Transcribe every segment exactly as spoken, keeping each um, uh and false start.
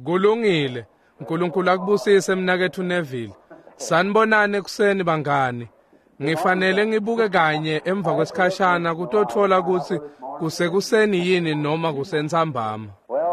Kulungile. Nkulunkulu akubusise mnaketfu Neville. Sanibonani ekuseni bangani. Ngifanele ngibuke kanye emva kwesikhashana kutotfola kutsi kusekuseni yini noma kusentsambama.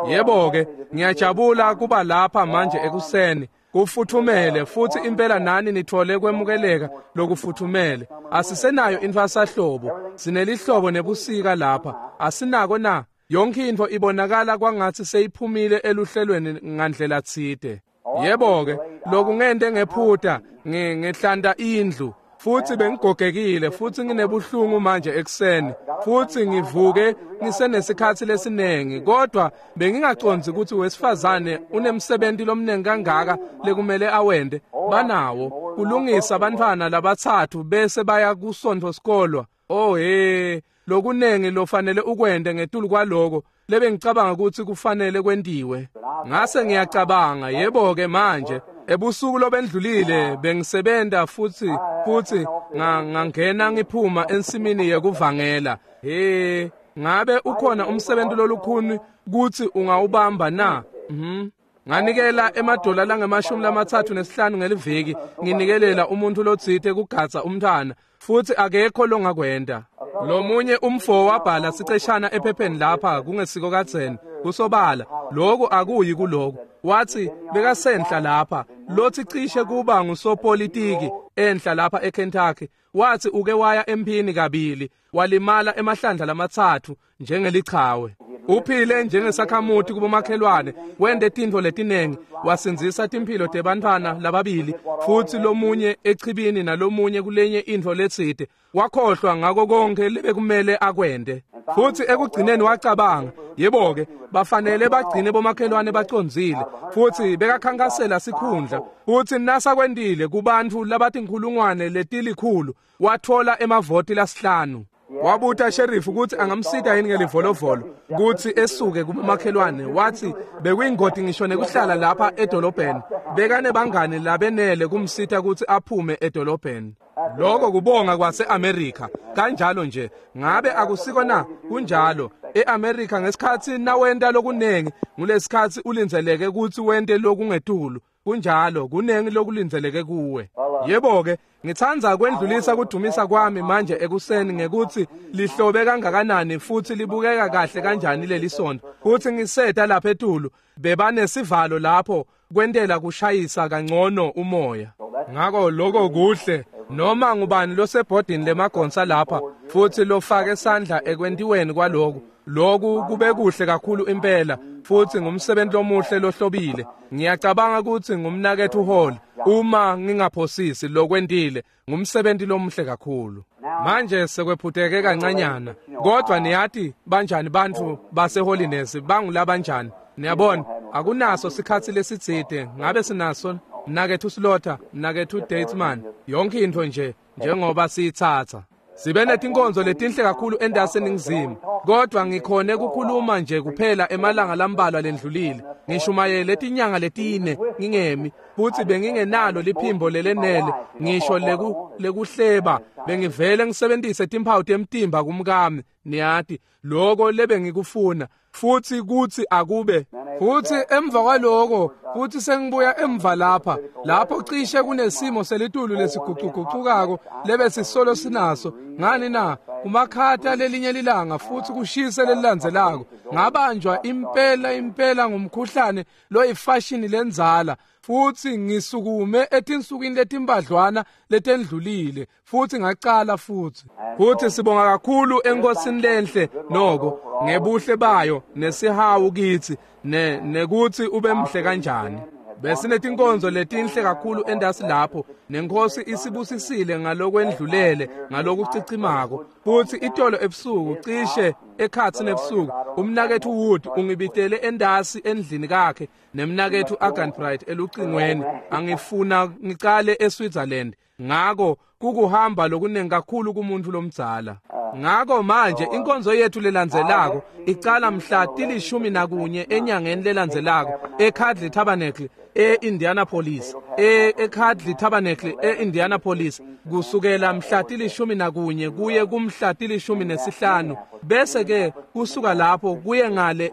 Yebo-ke, ngiyajabula kuba lapha manje ekuseni. Kufuthumele futsi impela nani nitfole kwemukeleka lokufuthumele. Asisenayo intfwasahlobo, sinelihlobo nebusika lapha. Asinako na? Yonke intfo ibonakala kwangatsi seyiphumile eluhlelweni ngandlela tsite. Yebo-ke, lokungente ngephuta, ngihlanta indlu. Futsi bengigogekile futsi nginebuhlungu manje ekuseni futsi ngivuke ngisenesikhatsi lesinengi, kodwa bengingacondzi kutsi wesifazane unemsebenti lomnengi kangaka lekumele awente. Banawo kulungisa bantfwana labatsatfu bese baya kusontfo sikolwa. Oh he, lokunengi lofanele ukwente ngetulu kwaloko lebengicabanga kutsi kufanele kwentiwe. Ngase ngiyacabanga, yebo-ke manje ebusuku lobendlulile bengisebenta futsi futsi ngangena ngiphuma ensimini yekuvangela. He, ngabe ukhona umsebenzi lolukhuni kutsi ungawubamba na? Mhm. Nganikela emadola langemashumi lamatsatfu nesihlanu ngeliviki nginikelela umuntu lotsite kugadza umntfwana, futsi akekho longakwenta. Lomunye umfo wabhala siceshana ephepheni lapha kungesiko kadzeni kusobala lokhu akuyi kuloko. Wathi bekasenhla lapha lothi cishe kuba ngusopolitiki enhla lapha eKentucky. Wathi uke waya emphini kabili, walimala emahlandla lamatsatfu njengelichawe. Uphile njengesakhamuti kubomakhelwane, wente tintfo letinengi, wasindzisa timphilo tebantfwana lababili, futsi lomunye echibini nalomunye kulenye intfo letsite. Wakhohlwa ngako konke lebekumele akwente. Futsi ekugcineni wacabanga, yebo-ke, bafanele bagcine bomakhelwane bacondzile. Futsi bekakhankasela sikhundla. Futsi nasakwentile kubantfu labatinkhulungwane letilikhulu, watfola emavoti lasihlanu. Wabuta sheriff kutsi angamsita yini ngelivolovolo kutsi esuke kubomakhelwane. Wathi bekuyingoti ngisho nekuhlala lapha edolobheni. Bekanebangani labenele kumsita kutsi aphume edolobheni. Lokho kubonga kwase-Amerika. Kanjalo nje, ngabe akusiko na? Kunjalo. E-Amerika ngesikhatsi nawenta lokunengi, ngulesikhatsi ulindzeleke kutsi wente lokungetulu. Kunjalo, kunengi lokulindzeleke kuwe. Yebo-ke, ngitsandza kwendlulisa kudumisa kwami manje ekuseni ngekutsi lihlobe kangakanani futsi libukeka kahle kanjani leli sonto. Futsi ngiseta lapha etulu, bebanesivalo lapho kwentela kushayisa kangcono umoya. Ngako lokho kuhle. Noma ngubani losebhodini lemagonsa lapha futsi lofake sandla ekwentiweni kwaloku, loku kube kuhle kakhulu impela futsi ngumsebenzi lomuhle lohlobile. Ngiyacabanga kutsi ngumnaketfu Hall, uma ngingaphosisi lokwentile, ngumsebenzi lomuhle kakhulu. Manje sekwephuteke kancanyana, kodwa niyati banjani bantfu baseHoliness, bangulabanjani. Niyabona, akunaso sikhatsi lesitsite. Ngabe sinaso mnaketfu Slaughter, mnaketfu Datesman, yonke intfo nje njengoba siyitsatsa. Sibe netinkonzo letinhle kakhulu endasi eNingizimu, kodwa ngikhone kukhuluma nje kuphela emalanga lambalwa lendlulile. Ngishumayele tinyanga letine ngingemi, futsi bengingenalo liphimbo lelenele ngisho leku lekuhleba. Bengivele ngisebentise timphawu temtimba kumkami, niyati loko lebengikufuna, futsi kutsi akube. Futsi emva kwaloko futsi sengibuya emva lapha lapho cishe kunesimo selitulu lesigucugucukako lebesisolo sinaso. Ngani na? Kumakhata lelinye lilanga futsi kushise lelilandzelako. Ngabanjwa impela impela ngumkhuhlane loyifashini lendzala, futsi ngisukume etinsukwini letimbadlwana letendlulile futsi ngacala futsi. Futsi sibonga kakhulu eNkosini lenhle noko ngebuhle bayo nesihawu kitsi ne nekutsi ube mhle kanjani. Besinetinkonzo letinhle kakhulu endasi lapho, nenkosi isibusisile ngalokwendlulele ngalokucicimako. Futsi itolo ebusuku cishe ekhatsi nebusuku, umnaketfu Wood ungibitele endasi endlini kakhe nemnaketfu Arganbright elucingweni. Angifuna ngicale eSwitzerland. Ngako kukuhamba lokunengi kakhulu kumuntu lomdzala. Ngako manje inkonzo yethu lelandzelako icala mhla tilishumi nakunye enyangeni lelandzelako eCadley Tabernacle e-Indianapolis, eCadley Tabernacle e-Indianapolis, kusukela mhla tilishumi nakunye kuye kumhla tilishumi nesihlanu. Bese ke kusuka lapho kuye ngale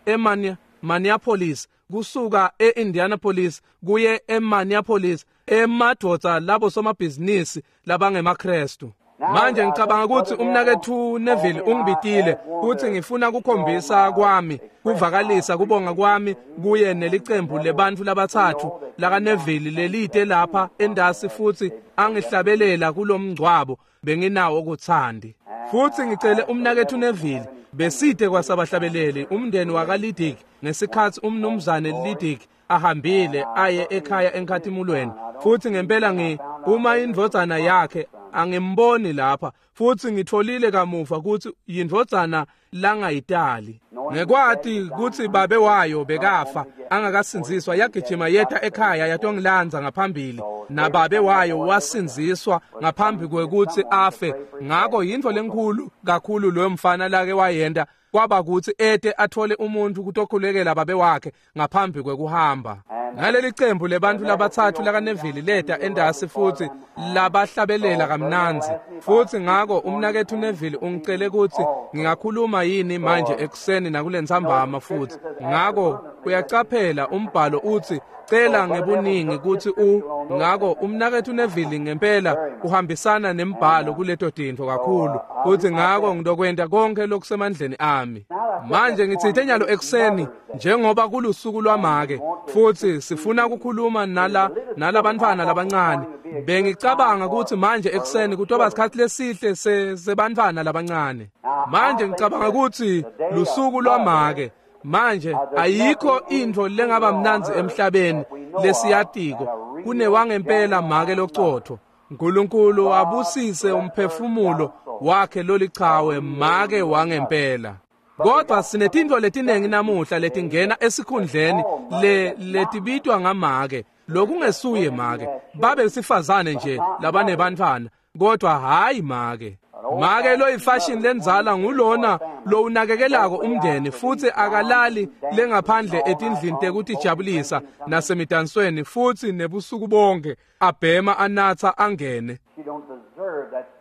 e-Minneapolis kusuka e-Indianapolis kuye eMinneapolis, emadvodza labo somabhizinisi labangemaKrestu. Manje ngicabanga ukuthi umnaketfu Neville ungibitile ukuthi ngifuna kukhombisa kwami, kuvakalisa kubonga kwami kuye nelicembu lebantfu labatsatfu laka Neville lelite lapha endasi futhi angihlabelela kulomngcwabo benginawo kuthandi. Futhi ngicele umnaketfu Neville besite kwasabahlabeleli umndeni wakaLidik ngesikhathi umnumzane Lidik ahambile aye ekhaya enkhatimulweni. Futhi ngempela ngi uma indvodzana yakhe angimboni lapha, futhi ngitholile kamuva ukuthi yindvodzana langayitali. Ngekwati ukuthi babe wayo bekafa angakasindziswa, yagijima yeta ekhaya yatongilandza ngaphambili, nababe wayo wasindziswa ngaphambi kwekuthi afe. Ngako yintfo lenkhulu kakhulu loyo mfana lake wayenta kwaba kutsi ete athole umuntu kutokhulekela babe wakhe ngaphambi kwekuhamba. Ngaleli cembu lebantfu labatsatfu lakaNeville leta endasi futhi labahlabelela kamnandzi. Futhi ngako umnaketfu Neville ungicele kutsi ngingakhuluma yini manje ekuseni nakulentsambama futhi. Ngako uyacaphela umbhalo utsi cela ngebuningi kutsi u ngako umnaketfu Neville ngempela uhambisana nembhalo kuleto tintfo kakhulu. Futhi ngako ngidokwenta konke lokusemandleni ami. Manje ngitsite nyalo ekuseni njengoba kulusuku lwamake futhi sifuna ukukhuluma nala nalabantfwana labancane. Bengicabanga ukuthi manje ekuseni kutoba isikhathi lesihle sebantfwana labancane. Manje ngicabanga ukuthi lusuku lwamake. Manje ayikho intfo lengaba mnandzi emhlabeni lesiyatiko kunewangempela make locotho. uNkulunkulu abusise umphefumulo wakhe lolichawe make wangempela. Kodwa sinetintfo letinengi namuhla letingena esikhundleni le letibitwa ngamake lokungesuye make, babe sifazane nje labanebantfwana, kodwa hayi make. Make lo ifashion lendzala ngulona lo unakekelako umndeni futhi akalali lengaphandle etindlini tekutijabulisa nasemidansweni futhi nebusuku bonke abhema anatha angene.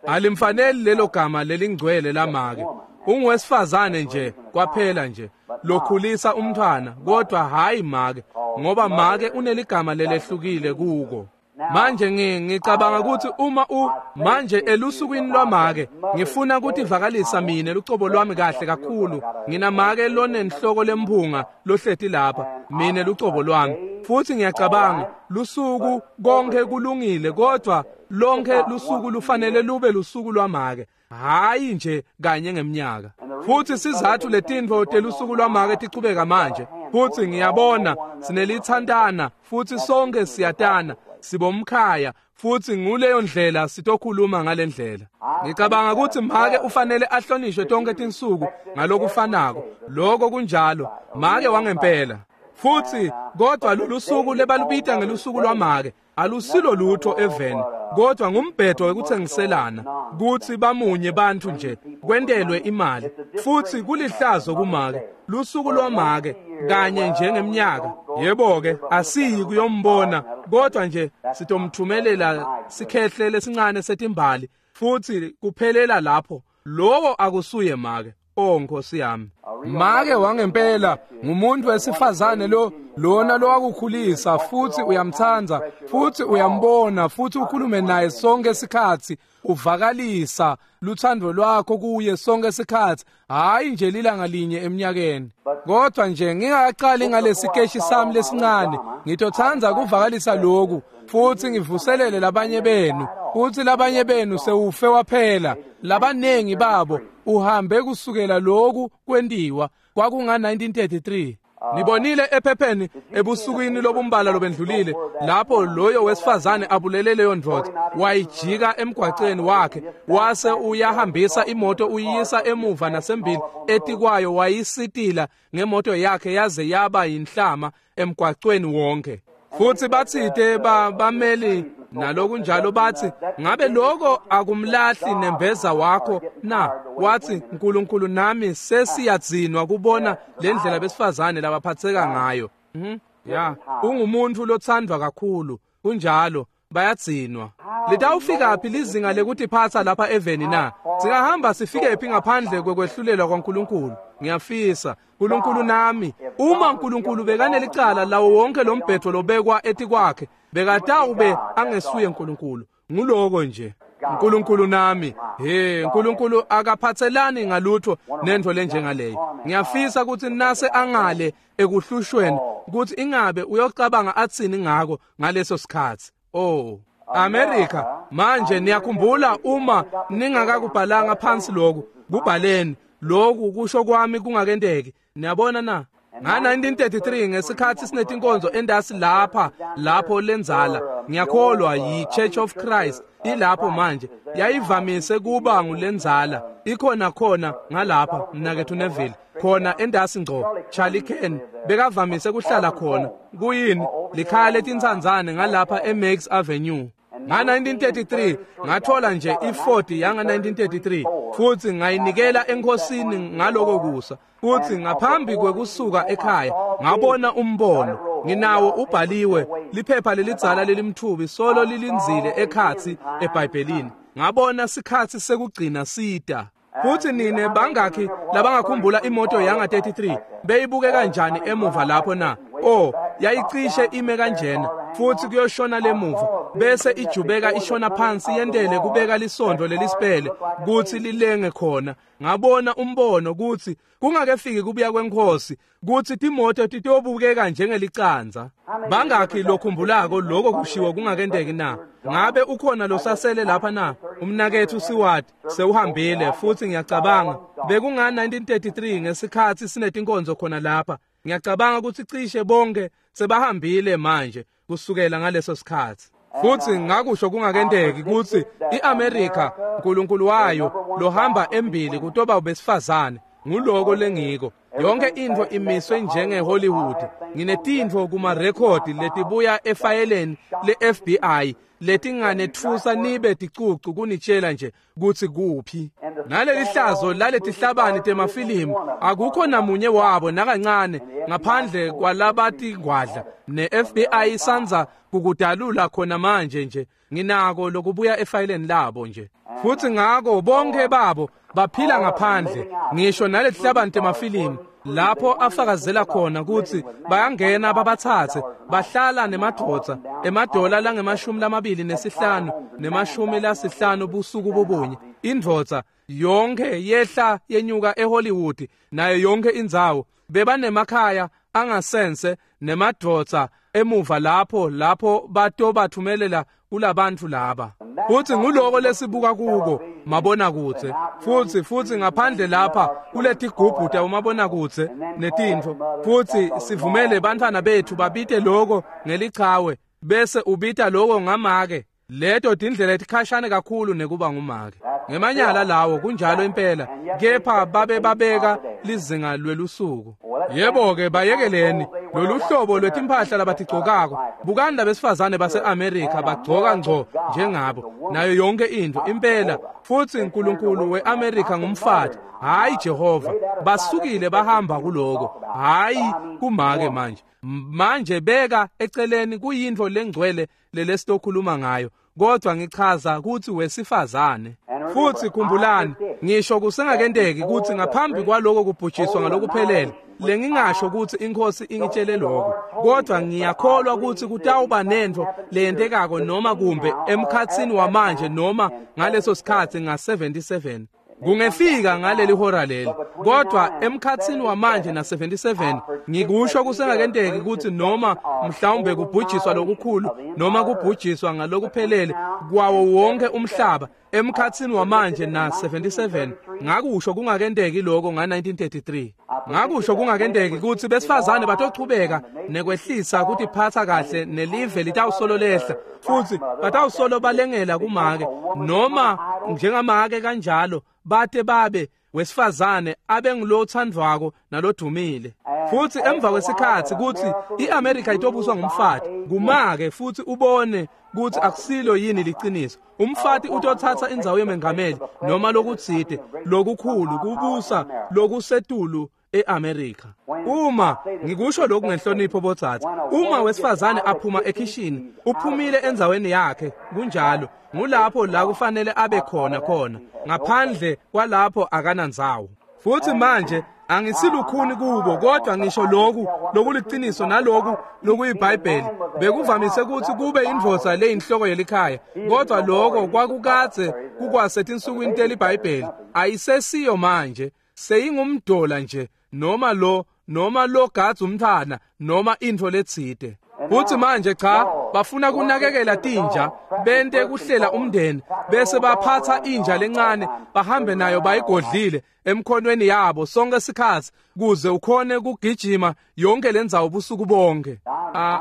Alimfaneli lelo gama lelingcwele lamake. Ungwesifazane nje kwaphela nje lokhulisa umntwana, kodwa hayi make, ngoba make uneligama lelehlukile kuko. Manje ngicabanga ukuthi uma u manje elusukwini lwamake ngifuna ukutivakalisa mina lucobo lwami kahle kakhulu. Nginamake lonenhloko lemphunga lohleti lapha, mina lucobo lwami. Futhi ngiyacabanga lusuku konke kulungile, kodwa lonke lusuku lufanele lube lusuku lwamake, hayi nje kanye ngeminyaka. Futhi sizathu letintfo telusuku lwamake tichubeka manje. Futhi ngiyabona sinelithantana futhi sonke siyatana, sibomkhaya, futhi nguleyo ndlela sitokhuluma ngalendlela. Ngicabanga ukuthi make ufanele ahlonishwe tonke tinsuku ngalokufanako. Lokho kunjalo, make wangempela. Futhi kodwa lolu suku lebalubita ngelusuku lwamake alusilo lutho eveni, kodwa ngumbhedo wekuthengiselana kutsi bamunye bantfu nje kwentelwe imali. Futhi kulihlazo kumake lusuku lwamake kanye njengemnyaka. Yebo ke asiyi kuyombona, kodwa nje sitomthumelela sikhehle lesincane setimbali futhi kuphelela lapho. Lowo akusuye make. Oh Nkosi yami, make wangempela ngumuntu wesifazane lo lona lowakukhulisa futhi uyamthanda futhi uyambona futhi ukhulume naye sonke isikhathi, uvakalisa luthando lwakho kuye sonke isikhathi, hayi nje lilanga linye eminyakeni. Kodwa nje ngingaqali ngalesikeshi sami lesincane, ngitothandza kuvakalisa lokhu futhi ngivuselele labanye benu. Futhi labanye benu sewufe waphela, labanengi babo uhambe kusukela lokhu kwentiwa kwakunga nineteen thirty-three. Nibonile ephepheni ebusukwini lobumbala lobendlulile lapho loyo wesifazane abulele leyo ndvodza, wayijika emgwaceni wakhe wase uyahambisa imoto uyisa emuva nasembili etikwayo, wayisitila ngemoto yakhe yaze yaba yinhlama emgwacweni wonke. Futhi bathite bameli nalokunjalo bathi, ngabe lokho akumlahli nembeza wakho na? Wathi, uNkulunkulu nami sesiyadzinwa kubona lendlela besifazane labaphatheka ngayo. Mhm ya, ungumuntu lothandwa kakhulu, kunjalo bayadzinwa. Litawufika phi lizinga lekutiphatsa lapha eveni na? Singahamba sifike phi ngaphandle kwekwehlulelwa kwaNkulunkulu? Ngiyafisa uNkulunkulu nami, uma uNkulunkulu bekanelicala lawo wonke lombhedo lobekwa etikwakhe, bekatawube angesuye uNkulunkulu. Nguloko nje. uNkulunkulu nami, he, uNkulunkulu akaphathelani ngalutho nento lenjengaleyo. Ngiyafisa ukuthi nase angale ekuhlushweni ukuthi ingabe uyocabanga atsini ngako ngaleso sikhathi. Oh, America, manje niyakhumbula uma ningakakubhalanga phansi lokhu, kubhaleni lokhu kusho kwami kungakenteki. Niyabona na? Nga nineteen thirty-three ngesikhathi sinetinkonzo endasi lapha lapho lenzala, ngiyakholwa yi-Church of Christ ilapho manje, yayivamise kuba ngulenzala ikhona khona ngalapha mnakethu Neville, khona endasi ngco. Charlie Ken bekavamise kuhlala khona. Kuyini likhaya letinsandzane ngalapha eMax Avenue. Nga nineteen thirty-three ngathola nje i-Ford yanga nineteen thirty-three futhi ngayinikela enkosini ngaloko kusa. Futhi ngaphambi kwekusuka ekhaya ngabona umbono, nginawo ubhaliwe, liphepha lelidzala lelimthubi solo lilindzile ekhatsi eBhayibhelini. Ngabona sikhatsi sekugcina sita. Futhi nine bangakhi labangakhumbula imoto yanga thirty-three beyibuke kanjani emuva lapho na? Oh, yayicishe ime kanjena futhi kuyoshona lemuva bese ijubeka ishona phansi yendele kubeka lisondvo lelisipele kuthi lilenge khona. Ngabona umbono kuthi kungakefiki kubuya kwenkosi kuthi timoto titobukeka njengelicanza. Bangakhi lokhumbulako lokho kushiwo kungakenteki na? Ngabe ukhona losasele lapha na? Umnakethu Siward sewuhambile futhi ngiyacabanga bekunga nineteen thirty-three ngesikhathi sinetinkonzo khona lapha. Ngiyacabanga ukuthi cishe bonke sebahambile manje kusukela ngaleso sikhathi. Futhi ngakusho kungakenteki ukuthi iAmerica uNkulunkulu wayo lohamba embili kutoba ubesifazane. Nguloko lengiko. Yonke into imiswe njenge Hollywood. Nginetintfo kuma record letibuya efayeleni le-F B I letinganetfusa nibe ticucu kunitshela nje kutsi kuphi. Naleli hlazo laletihlabani temafilimu akukho namunye wabo nakancane ngaphandle kwalabatingwadla. Ne-F B I isanza kukudalula khona manje nje. Nginako lokubuya efayeleni labo nje. Futhi ngako bonke babo baphila ngaphandle ngisho naletihlabani temafilimu lapho afakazela khona ukuthi bayangena babathathe bahlala nemadvodza emadola langemashumi lamabili nesihlanu nemashumi lasihlanu busuku bobunye. Indvodza yonke yehla yenyuka eHollywood nayo yonke indzawo bebanemakhaya angasense nemadvodza emuva lapho lapho batobathumelela kulabantu laba. Futhi nguloko lesibuka kuko mabonakudze. Futhi futhi ngaphandle lapha kuletigubhu tawumabonakudze netintfo, futhi sivumele bantfwana bethu babite loko ngelichawe bese ubita loko ngamake. Leto tindlela etikhashane kakhulu nekuba ngumake. Ngemanyala lawo kunjalo impela, kepha babe babeka lizinga lwelusuku. Yebo ke bayekeleni lolu hlobo lwetimphahla labatigcokako. Bukani labesifazane base-Amerika bagcoka ngco njengabo nayo yonke intfo impela. Futhi uNkulunkulu we-Amerika ngumfati, hayi Jehova. Basukile bahamba kuloko, hayi kumake manje. Manje beka eceleni kuyintfo lengcwele lelesitokhuluma ngayo, kodwa ngichaza ukuthi wesifazane. Futhi khumbulani, ngisho kusengakenteki ukuthi ngaphambi kwaloko kubhujiswa ngalokuphelele, lengingasho ukuthi inkosi ingitshele lokho, kodwa ngiyakholwa ukuthi kutawuba nentfo leyentekako noma kumbe emkhatsini wamanje noma ngaleso sikhathi nga seventy-seven. Kungefika ngaleli hora leli, kodwa emkhatsini wamanje na seventy-seven ngikusho kusengakenteki ukuthi noma mhlawumbe kubhujiswa lokukhulu noma kubhujiswa ngalokuphelele kwawo wonke umhlaba emkhatsini wamanje na seventy-seven. Ngakusho kungakenteki lokho nga nineteen thirty-three. Ngakusho kungakenteki ukuthi besifazane batochubeka nekwehlisa kutiphatha kahle nelive litawusolo lehla futhi batawusolo balengela kumake noma njengamake kanjalo bate babe wesifazane abe ngulothandvwako nalodumile. Futhi emva kwesikhathi kuthi iAmerica itobuswa ngumfati kumake, futhi ubone kuthi akusilo yini liqiniso. Umfati utothatha indzawo yemengameli noma lokutsite lokukhulu kubusa lokusetulu eAmerica. Uma ngikusho lokhu ngenhlonipho botsatsi, uma wesifazane aphuma ekhishini uphumile endzaweni yakhe, kunjalo ngulapho la kufanele abe khona khona, ngaphandle kwalapho akanandzawo. Futhi manje Angisilukhuni kubo, kodwa ngisho lokhu lokuliciniso naloku lokuyiBhayibheli. Bekuvamise ukuthi kube indvodza leyinhloko yelikhaya, kodwa lokho kwakukadze kukwasetinsukwini teliBhayibheli. Ayisesiyo manje, seyingumdola nje, noma lo noma logadza umntfwana noma intfo letsite. Futhi manje cha, bafuna kunakekela tinja, bente kuhlela umndeni, bese baphatha inja lencane bahambe nayo bayigodlile emkhonweni yabo sonke isikhathi kuze ukhone kugijima yonke lendzawo busuku bonke.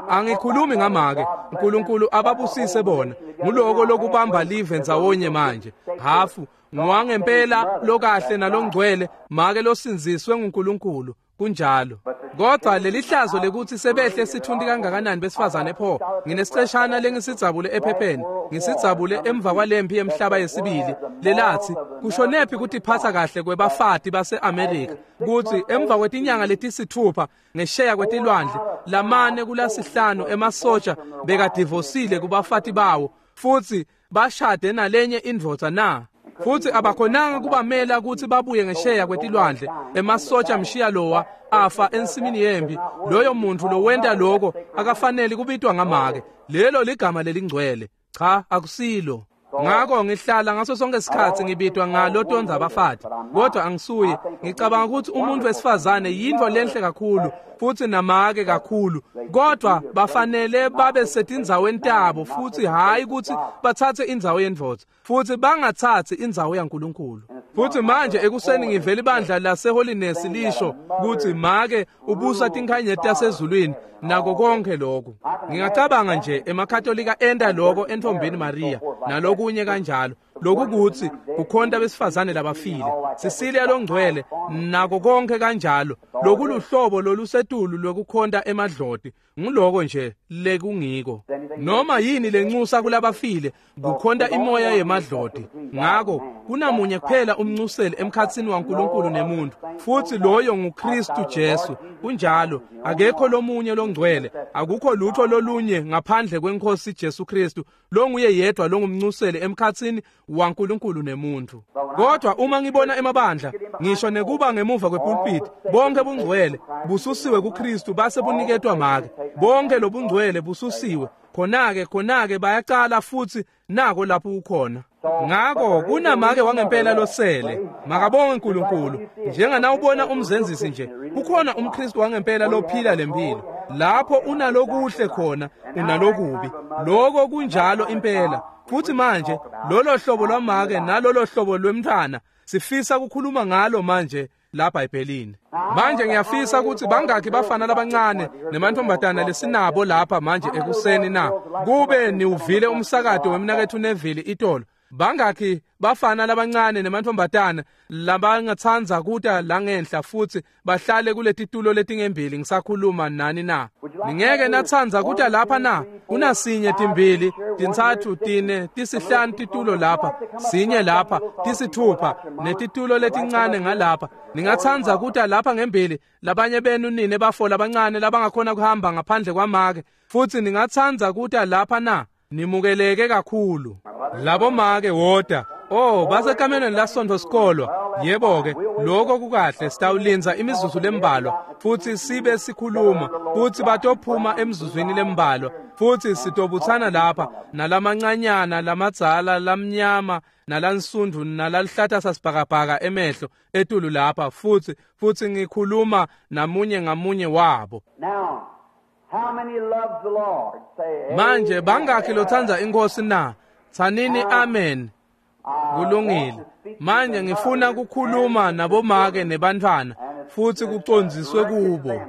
Angikhulumi ngamake, uNkulunkulu ababusise bona. Nguloko lokubamba live ndzawonye manje. Hafu ngwangempela lokahle nalongcwele, make losinziswe nguNkulunkulu. Kunjalo. Kodwa lelihlazo lekuthi sebehle sithundi kangakanani besifazane pho. Nginesiceshana lengisidzabule ephepheni, ngisidzabule emva kwalempi yemhlaba yesibili lelathi kushonephi kutiphatsa kahle kwebafati base-Amerika, kutsi emva kwetinyanga letisithupha ngesheya kwetilwandle lamane kulasihlanu emasoja bekadivosile kubafati bawo futhi bashade nalenye indvodza na. Futhi abakhonanga kubamela ukuthi babuye ngesheya kwetilwandle. Emasoja mshiya lowa afa ensimini yempi. Loyo muntu lowenta lokho akafanele kubitwa ngamake. Lelo ligama lelingcwele. Cha, akusilo. Ngakho ngihlala ngaso sonke isikhathi ngibitwa ngalo tonza abafati, kodwa angisuye. Ngicabanga ukuthi umuntu wesifazane yinto lenhle kakhulu futhi namake kakhulu, kodwa bafanele babe setindzaweni tabo futhi hayi ukuthi bathathe indzawo yendvodza, futhi bangathathi indzawo yaNkulunkulu. Futhi manje ekuseni ngivela ibandla laseHoliness lisho ukuthi make ubusa tinkhanyeti tasezulwini nako konke lokho. Ngingacabanga nje emaKatolika enta lokho entombini Maria nalokunye kanjalo. Lokhu kuthi kukhonta besifazane labafile, Cecilia longcwele nako konke kanjalo. Lokuluhlobo lolusetulu lokukhonta emadloti, nguloko nje lekungiko. Noma yini lencusa kulabafile kukhonta imoya yemadloti. Ngako kunamunye kuphela umncuseli emkhatsini waNkulunkulu nemuntu, futhi loyo nguKristu Jesu. Kunjalo, akekho lomunye longcwele, akukho lutho lolunye ngaphandle kweNkosi Jesu Kristu, longuye yedwa longumncuseli emkhatsini waNkulunkulu nemuntu. Kodwa uma ngibona emabandla, ngisho nekuba ngemuva kwepulpit, bonke bungcwele bususiwe kuKristu base buniketwa make. Bonke lobungcwele bususiwe. Khona-ke khona-ke bayaqala futhi nako lapho ukhona. Ngako kunamake wangempela losele. Makabonge uNkulunkulu. Njenganawubona umzenzisi nje, kukhona umKristu wangempela lophila lempilo. Lapho unalokuhle khona, unalokubi. Lokho kunjalo impela. Futhi manje lolo hlobo lwamake nalolo hlobo lwemntwana sifisa ukukhuluma ngalo manje lapha eBhayibhelini. Manje ngiyafisa ukuthi bangakhi bafana labancane nemantombazana lesinabo lapha manje ekuseni na. Kube niwuvile umsakato wemnakethu Neville itolo. Bangakhi bafana labancane nemantombazana labangathandza kuta la ngenhla futhi bahlale kuletitulo letingembili ngisakhuluma nani na. Ningeke nathandza kuta lapha na? Kunasinye, timbili, tintsatfu, tine, tisihlanu titulo lapha, sinye lapha, tisithupha netitulo letincane ngalapha. Ningathandza kuta lapha ngembili, labanye benu nine bafo labancane labangakhona kuhamba ngaphandle kwamake, futhi ningathandza kuta lapha na? Nimukeleke kakhulu. Labo make woda. Oh, basekamelweni lasonto sikolwa. Yebo ke, lokho kukahle, sitawulinza imizuzu lembalwa futhi sibe sikhuluma, futhi batophuma emzuzwini lembalwa, futhi sitobuthana lapha nalamancanyana lamadzala lamnyama nalansundu nalalihlata sasibhakabhaka emehlo etulu lapha, futhi futhi ngikhuluma namunye ngamunye wabo. Now, how many loves the Lord? Say manje bangakhi lotsandza inkosi na? Tsanini amen. Kulungile. Manje ngifuna ukukhuluma nabomake nebantwana futhi kucondziswe kubo.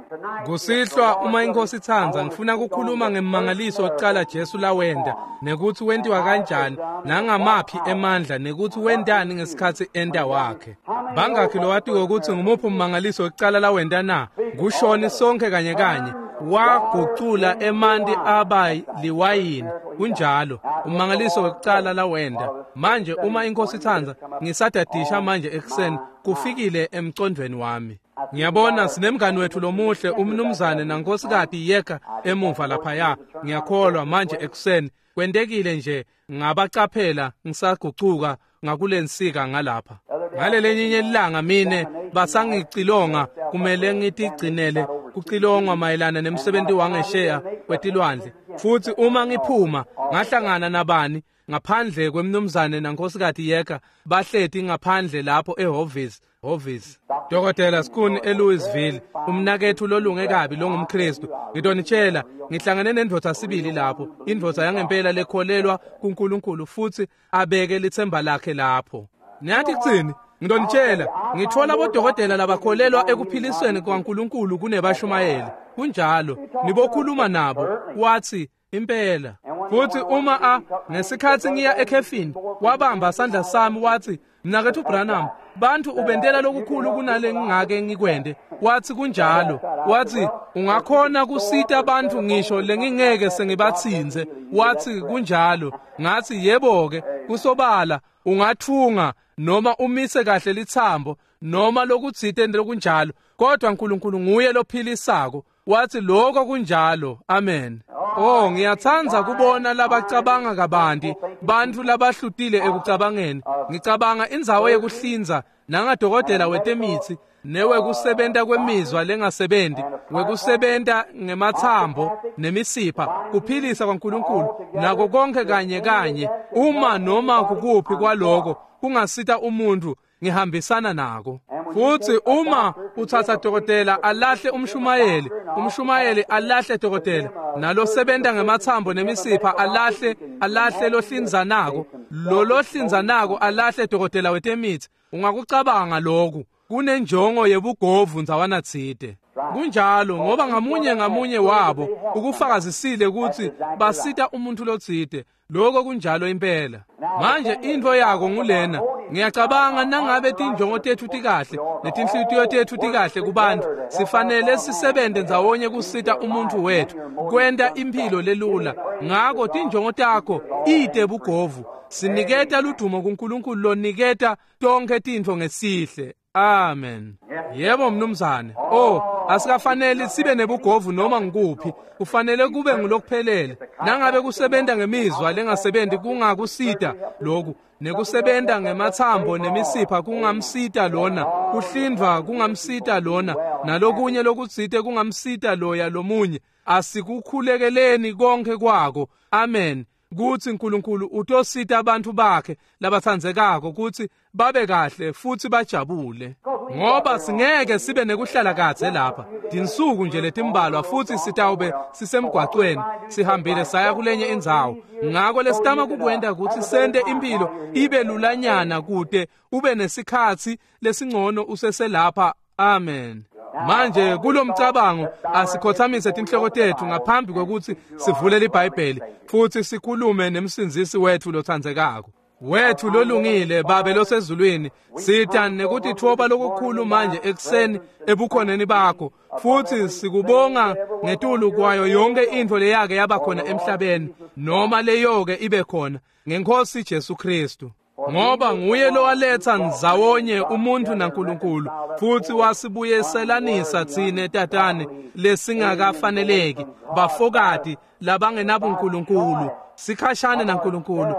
Kusihlwa uma inkosi itsandza ngifuna ukukhuluma ngemangaliso oqala Jesu lawenda, nekuthi wentiwa kanjani nangamaphi emandla, nekuthi wentani ngesikhathi enta wakhe. Bangakhi lowatiwe ukuthi ngumuphi ummangaliso oqala lawenta na? Kushoni sonke kanye kanye. Wagucula emanti aba liwayini. Kunjalo, ummangaliso wekucala lawenda. Manje uma inkosi itsandza ngisadadisha manje ekuseni kufikile emcondweni wami. Ngiyabona sinemngani wethu lomuhle umnumzane nankosikazi Yeka emuva laphaya. Ngiyakholwa manje ekuseni kwentekile nje ngabacaphela ngisagucuka ngakulensika ngalapha. Ngalelinye ilanga mine basangicilonga kumele ngitigcinele kucilongwa mayelana nemsebenzi wangesheya kwetilwandle. Futhi uma ngiphuma ngahlangana nabani ngaphandle kwemnumzane nankosikazi Yeka bahleti ngaphandle lapho ehhovisi hhovisi Dokotela Skuni eLouisville, umnakethu lolunge kabi longumKristu. Ngidonitshela ngihlangene nendvodza sibili lapho, indvodza yangempela lekholelwa kuNkulunkulu futhi abeke lithemba lakhe lapho. Niyathi kuthini? Ngidonitshela ngithola bodokotela labakholelwa ekuphilisweni kwaNkulunkulu kunebashumayeli. Kunjalo, nibokhuluma nabo. Wathi impela. Futhi uma a ngesikhathi ngiya ekhefini wabamba sandla sami wathi, mnakethu Branham, bantu ubentela lokukhulu kunale ngingake ngikwende. Wathi kunjalo. Wathi ungakhona kusita abantu ngisho lengingeke sengibathinze. Wathi kunjalo. Ngathi yebo ke, kusobala ungathunga noma umise kahle lithambo noma lokutsite lokunjalo, kodwa uNkulunkulu nguye lophilisako. Wathi lokho kunjalo. Amen. Oh, ngiyathanda kubona labacabanga kabanti, bantu labahlutile ekucabangeni. Ngicabanga indzawo yekuhlinza nangadokotela wetemithi newekusebenta kwemizwa lengasebenzi, wekusebenta ngemathambo nemisipha, kuphilisa kwaNkulunkulu nako konke kanye kanye. Uma noma kukuphi kwaloko kungasita umuntu, ngihambisana nako. Futhi uma uthatha dokotela alahle umshumayeli, umshumayeli alahle dokotela, nalosebenta ngemathambo nemisipha alahle alahle lohlinzanako, lo lohlinzanako alahle dokotela wetemithi. Ungakucabanga lokhu kunenjongo yebugovu ndzawana tsite. Kunjalo, ngoba ngamunye ngamunye wabo ukufakazisile ukuthi basita umuntu lotsite. Lokho kunjalo impela. Manje into yako ngulena. Ngiyacabanga nangabe tinjongo tethu tikahle netinhlitiyo tethu tikahle kubantu, sifanele sisebenze ndzawonye kusita umuntu wethu kwenta impilo lelula. Ngako tinjongo takho ite bugovu. Siniketa ludumo kuNkulunkulu loniketa tonke tintfo ngesihle. Amen. Yebo mnumzane. Oh, asikafanele sibe nebugovu noma ngikuphi. Kufanele kube ngulokuphelele. Nangabe kusebenta ngemizwa lengasebenzi kungakusita lokhu, nekusebenta ngemathambo nemisipha kungamsita lona, kuhlindwa kungamsita lona, nalokunye lokutsite kungamsita loya lomunye. Asikukhulekeleni konke kwako. Amen. Kuthi uNkulunkulu utosita abantu bakhe labathandzekako ukuthi babe kahle futhi bajabule, ngoba singeke sibe nekuhlala kadze lapha tinsuku nje letimbalwa futhi sitawube sisemgwacweni sihambile saya kulenye indzawo. Ngako lesitama kukwenta ukuthi sente impilo ibe lulanyana kute ube nesikhatsi lesingcono useselapha. Amen. Manje kulomcabango asikhothamise tinhloko tethu ngaphambi kokuthi sivule iBhayibheli futhi sikhulume nemsindzisi wethu lothandzekako wethu lolungile. Babe losezulwini, sita nekutitfoba lokukhulu manje ekuseni ebukhoneni bakho, futhi sikubonga ngetulu kwayo yonke intfo leyake yaba khona emhlabeni noma leyoke ibe khona ngenkosi Jesu Kristu, ngoba nguye lowaletha ndzawonye umuntu naNkulunkulu futhi wasibuyeselanisa tsine tatane lesingakafaneleki, bafokati labangenabuNkulunkulu, sikhashane naNkulunkulu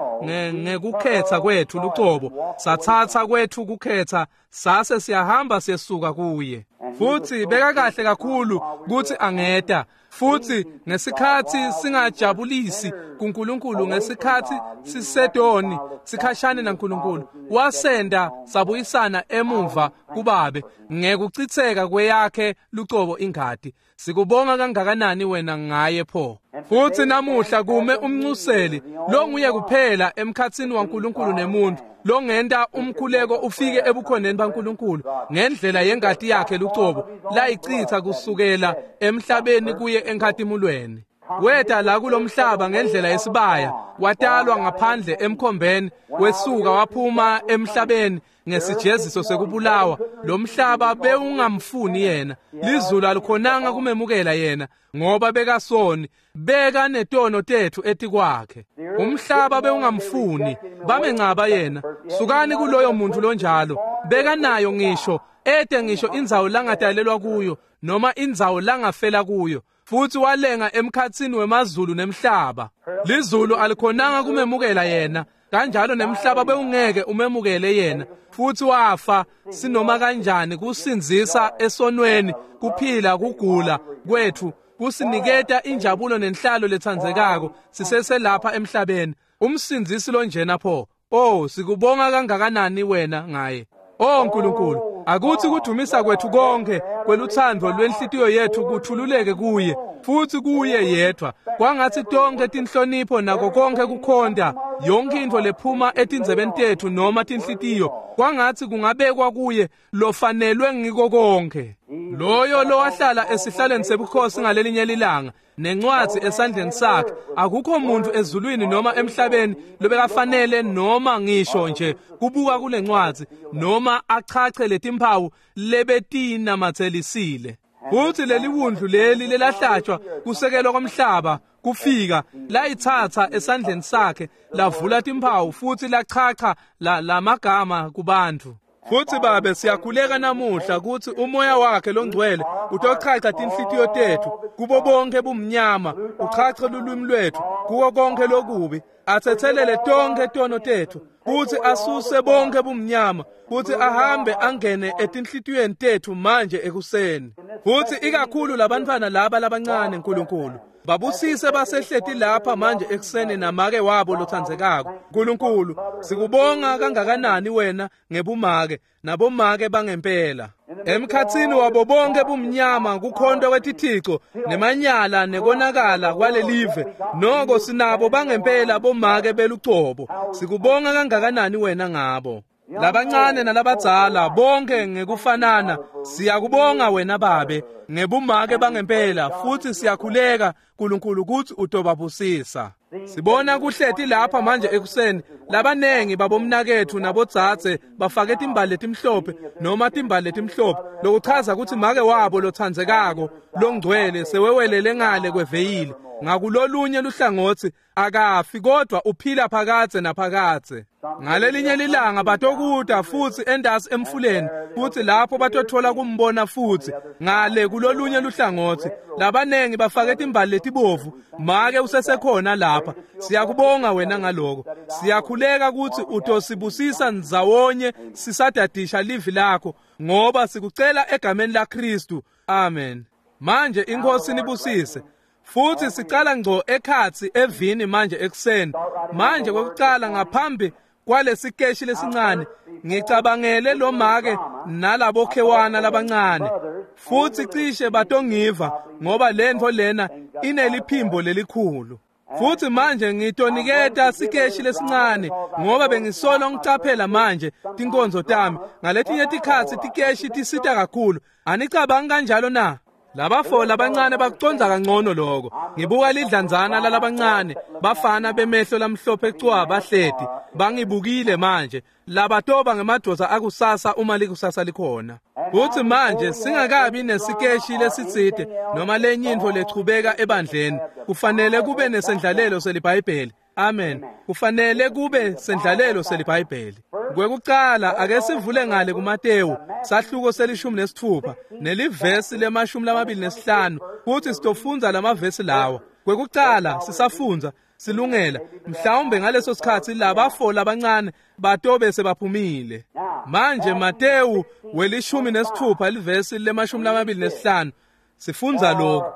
ngekukhetha kwethu lucobo, sathatha kwethu kukhetha sase siyahamba siyesuka kuye. Futhi beka kahle kakhulu kuthi angeta, futhi ngesikhathi singajabulisi kuNkulunkulu, ngesikhathi sisedoni sikhashane naNkulunkulu, wasenda sabuyisana emuva kubabe ngekuchitheka kweyakhe lucobo ingadi. Sikubonga kangakanani wena ngaye pho. Futhi namuhla kume umncuseli longuye kuphela emkhatsini waNkulunkulu nemuntu, longenta umkhuleko ufike ebukhoneni baNkulunkulu ngendlela yengati yakhe lucobo layichitha kusukela emhlabeni kuye enkhatimulweni. Weta la kulomhlaba ngendlela yesibaya, watalwa ngaphandle emkhombeni, wesuka waphuma emhlabeni ngesijeziso sekubulawa. Lo mhlaba bewungamfuni yena, lizulu alikhonanga kumemukela yena ngoba bekasoni, beka netono tethu etikwakhe. Umhlaba bewungamfuni, bamencaba yena. Sukani kuloyo muntu lonjalo, beka nayo ngisho ete ngisho indzawo langadalelwa kuyo noma indzawo langafela kuyo. Futhi walenga emkhatsini wemazulu nemhlaba. Lizulu alikhonanga kumemukela yena, Kanjalo nemhlaba bewungeke umemukele yena, futhi wafa sinoma kanjani kusindzisa esonweni, kuphila kugula kwethu, kusiniketa injabulo nenhlalo letsandzekako siseselapha emhlabeni. Umsindzisi lonjena pho, oh sikubonga kangakanani wena ngaye. Oh Nkulunkulu, akuthi kudumisa kwethu konke kwelutsandvo lwenhlitiyo yethu kuthululeke kuye, futhi kuye yedwa. Kwangatsi tonke tinhlonipho nako konke kukhonta, yonke intfo lephuma etindzebeni tetfu noma tinhlitiyo, kwangatsi kungabekwa kuye lofanelwe ngiko konke. Loyo lowahlala esihlalweni sebukhosi ngalelinye lilanga nencwadzi esandleni sakhe, akukho muntu ezulwini noma emhlabeni lobekafanele noma ngisho nje kubuka kule ncwadzi noma achache letimphawu lebetinamatselisile. Futhi leli wundlu leli lelahlatshwa kusekelwa komhlaba kufika layitsatsa esandleni sakhe, lavula timphawu futhi lachacha la lamagama kubantu. Futhi Babe, siyakhuleka namuhla ukuthi umoya wakhe longcwele utochacha tinhlitiyo tethu kubo bonke bumnyama, uchache lulwimi lwethu kuko konke lokubi, athethelele tonke tono tethu, futhi asuse bonke bumnyama, futhi ahambe angene etinhlitiyweni tethu manje ekuseni. Futhi ikakhulu labantwana laba labancane, Nkulunkulu, babusise basehleti lapha manje ekuseni namake wabo lotsandzekako. Nkulunkulu, sikubonga kangakanani wena ngebumake nabomake bangempela. Emkhatsini wabo bonke bumnyama kukhonto kwetithixo nemanyala nekonakala kwalelive, noko sinabo bangempela bomake belucobo. Sikubonga kangakanani wena ngabo. Labancane nalabadzala bonke ngekufanana, siyakubonga wena Babe ngebumake bangempela, futhi siyakhuleka Nkulunkulu ukuthi utobabusisa. Sibona kuhleti lapha manje ekuseni labanengi babomnakethu nabodzadze bafake timbali letimhlophe noma timbali letimhlophe, lokuchaza ukuthi make wabo lotsandzekako longcwele sewewelele ngale kweveyili ngakulolunye luhlangotsi, akafi kodwa uphila phakadze naphakadze. Ngalelinye lilanga batokuta futhi endasi emfuleni, futhi lapho batothola kumbona futhi ngale kulolunye luhlangotsi. Labanengi bafake timbali letibovu, make usesekhona lapha. Siyakubonga wena ngaloko. Siyakhuleka ukuthi utosibusisa ndzawonye sisadadisha livi lakho, ngoba sikucela egameni laKristu. Amen. Manje inkosi nibusise. Futhi sicala ngco ekhatsi evini manje ekuseni. Manje kwekucala ngaphambi kwalesikeshi lesincane, ngicabangele lo make nalabo khewana labancane, futhi cishe batongiva ngoba lentfo lena ineliphimbo lelikhulu. Futhi manje ngitoniketa sikeshi lesincane ngoba bengisolo ngicaphela manje tinkonzo tami. Ngaletinye tikhatsi tikeshi tisita kakhulu. Anicabangi kanjalo na? Labafo labancane bakuconza kangcono lokho. Ngibuka lidlanzana lalabancane bafana bemehlo lamhlophe cwa bahleti bangibukile manje, labatoba ngemadoda akusasa uma likusasa likhona. Futhi manje singakabi nesikeshi lesitsite noma lenye intfo lechubeka ebandleni, kufanele kube nesendlalelo seliBhayibheli. Amen. Kufanele kube sendlalelo seliBhayibheli. Kwekucala ake sivule ngale kuMatewu sahluko selishumi nesithupha nelivesi lemashumi lamabili nesihlanu, futhi sitofundza lamavesi lawa. Kwekucala sisafundza silungela, mhlawumbe ngaleso sikhatsi labafo labancane batobe sebaphumile. Manje Matewu welishumi nesithupha livesi lemashumi lamabili nesihlanu sifundza lokhu: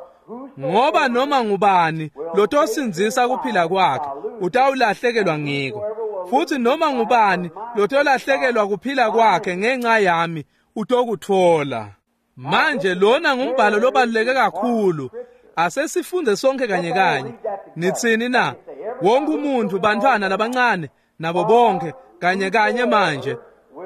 ngoba noma ngubani lotosindzisa kuphila kwakhe utawulahlekelwa ngiko, futhi noma ngubani lotolahlekelwa kuphila kwakhe ngenxa yami utokuthola. Manje lona ngumbhalo lobaluleke kakhulu. Asesifunde sonke kanye kanye. Nitsini na? Wonke umuntu, bantwana labancane nabo bonke kanye kanye manje.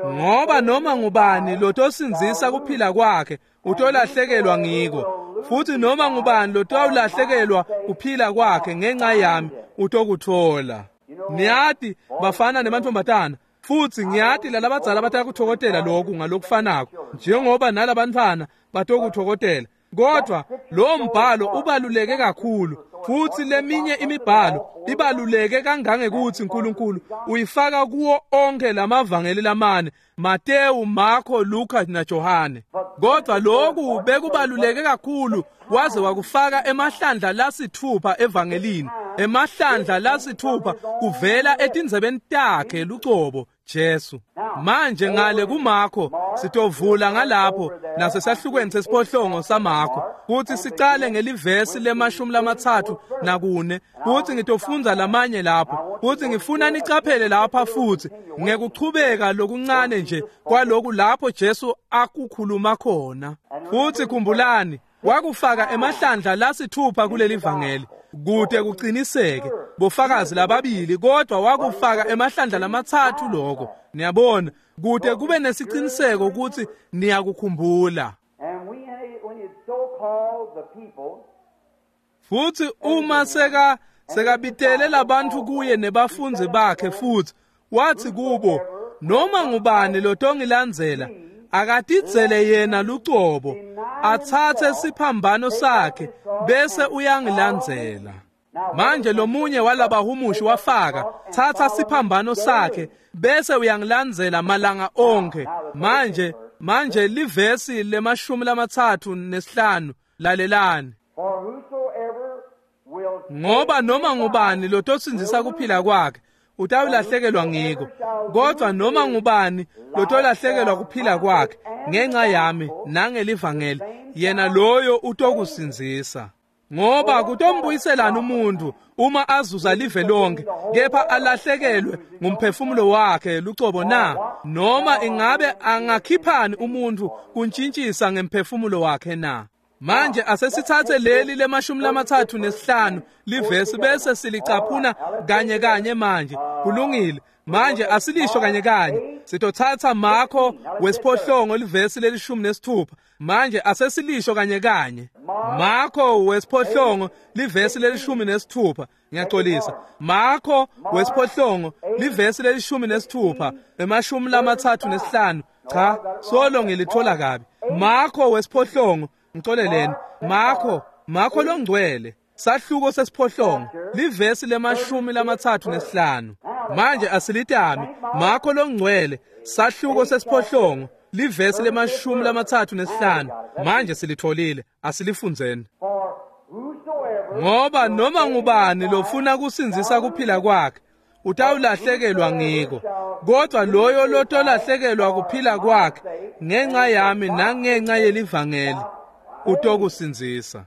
Ngoba noma ngubani lotosindzisa kuphila kwakhe utolahlekelwa ngiko, futhi noma ngubani lotawulahlekelwa kuphila kwakhe ngenxa yami utokuthola. Niyati bafana nemantombazana, futhi ngiyati lalabadzala batakuthokotela lokhu ngalokufanako njengoba nalabantwana batokuthokotela. Kodwa lo mbhalo ubaluleke kakhulu. Futsi leminye imibhalo ibaluleke kangangekutsi uNkulunkulu uyifaka kuwo onke lamavangeli lamane, Mateyu, Marko, Luka naJohane. Kodwa lokhu bekubaluleke kakhulu waze wakufaka emahlandla lasithupha evangelini, emahlandla lasithupha kuvela etindzebeni takhe lucobo Jesu. Manje ngale kuMarko sitovula ngalapho nasesahlukweni sesiphohlongo saMarko kuthi sicale ngelivesi lemashumi lamatsatfu nakune, kuthi ngitofundza lamanye lapho, kuthi ngifuna nicaphele lapha futhi ngekuchubeka lokuncane nje kwaloku lapho Jesu akukhuluma khona. Futhi khumbulani, wakufaka emahlandla lasithupha kuleli vangeli kude kuqiniseke bofakazi lababili, kodwa wakufaka emahlandla lamatsatfu lokho. Niyabona, kude kube nesiciniseko ukuthi niyakukhumbula. Futhi uma seka sekabitele labantu kuye nebafunzi bakhe, futhi wathi kubo, noma ngubani lotongilandzela akatidzele yena lucobo, atsatse siphambano sakhe bese uyangilandzela. Manje lomunye walabahumushi wafaka, thatha siphambano sakhe bese uyangilandzela malanga onke. Manje manje livesi lemashumi lamatsatfu nesihlanu, lalelani. Ngoba noma ngubani lotosindzisa kuphila kwakhe utawulahlekelwa ngiko, kodwa noma ngubani lotolahlekelwa kuphila kwakhe ngenxa yami nangelivangeli, yena loyo utokusindzisa. Ngoba kutombuyiselana umuntu uma azuza live lonke kepha alahlekelwe ngumphefumulo wakhe lucobo na? Noma ingabe angakhiphani umuntu kuntshintshisa ngemphefumulo wakhe na? Manje asesithathe leli lemashumi lamatsatfu nesihlanu livesi bese silicaphuna kanye kanye manje. Kulungile. Manje asilisho kanye kanye. Sitothatha Marko wesiphohlongo livesi lelishumi nesithupha. Manje asesilisho kanye kanye. Marko wesiphohlongo livesi lelishumi nesithupha. Ngiyaxolisa. Marko wesiphohlongo livesi lelishumi nesithupha emashumi lamatsatfu nesihlanu. Cha, solo ngilithola kabi. Marko wesiphohlongo, ngixoleleni. Marko, Marko longcwele, sahluko sesiphohlongo, livesi lemashumi lamatsatfu nesihlanu. Manje asilitami. Marko longcwele, sahluko sesiphohlongo, livesi lemashumi lamatsatfu nesihlanu. Manje silitholile, asilifundzeni. Ngoba noma ngubani lofuna kusindzisa kuphila kwakhe utawulahlekelwa ngiko, kodwa loyo lotolahlekelwa kuphila kwakhe ngenxa yami nangenxa yelivangeli utokusindzisa.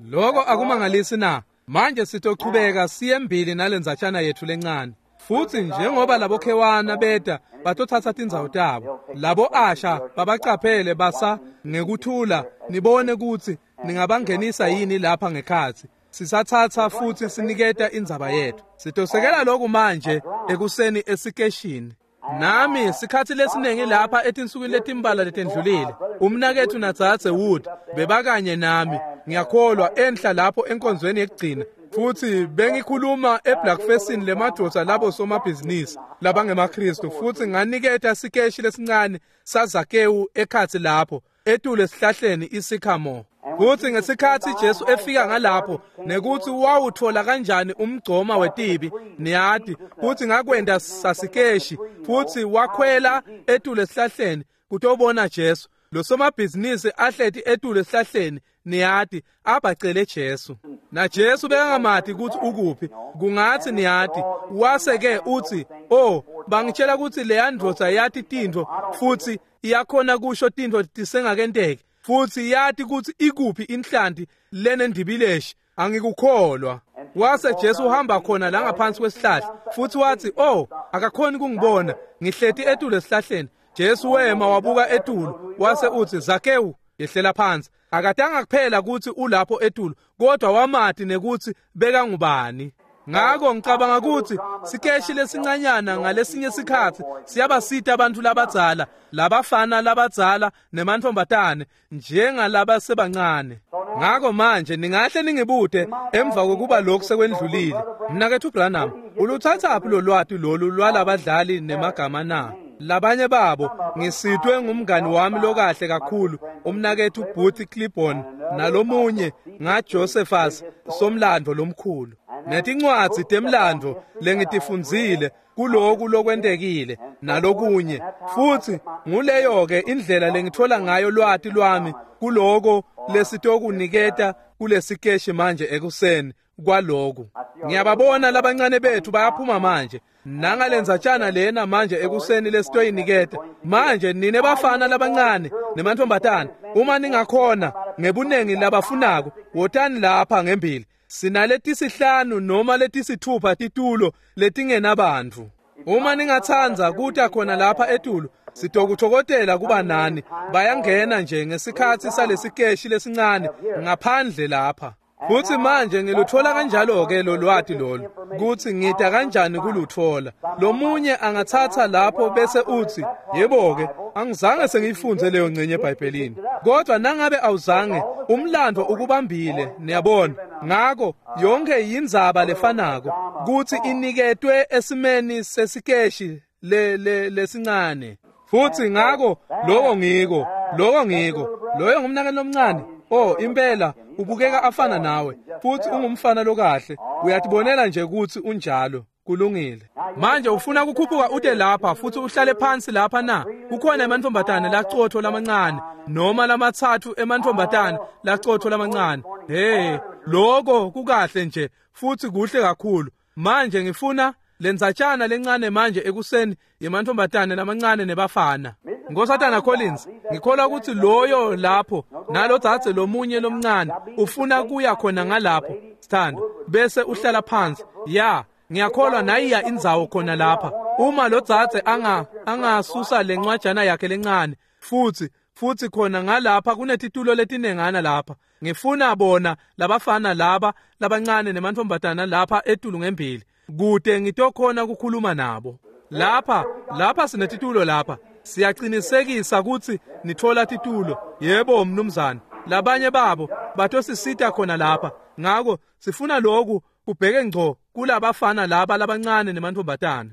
Lokho akumangalisi na? Manje sitochubeka siyembili nalendzatshana yethu lencane. Futhi njengoba labo khewana beta batothatha tindzawo tabo, labo asha babacaphele basa ngekuthula, nibone ukuthi ningabangenisa yini lapha ngekhatsi. Sisathatha futhi siniketa indzaba yethu. Sitosekela lokhu manje ekuseni esikeshini. Nami sikhathi lesiningi lapha etinsukwini letimbala letendlulile, umnakethu naDzadze Wood bebakanye nami, ngiyakholwa, enhla lapho enkonzweni yekugcina. Futhi bengikhuluma eBlackfacini lemadvodza labo somabhizinisi labangemaKristu, futhi nganiketa sikeshi lesincane saZakewu ekhatsi lapho etulu esihlahleni isikhamore. Futhi ngesikhathi Jesu efika ngalapho nekuthi wawuthola kanjani umgcoma wetibi, niyati futhi ngakwenda sasikeshi, futhi wakhwela etulu esihlahleni kutobona Jesu. Lo somabhizinisi ahleti etulu esihlahleni, niyati, abacele Jesu. Na Jesu bekangamati ukuthi ukuphi, kungathi niyati, wase ke uthi, "Oh, bangitshela ukuthi leya ndvodza yati tintfo futhi iyakhona kusho tintfo tisengakenteki, futhi yati ukuthi ikuphi inhlanti lenendibileshi, angikukholwa." Wase Jesu uhamba khona la ngaphansi kwesihlahla, futhi wathi, "Oh, akakhoni kungibona, ngihleti etulu esihlahleni." Jesu wema wabuka etulu, wase uthi, "Zakewu, yehlela phansi." Akatanga kuphela ukuthi ulapho etulu, kodwa wamati nekuthi bekangubani. Ngako ngicabanga ukuthi sikeshi lesincanyana ngalesinye sikhathi siyabasita abantu labadzala, labafana labadzala nemantfombatane njengalabasebancane. Ngako manje ningahle ningibute emva kokuba lokhu sekwendlulile, mnaketfu Branham, uluthathaphi lo lwati lolu lwalabadlali nemagama na? Labanye babo ngisitwe ngumngani wami lokahle kakhulu, umnaketfu Booth Clibborn, nalomunye ngaJosephus somlandvo lomkhulu. Netincwadzi temlandvo lengitifundzile kuloku lokwentekile nalokunye. Futsi nguleyo ke indlela lengithola ngayo lwati lwami kuloko lesitokuniketa kulesikeshi manje ekuseni kwaloku. Ngiyababona labancane bethu bayaphuma manje nangalendzatshana lena manje ekuseni lesitoyiniketa. Manje nine bafana labancane nemantfombatana, uma ningakhona ngebunengi labafunako, wotani lapha ngembili. Sinaletisihlanu noma letisithupha titulo letingenabantfu. Uma ningatsandza kuta khona lapha etulu, sitokutfokotela kuba nani. Bayangena nje ngesikhatsi salesikeshi lesincane ngaphandle lapha. Futsi manje ngiluthola kanjalo ke lolwati lolu, kutsi ngita kanjani kuluthola. Lomunye angatsatsa lapho bese utsi, yebo ke, angizange sengiyifundze leyo ngcenye eBhayibhelini. Kodwa nangabe awuzange, umlando ukubambile, niyabona. Ngako yonke yindzaba lefanako, kutsi iniketwe esimeni sesikeshi le le lesincane. Futsi ngako lokho ngiko, lokho ngiko. Loyo ngumnakeni lomncane. Oh, impela ubukeka afana nawe, futsi ungumfana lokahle. Uyatibonela nje kutsi unjalo. Kulungile. Manje ufuna kukhuphuka ute lapha futsi uhlale phansi lapha na? Kukhona emantfombatane lacotfo lamancane noma lamatsatfu emantfombatane lacotfo lamancane. Hey, lokho kukahle nje futsi kuhle kakhulu. Manje ngifuna lendzatshana lencane manje ekuseni yemantfombatane lamancane nebafana. Nkosatana Collins, ngikholwa kutsi loyo lapho nalodzadze lomunye lomncane ufuna kuya khona ngalapho, sithando, bese uhlala phansi. Ya, ngiyakholwa nayiya indzawo khona lapha. Uma lodzadze anga angasusa lencwajana yakhe lencane futsi futsi khona ngalapha kunetitulo letinengana lapha. Ngifuna bona labafana laba labancane nemantfombatana lapha etulu ngembili, kute ngitokhona kukhuluma nabo. Lapha, lapha sinetitulo lapha. Siyaqinisekisa kutsi nithola titulo. Yebo mnumzane. Labanye babo batosisita khona lapha. Ngako sifuna lokhu kubheke ngco kulabafana laba labancane nemantfombatana.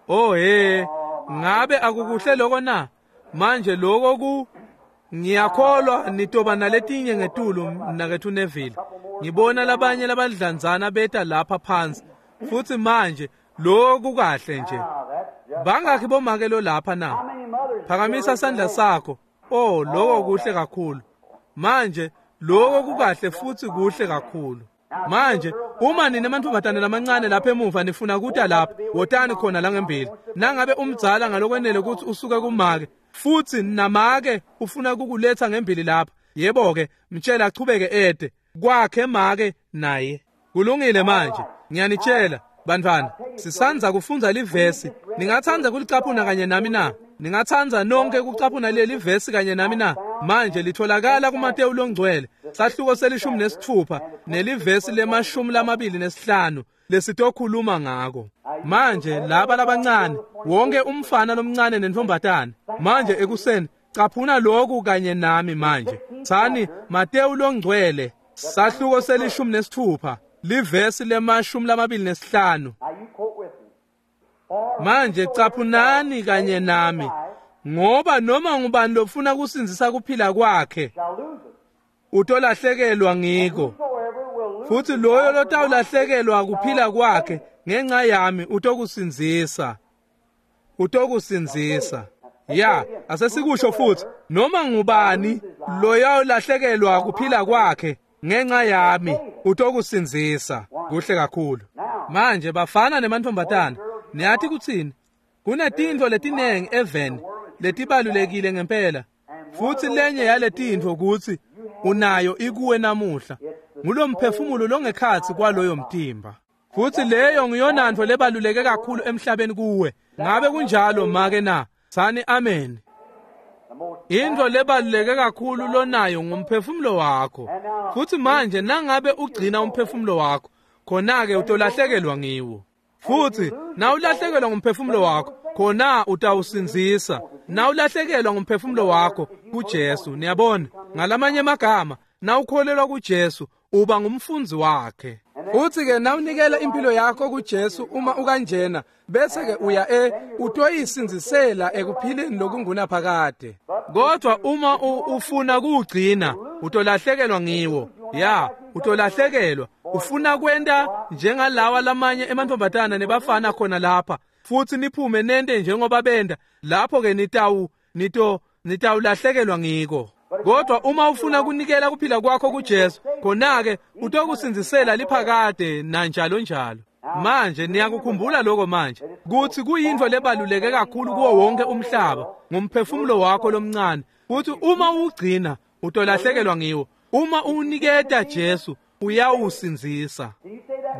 Oh hey, ngabe akukuhle lokho na? Manje lokho ku ngiyakholwa nitoba naletinye ngetulu mnaketfu Neville. Ngibona labanye labadlanzana beta lapha phansi. Futsi manje lokhu kahle nje. Bangakhi bomake lo lapha na? Phakamisa sandla sakho. Oh, lokho kuhle kakhulu. Manje lokho kukahle futsi kuhle kakhulu. Manje uma nine mantfombatane lamancane lapha emuva nifuna kuta lapha, wotani khona la ngembili. Nangabe umdzala ngalokwenele kutsi usuke kumake, futsi namake ufuna kukuletha ngembili lapha, yebo ke, mtshela achubeke ede kwakhe make naye. Kulungile manje, ngiyanitshela bantwana, sisanza kufundza livesi. Ningatsandza kulicaphuna kanye nami na? Ningatsandza nonke kucaphuna leli vesi kanye nami na? Manje litholakala kuMateyu longcwele, sahluko selishumi nesitfupha nelivesi lemashumi lamabili nesihlanu lesitokhuluma ngako. Manje laba labancane, wonke umfana lomncane nentombatana, manje ekuseni caphuna lokhu kanye nami manje. Tsani Mateyu longcwele, sahluko selishumi nesitfupha, livesi lemashumi lamabili nesihlanu. Manje caphunani kanye nami, ngoba noma ngubani lofuna kusindzisa kuphila kwakhe utolahlekelwa ngiko, futsi loyo lotawulahlekelwa kuphila kwakhe ngenxa yami utokusindzisa, utokusindzisa. Ya, asesikusho futhi, noma ngubani loyawulahlekelwa kuphila kwakhe ngenxa yami utokusindzisa. Kuhle kakhulu. Manje bafana nemantfombatana, niyathi kutsini? Kunetintfo letinengi eveni letibalulekile ngempela, futsi lenye yaletintfo kutsi unayo ikuwe namuhla, ngulomphefumulo longekhatsi kwaloyo mtimba. Futsi leyo ngiyonantfo lebaluleke kakhulu emhlabeni kuwe. Ngabe kunjalo make na? Tsani amen. Intfo lebaluleke kakhulu lonayo ngumphefumulo wakho. Futsi manje nangabe ugcina umphefumulo wakho, khona-ke utolahlekelwa ngiwo. Futsi nawulahlekelwa ngumphefumulo wakho, khona utawusindzisa. Nawulahlekelwa ngumphefumulo wakho kuJesu, niyabona, ngalamanye amagama, nawukholelwa kuJesu uba ngumfundzi wakhe. Futhi-ke nawunikela impilo yakho kuJesu uma ukanjena, bese-ke uya e utoyisindzisela ekuphileni lokungunaphakade. Kodwa uma ufuna kuwugcina, utolahlekelwa ngiwo. Ya, utolahlekelwa. Ufuna kwenta njengalawa lamanye emantombazana nebafana khona lapha, futhi niphume nente njengoba benda, lapho-ke nitawu nito nitawulahlekelwa ngiko. Kodwa uma ufuna kunikela kuphila kwakho kuJesu, khona-ke utokusindzisela liphakade nanjalo njalo. Manje niyakukhumbula lokho manje, kuthi kuyintfo lebaluleke kakhulu kuwo wonke umhlaba, ngumphefumulo wakho lomncane. Kuthi uma uwugcina, utolahlekelwa ngiwo. Uma uwuniketa Jesu, uyawusindzisa.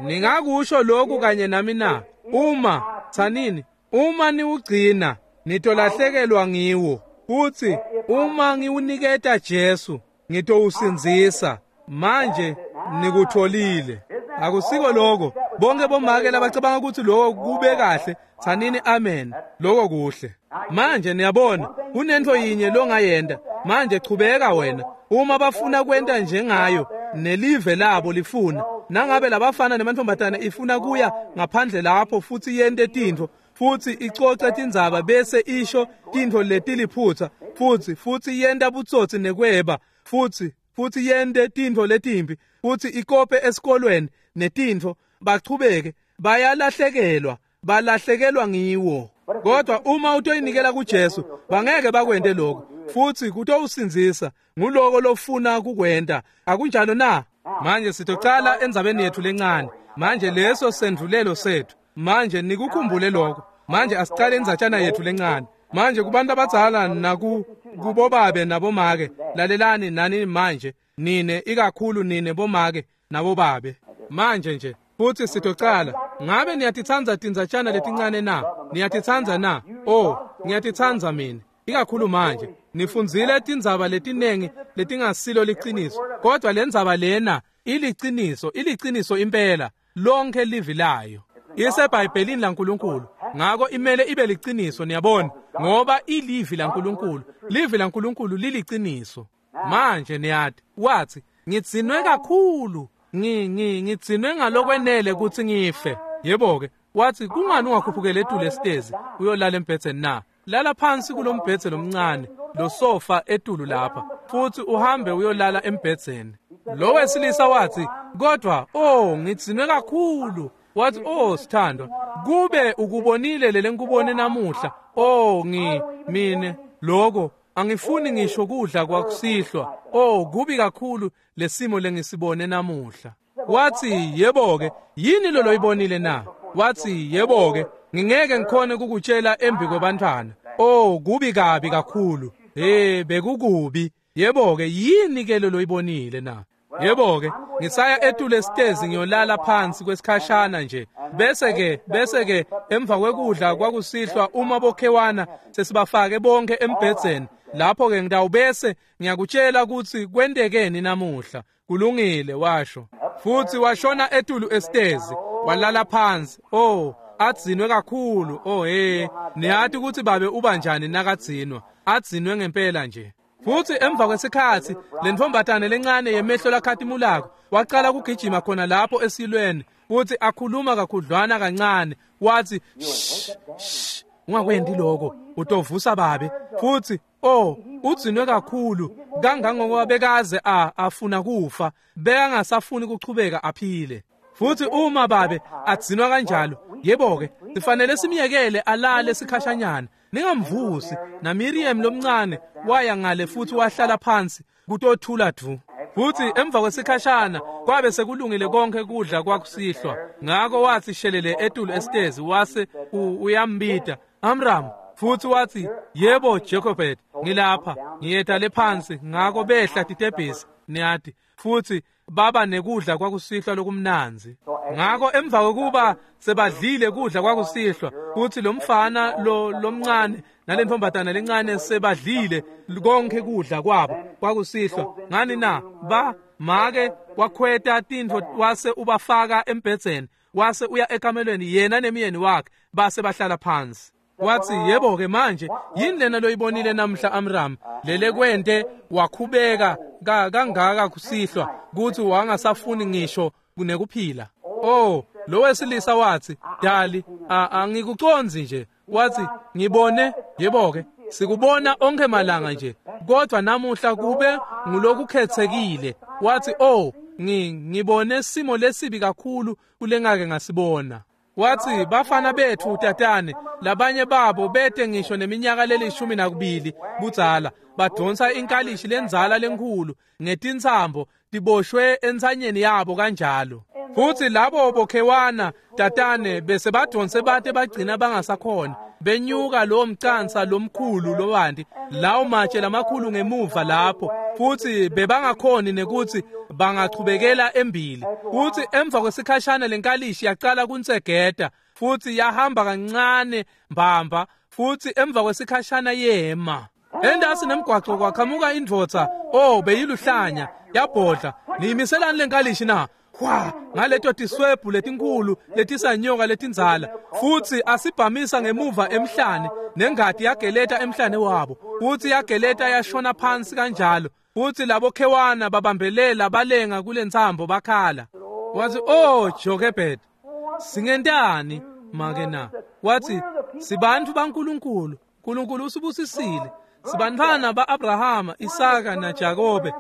Ningakusho lokhu kanye nami na? Uma, tsanini, uma niwugcina, nitolahlekelwa ngiwo. Kuthi uma ngiwuniketa Jesu, ngitowusindzisa. Manje nikutholile. Akusiko lokho. Bonke bomake labacabanga ukuthi lokho kube kahle, tsanini amen. Lokho kuhle. Manje niyabona, kunento yinye longayenda. Manje chubeka wena. Uma bafuna kwenta njengayo, nelive labo lifuna. Nangabe labafana nemantombazana ifuna kuya ngaphandle lapho futhi yente tintfo, futhi icoce tindzaba bese isho tintfo letiliphutsa, futhi futhi yenta butsotsi nekweba, futhi futhi yente tintfo letimbi, futhi ikope esikolweni netintfo, bachubeke bayalahlekelwa, balahlekelwa ngiwo. Kodwa uma utoyinikela kuJesu, bangeke bakwente lokho, futhi kutowusindzisa. Nguloko lofuna kukwenta, akunjalo na? Manje sitocala endzabeni yethu lencane. Manje leso sendvulelo sethu. Manje nikukhumbule lokho. Manje asicale indzatshana yethu lencane. Manje kubantu abadzala naku kubobabe nabomake, lalelani nani manje, nine ikakhulu nine bomake nabobabe. Manje nje futhi sitocala. Ngabe niyatitsandza tindzatshana letincane na? Niyatitsandza na? Oh, ngiyatitsandza mina. Ikakhulu manje nifundzile tindzaba letinengi letingasilo liciniso, kodwa lendzaba lena iliciniso, iliciniso impela, lonke livi layo. IseBhayibhelini laNkulunkulu, ngako imele ibe liciniso, niyabona, ngoba ilivi laNkulunkulu. Livi laNkulunkulu liliciniso. Manje niyati, wathi, ngidzinwe kakhulu, ngi ngi ngidzinwe ngalokwenele ukuthi ngife. Yebo-ke, wathi, kungani ungakhuphukela etulu esitezi uyolala embhedzeni na? Lala phansi kulombhedze lomncane, lo sofa etulu lapha, futhi uhambe uyolala embhedzeni. Lo wesilisa wathi, kodwa oh, ngidzinwe kakhulu. Wathi, oh sithandwa, kube ukubonile lele ngikubone namuhla. Oh, ngi mine lokho angifuni ngisho kudla kwakusihlwa. Oh, kubi kakhulu lesimo lengisibone namuhla. Wathi, yebo-ke, yini lo loyibonile na? Wathi, yebo-ke, ngingeke ngikhone kukutshela embi kwebantwana. Oh, kubi kabi kakhulu. Hey, bekukubi. Yebo-ke, yini ke lo loyibonile na? Yebo-ke, ngisaya etulu esitezi ngiyolala phansi kwesikhashana nje. Bese-ke, bese-ke emva kwekudla kwakusihlwa uma bokhewana sesibafake bonke embhedzeni. Lapho-ke ngitawubese ngiyakutshela ukuthi kwentekeni namuhla. Kulungile, washo. Futhi washona etulu esitezi, walala phansi. Oh, adzinwe kakhulu. Oh hey, niyati ukuthi babe uba njani nakadzinwa. Adzinwe ngempela nje. Futhi emva kwesikhathi lentombatane lencane yemehlo lakhatimulako waqala kugijima khona lapho esilweni, futhi akhuluma kakhudlwana kancane. Wathi, shh, shh, ungakwendi lokho, utovusa babe. Futhi oh, udzinwe kakhulu kangangokuba bekaze a afuna kufa, bekangasafuni kuchubeka aphile. Futhi uma babe adzinwa kanjalo, yebo-ke, sifanele simyekele alale sikhashanyana, ningamvusi. Na Miriam lomncane waya ngale futhi wahlala phansi kutothula dvu. Futhi emva kwesikhashana kwabe sekulungile konke kudla kwakusihlwa. Ngako wathi shelele etulu esitezi, wase uyambita Amram. Futhi wathi, yebo Jacobet, ngilapha, ngiyeta lephansi. Ngako behla titebhisi, niyati, futhi baba nekudla kwakusihlwa lokumnanzi. Ngako emva kokuba sebadlile kudla kwakusihlwa, futhi lo mfana lo lomncane nalentombatana lencane sebadlile konke kudla kwabo kwakusihlwa, ngani na ba make wakhweta tintfo wase ubafaka embhedzeni, wase uya ekamelweni yena nemyeni wakhe, base bahlala phansi. Wathi, yebo-ke manje yini lena loyibonile namhla Amram, lele kwente wakhubeka kangaka kusihlwa kuthi wangasafuni ngisho nekuphila? Oh, lo wesilisa wathi, "Dali, angikucondzi nje." Wathi, "Ngibone, yebo-ke, sikubona onke malanga nje, kodwa namuhla kube ngulokukhetsekile." Wathi, "Oh, ngibone simo lesibi kakhulu kulengake ngasibona." Wathi, "Bafana bethu tatane, labanye babo bete ngisho neminyaka lelishumi nakubili budzala, badonsa inkalishi lenzala lenkhulu ngetintsambo tiboshwe entsanyeni yabo kanjalo. Futhi labo bokhewana tatane bese badonse bate bagcina bangasakhona, benyuka lo mcansa lomkhulu lobanti, lawo matshe lamakhulu ngemuva lapho, futhi bebangakhoni nekuthi bangachubekela embili. Futhi emva kwesikhashana lenkalishi yaqala kunsegeda, futhi yahamba kancane mbamba, futhi emva kwesikhashana yema. Endasi nemgwaco kwaqhamuka indvodza, oh beyiluhlanya, yabhodla, niyimiselani lenkalishi na? Kwa ngaleto tiswebhu letinkulu letisanyoka letindzala, futhi asibhamisa ngemuva emhlane, nengati yageleta emhlane wabo, futhi yageleta yashona phansi kanjalo, futhi labo khewana babambelela balenga kulentsambo bakhala." Wathi, "Oh Jochebed, singentani make na?" Wathi, "Sibantu baNkulunkulu, uNkulunkulu usibusisile, sibantwana ba-Abrahama, Isaka naJakobe,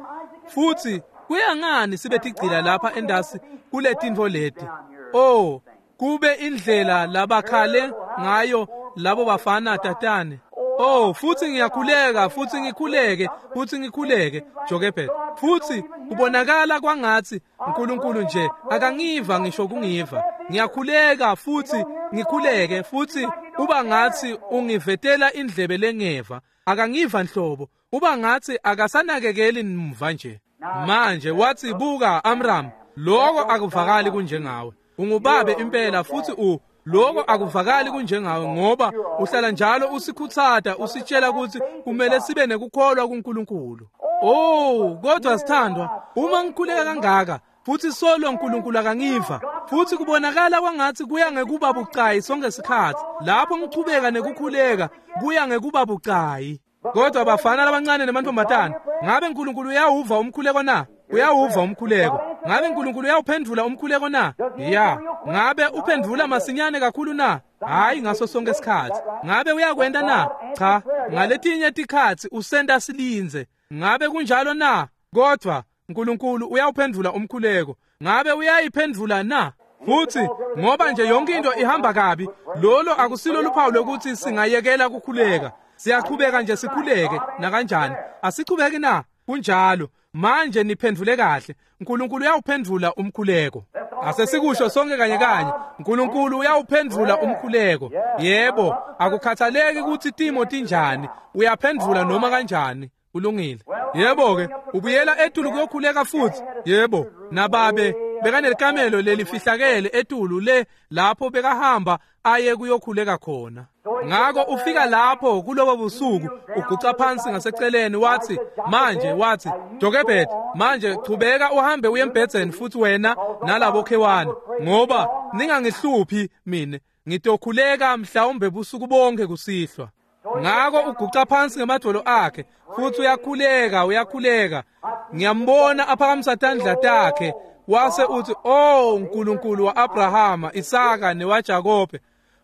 futhi kuyangani sibe tigcila lapha endasi kuletintfo leti? Oh, kube indlela labakhale ngayo labo bafana tatane. Oh, futhi ngiyakhuleka, futhi ngikhuleke, futhi ngikhuleke, Jochebed. Futhi kubonakala kwangathi uNkulunkulu nje akangiva ngisho kungiva. Ngiyakhuleka futhi ngikhuleke, futhi uba ngathi ungivetela indlebe lengeva, akangiva nhlobo, uba ngathi akasanakekeli mva nje." Manje wathi, "Buka Amram, lokho akuvakali kunjengawe. Ungubabe impela, futhi u lokho akuvakali kunjengawe, ngoba uhlala njalo usikhuthata, usitshela ukuthi kumele sibe nekukholwa kuNkulunkulu. Oh, kodwa sithandwa, uma ngikhuleka kangaka futhi solo uNkulunkulu akangiva, futhi kubonakala kwangathi kuya ngekuba bucayi sonke isikhathi. Lapho ngichubeka nekukhuleka, kuya ngekuba bucayi. Kodwa bafana labancane nemantombazane, ngabe uNkulunkulu uyawuva umkhuleko na? Uyawuva umkhuleko. Ngabe uNkulunkulu uyawuphendula umkhuleko na? Ya. Ngabe uphendula masinyane kakhulu na? Hayi ngaso sonke isikhathi. Ngabe uyakwenda na? Cha. Ngaletinye tikhatsi usenda silinze. Ngabe kunjalo na? Kodwa uNkulunkulu uyawuphendula umkhuleko. Ngabe uyayiphendula na? Futhi ngoba nje yonke into ihamba kabi, lolo akusilo luphawu lokuthi singayekela ukukhuleka. Siyaqhubeka nje sikhuleke nakanjani. Asichubeki na? Kunjalo. Manje niphendvule kahle. uNkulunkulu uyawuphendvula umkhuleko. Asesikusho sonke kanye kanye. uNkulunkulu uyawuphendvula umkhuleko. Yebo, akukhathaleki ukuthi timo tinjani, uyaphendvula noma kanjani. Kulungile. Yebo ke, ubuyela etulu kuyokhuleka futhi. Yebo, nababe bekanelikamelo lelifihlakele etulu le lapho bekahamba aye kuyokhuleka khona. Ngako ufika lapho kulobo busuku, uguca phansi ngaseceleni, wathi, manje wathi, "Jochebed, manje chubeka uhambe uye embhedzeni futhi wena nalabo khewana, ngoba ningangihluphi mina, ngitokhuleka mhlawumbe busuku bonke kusihlwa." Ngako uguca phansi ngemadvolo akhe futhi uyakhuleka, uyakhuleka. Ngiyambona aphakamisa tandla takhe, wase uthi, "Oh uNkulunkulu wa-Abrahama, Isaka newaJakobe,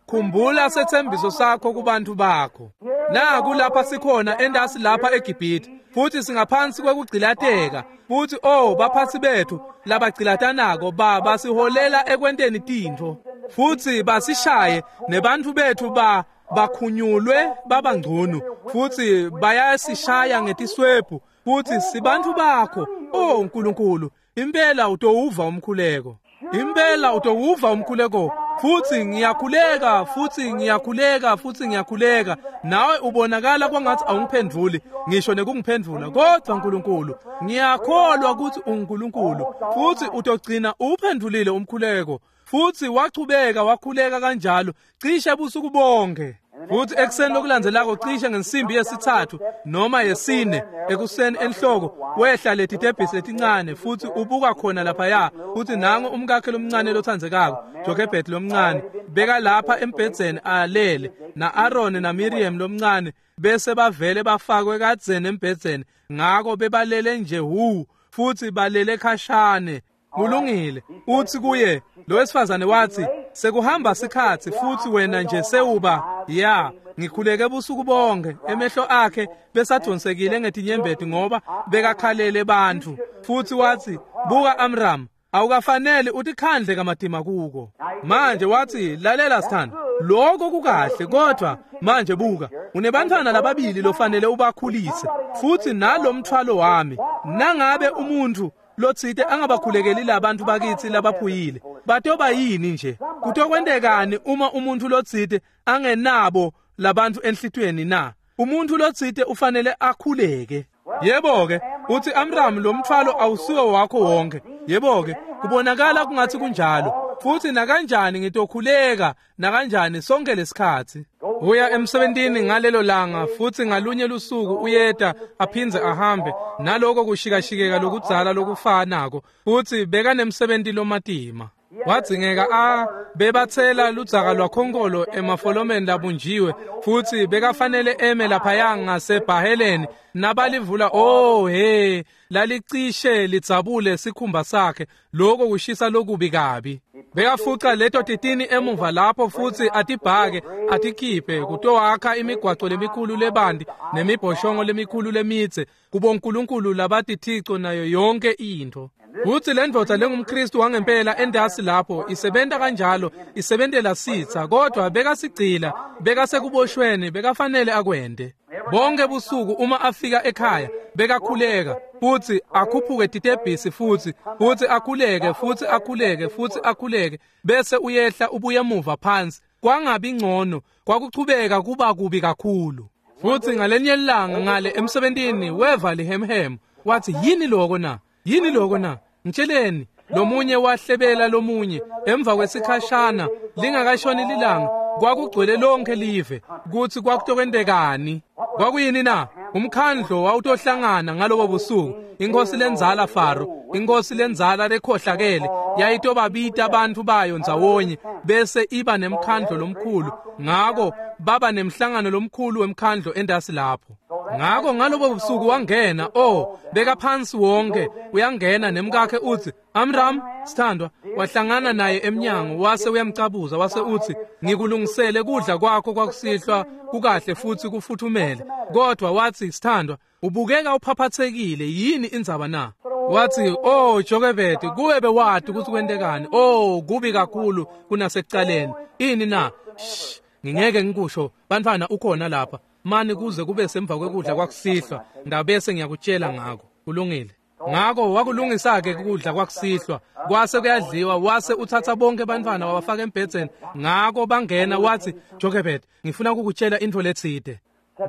khumbula sethembiso sakho kubantu bakho. Naku lapha sikhona endasi lapha eGibhithe, futhi singaphansi kwekugcilateka, futhi oh baphathi bethu labagcilatanako ba basiholela ekwenteni tintfo, futhi basishaye nebantu bethu ba bakhunyulwe babangcono, futhi bayasishaya ngetiswebhu, futhi sibantu bakho. Oh uNkulunkulu, impela utowuva umkhuleko, impela utowuva umkhuleko. Futhi ngiyakhuleka, futhi ngiyakhuleka, futhi ngiyakhuleka, nawe ubonakala kwangathi awungiphendvuli ngisho nekungiphendvula, kodwa uNkulunkulu, ngiyakholwa ukuthi uNkulunkulu, futhi utogcina uphendvulile umkhuleko." Futhi wachubeka wakhuleka kanjalo cishe busuku bonke. Futhi ekuseni lokulandzelako cishe ngensimbi yesithathu noma yesine ekuseni enhloko, wehla leti tebhisi letincane, futhi ubuka khona laphaya, futhi nangu umkakhe lomncane lothandzekako, Jochebed lomncane, beka lapha embhedzeni alele, na-Aaron na-Miriam lomncane, bese bavele bafakwe kadzeni embhedzeni, ngako bebalele nje hu, futhi balele khashane. Kulungile. Uthi kuye, lo wesifazane wathi, sekuhamba sikhatsi futsi wena nje sewuba, ya, ngikhuleke busuku bonke. Emehlo akhe besadonsekile ngetinyembeti ngoba bekakhalele bantfu. Futsi wathi, buka Amram, awukafanele utikhandle kamatima kuko. Manje wathi, lalela sithando, lokho kukahle, kodwa manje buka, unebantfwana lababili lofanele ubakhulise, futsi nalomthwalo wami. Nangabe umuntfu lotsite angabakhulekeli labantu bakithi labaphuyile, batoba yini nje? Kutokwentekani uma umuntfu lotsite angenabo labantu enhlitiyweni na? Umuntfu lotsite ufanele akhuleke. Yebo-ke, uthi Amram, lo mthwalo awusiwo wakho wonke. Yebo-ke, kubonakala kungathi kunjalo. Futhi nakanjani ngitokhuleka nakanjani sonke lesikhatsi. Uya emsebentini ngalelo langa futsi ngalunye lusuku uyeta aphindze ahambe naloko kushikashikeka lokudzala lokufanako, futsi bekanemsebenti lomatima. Wadzingeka a bebatsela ludzaka lwakhonkolo emafolomeni labunjiwe, futsi bekafanele eme laphaya ngasebhaheleni nabalivula. Oh he, lalicishe lidzabule sikhumba sakhe, lokho kushisa lokubi kabi. Bekafuca leto titini emuva lapho futsi atibhake atikhiphe kutowakha imigwaco lemikhulu lebandi nemibhoshongo lemikhulu lemidze kubonkulunkulu labatithico nayo yonke intfo. Futsi le ndvodza lengumKristu wangempela endasi lapho isebenta kanjalo, isebentela sitsa, kodwa bekasigcila, bekasekuboshweni, bekafanele akwente. Bonke busuku uma afika ekhaya bekakhuleka futsi akhuphuke titebhisi futsi futsi akhuleke futsi akhuleke futsi akhuleke, bese uyehla ubuye emuva phansi. Kwangabi ngcono, kwakuchubeka kuba kubi kakhulu. Futsi ngalenye ilanga ngale emsebentini weva lihemhemu, wathi, yini loko na? Yini loko na? Ngitsheleni. Lomunye wahlebela lomunye. Emva kwesikhashana lingakashoni lilanga kwakugcwele lonke live kutsi kwakutokwentekani. Kwakuyini na? Umkhandlo wawutohlangana ngalobo busuku. Inkosi lenzala Faro, inkosi lenzala lekhohlakele, yayitobabita abantu bayo ndzawonye bese iba nemkhandlo lomkhulu. Ngako baba nemhlangano lomkhulu wemkhandlo endasi lapho. Ngako ngalobo busuku wangena, oh, beka phansi wonke, uyangena nemkakhe uthi, Amram, sithandwa, wahlangana naye emnyango, wase uyamcabuza, wase uthi, ngikulungisele kudla kwakho kwakusihlwa kukahle futhi kufuthumele. Kodwa wathi, sithandwa, ubukeka uphaphathekile, yini indzaba na? Wathi, oh Jokebedi, kuwe bewati ukuthi kwentekani. Oh, kubi kakhulu kunasekucaleni. Ini na? Shh, ngingeke ngikusho, bantfwana ukhona lapha. Mani kuze kube semva kwekudla kwakusihlwa, ndabese ngiyakutshela ngako. Kulungile. Ngako wakulungisa-ke kudla kwakusihlwa, kwase kuyadliwa, wase uthatha bonke bantfwana wabafaka embhedzeni. Ngako bangena, wathi, Jokebedi, ngifuna kukutshela intfo letsite.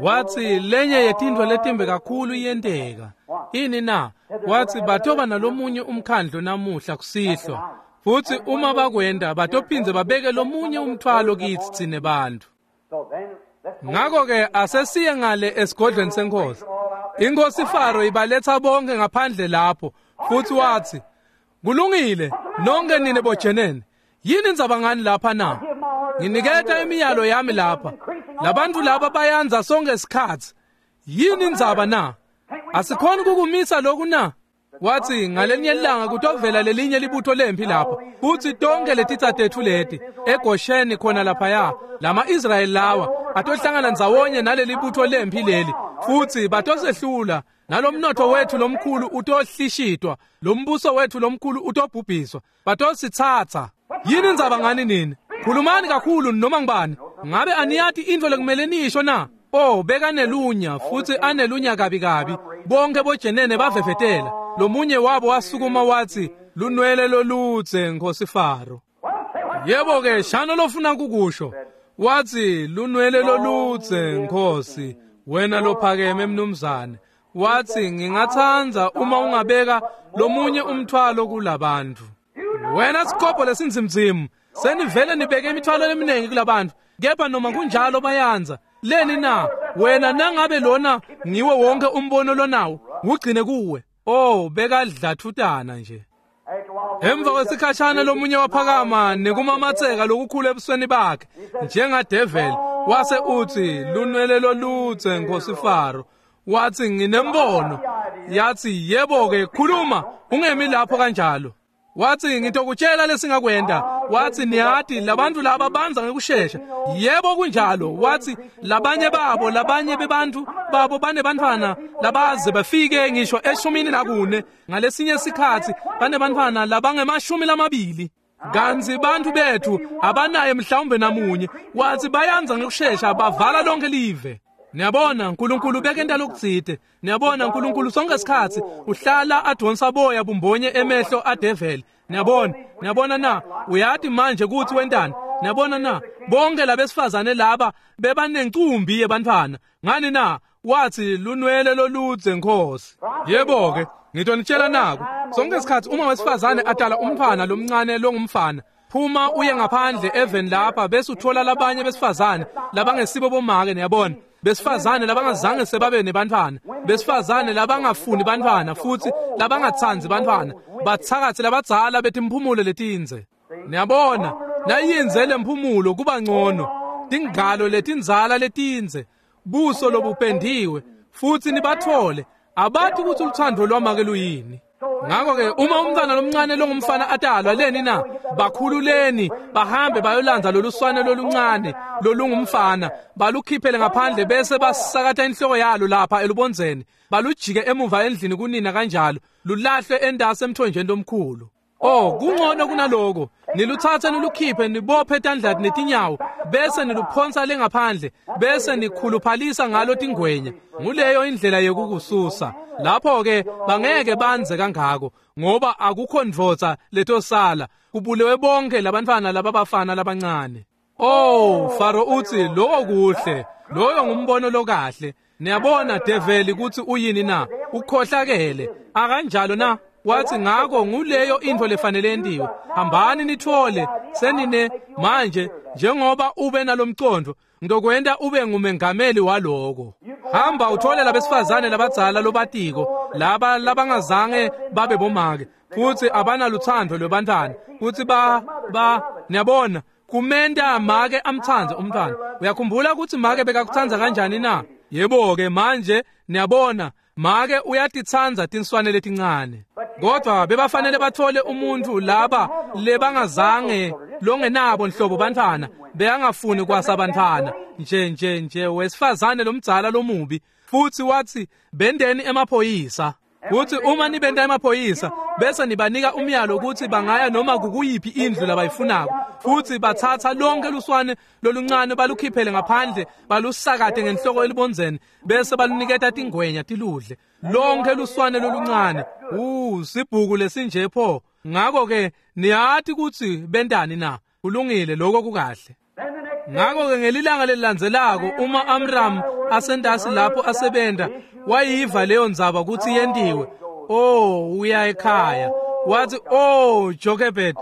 Wathi, lenye yetintfo letimbi kakhulu iyenteka. Ini na? Wathi, batoba nalomunye umkhandlo namuhla kusihlwa. Futsi uma bakwenda batophindze babeke lomunye umthwalo kitsi tsine bantfu. Ngako-ke asesiye ngale esigodlweni senkosi. Inkosi Faro ibaletha bonke ngaphandle lapho, futhi wathi, kulungile, nonke nine bojenene, yini indzaba ngani lapha na? Nginiketa imiyalo yami lapha. Labantu laba bayanza sonke isikhatsi. Yini indzaba na? Asikhoni kukumisa lokhu na? Wathi, ngalenye ilanga kutovela lelinye libutho lempi lapha, futhi tonke letitsa tetfu leti eGosheni khona laphaya, lama-Israyeli lawa atohlangana ndzawonye naleli butho lempi leli, futhi batosehlula, nalomnotho wethu lomkhulu utohlishitwa, lombuso wethu lomkhulu utobhubhiswa, batositsatsa. Yini indzaba ngani nini? Khulumani kakhulu noma ngibani. Ngabe aniyati intfo lekumele niyisho na? Oh, bekanelunya futhi anelunya kabi kabi. Bonke bojenene bavevetela. Lomunye wabo wasukuma wathi, lunwele loludze Nkosi Faro. Yebo-ke, shano lofuna kukusho. Wathi, lunwele loludze Nkosi, wena lophakeme mnumzane. Wathi, ngingatsandza uma ungabeka lomunye umthwalo kulabantu. Wena sikobho lesinzimzimu, senivele nibeke imithwalo leminingi kulabantu, kepha noma kunjalo bayanza. Leni na? Wena nangabe lona ngiwo wonke umbono lonawo, ugcine kuwe. Oh, bekadlathutana nje. Emva kwesikhashana lomunye waphakama nekumamatseka lokukhulu ebusweni bakhe njengadeveli, wase uthi, lunwele loludze Nkosi Faro. Wathi, nginembono. Yathi, yebo-ke, khuluma, ungemi lapho kanjalo. Watsi ngitokutshela lesingakwenta. Watsi niyati labantu laba banza ngekushesha. Yebo kunjalo. Watsi labanye babo labanye bebantu babo banebantfwana labaze bafike ngisho eshumini nakune ngalesinye sikhatsi banebantfwana labangemashumi lamabili. Kantsi bantfu bethu abanaye mhlawumbe namunye. Watsi bayanza ngekushesha bavala lonke live. Niyabona uNkulunkulu bekenta lokutsite. Niyabona uNkulunkulu sonke isikhatsi uhlala adonsa boya bumbonye emehlo adeveli. Niyabona, niyabona na uyati manje kutsi wentani. Niyabona na bonke labesifazane laba bebanencumbi yebantfwana. Ngani na wathi lunwele loludze Nkosi. Yebo ke ngitonitshela naku sonke isikhatsi uma wesifazane atala umntfwana lomncane longumfana, phuma uye ngaphandle even lapha bese uthola labanye besifazane labangesibo bomake. Niyabona besifazane labangazange sebabe nebantfwana, besifazane labangafuni bantfwana futhi labangatsandzi bantfwana, batsakatsi labadzala betimphumulo letindze. Niyabona nayindze lemphumulo kuba ngcono, tingalo letindzala letindze, buso lobupendiwe, futhi nibathole abathi ukuthi uthando lwamake luyini. Ngakho-ke uma umntwana lomncane longumfana atalwa leni na bakhululeni bahambe bayolandza loluswane loluncane lolungumfana balukhiphele ngaphandle bese basakata inhloko yalo lapha elubondzeni balujike emuva endlini kunina kanjalo lulahlwe endasi emthonjeni lomkhulu. Oh kungcono kunaloko niluthathe nilukhiphe nibophe tandla netinyawo bese niluphonsa lengaphandle bese nikhuluphalisa ngalo tingwenya. Nguleyo indlela yekukususa. Lapho ke bangeke banze kangako ngoba akukho ndvodza letosala kubulewe bonke labantfwana lababafana labancane. Oh Faro uthi lokho kuhle, loyo ngumbono lokahle. Niyabona develi kutsi uyini na? Ukhohlakele akanjalo na? Wathi ngako nguleyo intfo lefanele yentiwe. Hambani nithole senine manje njengoba ube nalomcondo ngizokwenta ube ngumengameli waloko. Hamba uthole labesifazane labadzala lobatiko laba labangazange babe bomake futhi abanaluthando lwebantwana futhi ba ba niyabona kumenta make amtsandze umntwana. Uyakhumbula ukuthi make bekakutsandza kanjani na? Yebo ke manje niyabona make uyatitsandza tinswane letincane. Kodwa bebafanele bathole umuntu laba lebangazange longenabo nhlobo bantfwana beyangafuni kwasa bantfwana nje nje nje wesifazane lomdzala lomubi. Futhi wathi bendeni emaphoyisa. Kuthi uma nibenda emaphoyisa bese nibanika umyalo ukuthi bangaya noma kukuyiphi indlu labayifunako futhi bathatha lonke luswane loluncane balukhiphele ngaphandle balusakate ngenhloko elibondzeni bese baluniketa tingwenya tiludle lonke luswane loluncane. Uh sibhuku lesinje pho. Ngakho ke niyati ukuthi bendani na? Kulungile lokho kukahle. Ngakho ke ngelilanga lelilandzelako uma Amram asendasi lapho asebenta wayiva leyo ndzaba ukuthi yentiwe. Oh uya ekhaya wathi oh Jochebed,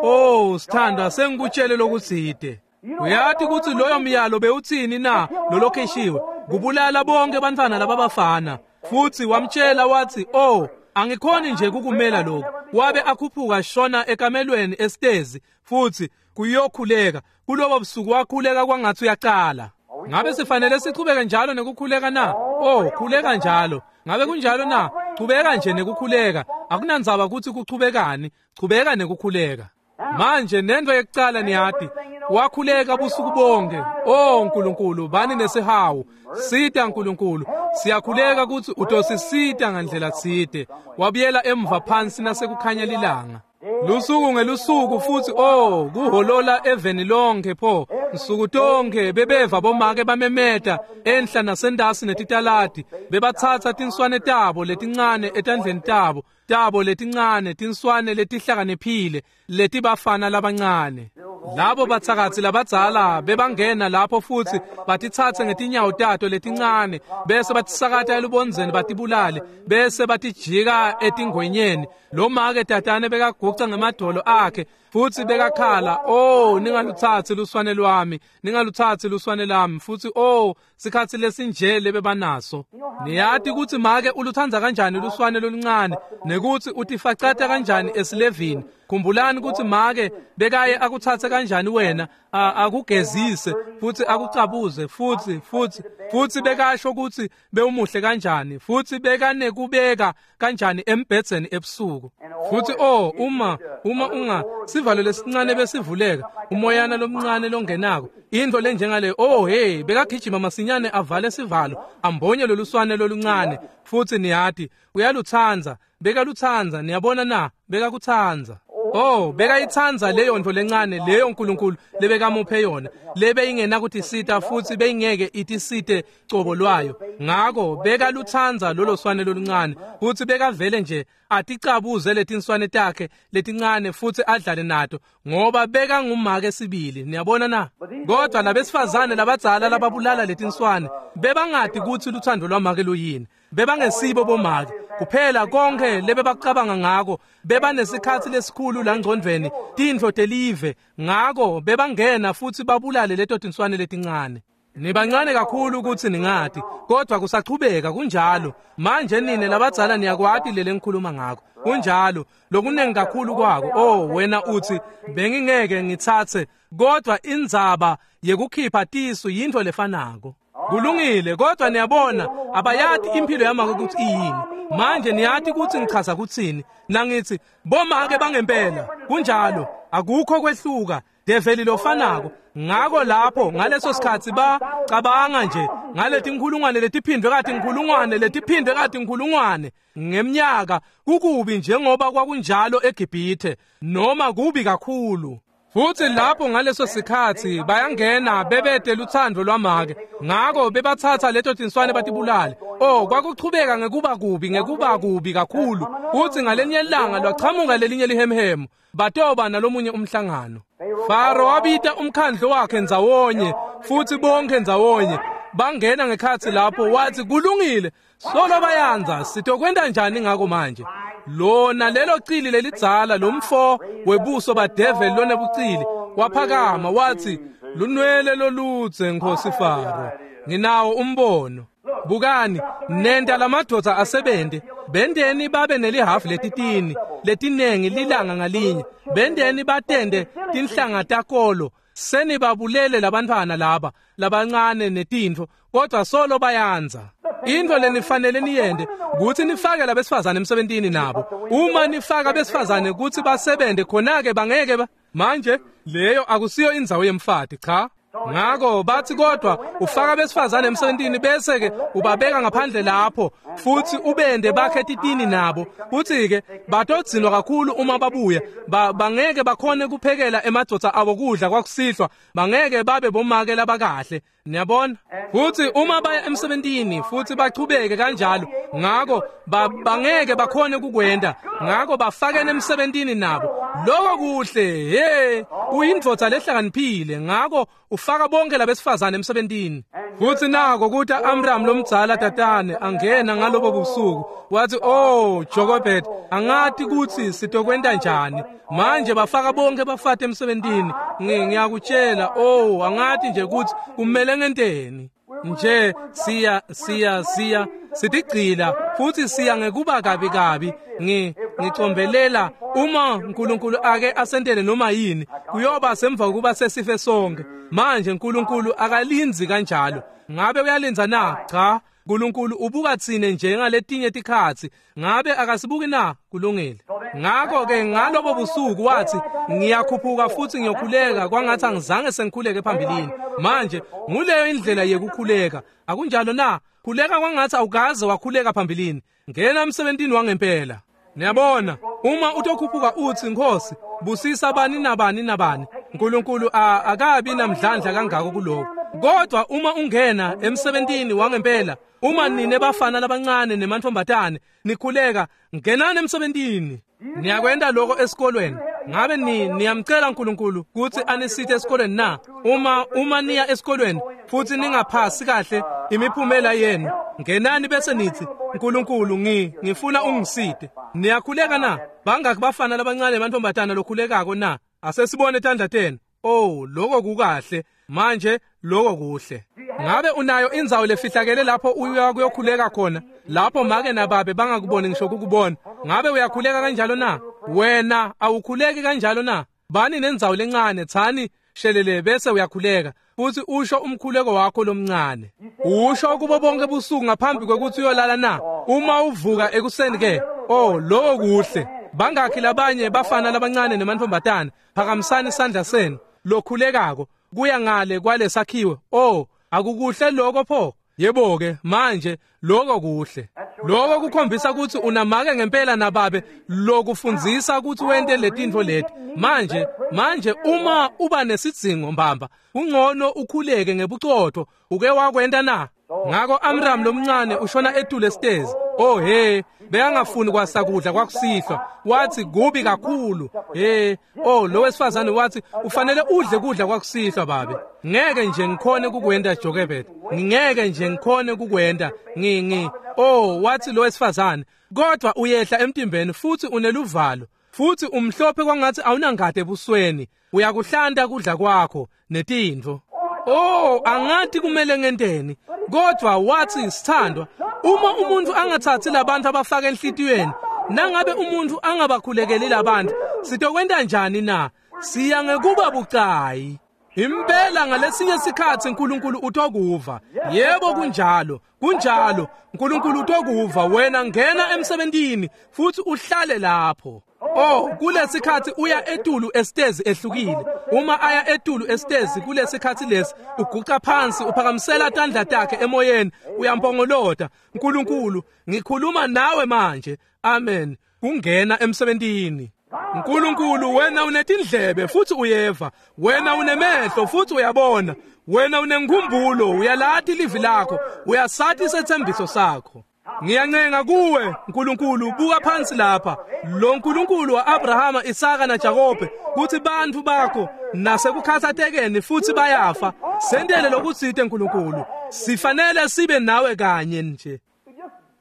oh sithandwa sengikutshele lokutsite. Uyati ukuthi loyo myalo bewuthini na lolokhishiwe kubulala bonke bantfwana lababafana. Futhi wamtshela wathi oh angikhoni nje kukumela lokho. Wabe akhuphuka shona ekamelweni esitezi futhi kuyokhuleka. Kulobo busuku wakhuleka kwangathi uyaqala. Ngabe sifanele sichubeke njalo nekukhuleka na? Oh khuleka njalo. Ngabe kunjalo na? Chubeka nje nekukhuleka. Akunandzaba ukuthi kuchubekani, chubeka nekukhuleka. Manje nento yekucala niyati wakhuleka busuku bonke. Oh Nkulunkulu bani nesihawu, sita Nkulunkulu, siyakhuleka ukuthi utosisita ngandlela tsite. Wabuyela emva phansi nasekukhanya lilanga. Lusuku ngelusuku futhi oh kuholola eveni lonke pho nsuku tonke bebeva bomake bamemeta enhla nasendasi netitaladi bebathatha tinswane tabo letincane etandleni tabo tabo letincane tinswane letihlakaniphile letibafana labancane. Labo batsakatsi labadzala bebangena lapho futhi batitsatse ngetinyawo tato letincane bese batisakata elubondzeni batibulale bese batijika etingwenyeni. Lo make tatane bekaguca ngemadolo akhe futhi bekakhala oh ningalutsatsi luswane lwami, ningalutsatsi luswane lami. Futhi oh sikhatsi lesinje lebebanaso. Niyati ukuthi make ulutsandza kanjani luswane loluncane nekuthi utifacata kanjani esilevini. Khumbulani kutsi make bekaye akutsatse kanjani wena, akugezise futsi akucabuze futsi futsi futsi bekasho kutsi bewumuhle kanjani, futsi bekanekubeka kanjani embhedzeni ebusuku. Futsi oh uma uma unga sivalo lesincane besivuleka, umoyana lomncane longenako, intfo lenjengale, oh hey, bekagijima masinyane avale sivalo, ambonye loluswane loluncane. Futsi niyati uyalutsandza, bekalutsandza, niyabona na, bekakutsandza. Oh, bekayitsandza leyo ntfo lencane leyo uNkulunkulu lebekamuphe yona, lebeyingenakutisita futsi beyingeke itisite cobo lwayo. Ngako bekalutsandza lolo swane loluncane, futsi bekavele nje aticabuze letinswane takhe letincane futsi adlale nato, ngoba bekangumake sibili, niyabona na. Kodwa labesifazane labadzala lababulala letinswane bebangati kutsi lutsandvo lwamake luyini. Bebangesibo bomake kuphela, konke lebebacabanga ngako bebanesikhatsi lesikhulu langcondvweni tintfo telive. Ngako bebangena futsi babulale leto tinswane letincane. Nibancane kakhulu kutsi ningati, kodwa kusachubeka kunjalo. Manje nine labadzala niyakwati lele ngikhuluma ngako. Kunjalo, lokunengi kakhulu kwako. Oh, wena utsi bengingeke ngitsatse, kodwa indzaba yekukhipha tisu yintfo lefanako. Kulungile, kodwa niyabona abayati impilo yamake kutsi iyini. Manje niyati kutsi ngichaza kutsini nangithi bomake bangempela. Kunjalo, akukho kwehluka, develi lofanako. Ngako lapho ngaleso sikhatsi bacabanga nje ngaletinkhulungwane letiphindwe kati inkhulungwane letiphindwe kati inkhulungwane ngemnyaka, kukubi njengoba kwakunjalo eGibhithe, noma kubi kakhulu. Futsi lapho ngaleso sikhatsi bayangena bebete lutsandvo lwamake, ngako bebatsatsa leto tinswane batibulale. Oh, kwakuchubeka ngekuba kubi, ngekuba kubi kakhulu. Futsi ngalenye ilanga lwachamuka lelinye lihemhemu, batoba nalomunye umhlangano. Faro wabita umkhandlo wakhe ndzawonye, futsi bonke ndzawonye bangena ngekhatsi lapho. Wathi kulungile, solo bayanza, sitokwenta njani ngako manje? Lona lelo cili lelidzala lomfo webuso badeveli lonebucili waphakama wathi, lunwele loludze Nkosi Faro, nginawo umbono. Bukani, nenta lamadvodza asebente, bendeni babe nelihafu letitini letinengi lilanga ngalinye, bendeni batende tinhlanga takolo, senibabulele labantwana laba labancane netintfo, kodwa solo bayanza. Intfo lenifanele niyente kutsi nifake labesifazane emsebentini nabo. Uma nifaka besifazane kutsi basebente, khona-ke bangeke ba manje leyo akusiyo indzawo yemfati, cha. Ngako bathi kodwa ufaka besifazane emsebentini bese-ke ubabeka ngaphandle lapho futsi ubende bakhe titini nabo, futsi-ke batodzinwa kakhulu uma babuya, ba, bangeke bakhone kuphekela emadvodza abo kudla kwakusihlwa, bangeke babe bomake labakahle, niyabona. Futsi uma baya emsebentini futsi bachubeke kanjalo, ngako ba, bangeke bakhone kukwenta, ngako bafakene emsebentini nabo. Lokho kuhle, hey, uyindvodza lehlakaniphile, ngako ufaka bonke labesifazane emsebentini. Futsi nako kuta Amram lomdzala tatane angena ngalobo busuku, wathi oh Jochebed, angati kutsi sitokwenta njani manje, bafaka bonke bafati emsebentini. Ngiyakutshela, oh angati nje kutsi kumele ngenteni nje, siya siya siya sitigcila futsi siya ngekuba kabi kabi. Ngi ngicombelela uma uNkulunkulu ake asentele noma yini, kuyoba semva kokuba sesife sonke. Manje uNkulunkulu akalinzi kanjalo. Ngabe uyalinza na? Cha, uNkulunkulu ubuka tsine njengaletinye tikhatsi. Ngabe akasibuki na? Kulungile. Ngako-ke ngalobo busuku wathi ngiyakhuphuka futsi ngiyokhuleka kwangathi angizange sengikhuleke phambilini. Manje nguleyo indlela yekukhuleka, akunjalo na? Khuleka kwangathi awukaze wakhuleka phambilini. Ngena emsebentini wangempela. Niyabona, uma utokhuphuka uthi Nkosi busisa bani nabani nabani, uNkulunkulu akabi namdlandla kangako kuloko. Kodwa uma ungena emsebentini wangempela, uma nine bafana labancane nemantfombatane nikhuleka, ngenani emsebentini. Niyakwenta lokho esikolweni. Ngabe ni niyamcela uNkulunkulu kutsi anisite esikolweni na? Uma uma niya esikolweni futsi ningaphasi kahle imiphumela yenu, ngenani bese nithi uNkulunkulu ngi ngifuna ungisite. Niyakhuleka na? Bangaki bafana labancane nemantfombatana lokhulekako na? Asesibone tandla tenu. Oh, lokho kukahle. Manje lokho kuhle. Ngabe unayo indzawo lefihlakele lapho uya kuyokhuleka khona, lapho make nababe bangakuboni ngisho kukubona? Ngabe uyakhuleka kanjalo na? Wena awukhuleki kanjalo na? Bani nendzawo lencane, tsani shelele bese uyakhuleka futhi usho umkhuleko wakho lomncane. Usho kubo bonke busuku ngaphambi kwekuthi uyolala na? Uma uvuka ekuseni ke, oh lokho kuhle. Bangakhi labanye bafana labancane nemantombazane, phakamisani isandla senu lokhulekako kuya ngale kwalesakhiwe. Oh, akukuhle lokho pho? Yebo ke, manje lokho kuhle. Lokho kukhombisa ukuthi unamake ngempela nababe lokufundzisa ukuthi wente letintfo leti. Manje, manje uma uba nesidzingo mbamba, ungcono ukhuleke ngebucotho. Uke wakwenta na? Ngako Amram lomncane ushona etulu esitezi. Oh he, bekangafuni kwasakudla kwakusihlwa. Wathi kubi kakhulu. He, oh lo wesifazane wathi ufanele udle kudla kwakusihlwa babe. Ngeke nje ngikhone kukwenta Jochebed. Ngeke nje ngikhone kukwenta. Ngi ngi. Oh wathi lo wesifazane, kodwa uyehla emtimbeni futhi uneluvalo. Futhi umhlophe kwangathi awunangade ebusweni. Uyakuhlanta kudla kwakho netintfo. Oh, angathi kumele ngenteni. Kodwa wathi sithandwa, uma umuntu angathathi labantu abafaka enhlitiyweni, nangabe umuntu angabakhulekeli labantu, sitokwenta njani na? Siya ngekuba bucayi. Impela ngalesinye sikhathi uNkulunkulu utokuva. Yebo kunjalo, kunjalo. uNkulunkulu utokuva. Wena ngena emsebentini futhi uhlale lapho. Oh, kulesikhathi uya etulu esitezi ehlukile. Uma aya etulu esitezi kulesikhathi lesi, uguqa phansi uphakamisela tandla takhe emoyeni, uyampongolota. uNkulunkulu, ngikhuluma nawe manje. Amen. Kungena emsebentini. uNkulunkulu, wena unetindlebe futhi uyeva, wena unemehlo futhi uyabona, wena unenkumbulo, uyalati livi lakho, uyasathi isethembiso sakho. Ngiyancenga kuwe uNkulunkulu, buka phansi lapha lo Nkulunkulu wa-Abrahama, Isaka naJakobe, kuthi bantfu bakho nasekukhathatekeni futhi bayafa. Sentele lokutsite uNkulunkulu, sifanele sibe nawe kanye nje,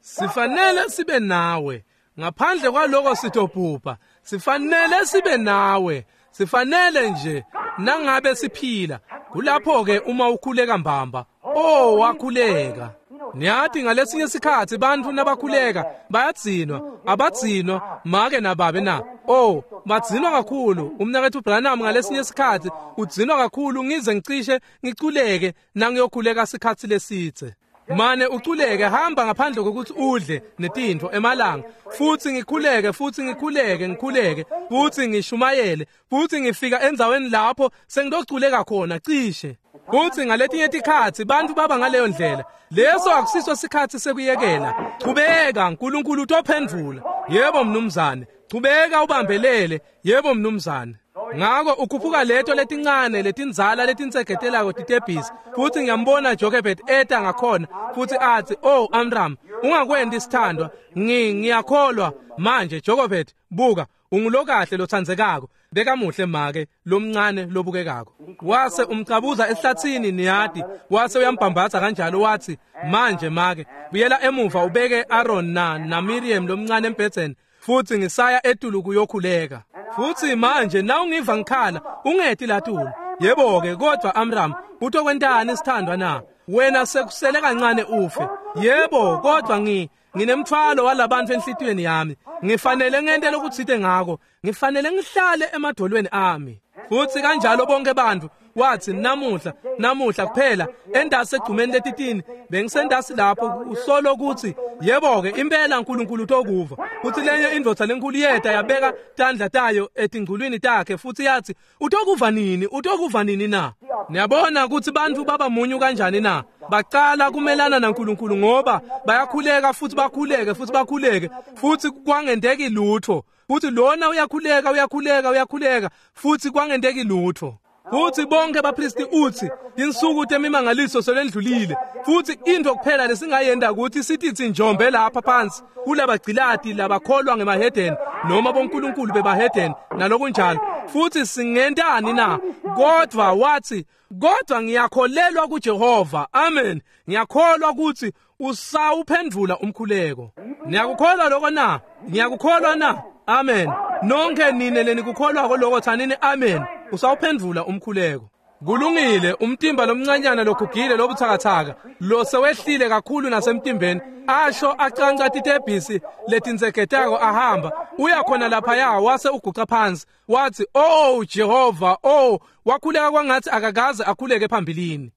sifanele sibe nawe. Ngaphandle kwaloko sitobhubha. Sifanele sibe nawe, sifanele nje nangabe siphila. Kulapho ke uma ukhuleka mbamba. Oh, wakhuleka. Niyathi ngalesinye sikhathi bantfu nabakhuleka bayadzinwa, abadzinwa make nababe na. Oh, badzinwa kakhulu. Umnaketfu Branham ngalesinye sikhathi udzinwa kakhulu ngize ngicishe ngiculeke nangiyokhuleka sikhathi lesitse. Mane uculeke, hamba ngaphandle kokuthi udle netintfo emalanga, futhi ngikhuleke futhi ngikhuleke ngikhuleke futhi ngishumayele futhi ngifika endzaweni lapho sengiyoculeka khona cishe. Futhi ngaletinye tikhatsi bantfu baba ngaleyo ndlela. Leso akusiso sikhatsi sekuyekela. Chubeka, uNkulunkulu utophendvula. Yebo mnumzane, chubeka ubambelele. Yebo mnumzane. Ngako ukhuphuka leto letincane letindzala letinsegetelako titebhisi, futhi ngiyambona Jochebed eta ngakhona futhi athi, oh Amram, ungakwenti sithandwa, ngi ngiyakholwa manje. Jochebed, buka, ungulokahle lothandzekako, bekamuhle make lomncane lobukekako. Wase umcabuza ehlathini niyati, wase uyambhambatha kanjalo wathi, manje make buyela emuva ubeke Aaron na na Miriam lomncane embhedzeni, futhi ngisaya etulu kuyokhuleka. Futhi manje na ungiva ngikhala ungeti latulu. Yebo ke, kodwa Amram, utokwentani sithandwa na? Wena sekusele kancane ufe. Yebo, kodwa ngi nginemthwalo walabantu enhlitiyweni yami. Ngifanele ngente lokutsite ngako. Ngifanele ngihlale emadolweni ami. Futhi kanjalo bonke bantu wathi namuhla, namuhla kuphela endasi egcumeni letitini bengisendasi lapho usolo ukuthi yebo ke impela uNkulunkulu utokuva. Futhi lenye indvodza lenkulu yeta yabeka tandla tayo etingculwini takhe futhi yathi, utokuva nini, utokuva nini na? Niyabona ukuthi bantu baba munyu kanjani na? Bacala kumelana naNkulunkulu ngoba bayakhuleka futhi bakhuleke futhi bakhuleke futhi kwangenteki lutho. Futhi lona uyakhuleka uyakhuleka uyakhuleka futhi kwangenteki lutho. Futhi bonke bapristi uthi insuku temimangaliso selendlulile, futhi into kuphela lesingayenda ukuthi sithi njombe lapha phansi kulabagcilati labakholwa ngemahedeni noma bonkulunkulu bebahedeni nalokunjalo, futhi singentani na? Kodwa wathi, kodwa ngiyakholelwa kuJehova. Amen. Ngiyakholwa ukuthi usawuphendvula umkhuleko. Niyakukholwa lokho na? Ngiyakukholwa na? Amen. Nonke nine lenikukholwako lokho thanini amen. Usawuphendvula umkhuleko. Kulungile, umtimba lomncanyana logugile lobuthakathaka lo sewehlile kakhulu nasemtimbeni, asho acanca titebhisi letinsegetako ahamba uya khona laphaya, wase uguca phansi wathi, "Oh Jehova, oh." Wakhuleka kwangathi akakaze akhuleke phambilini.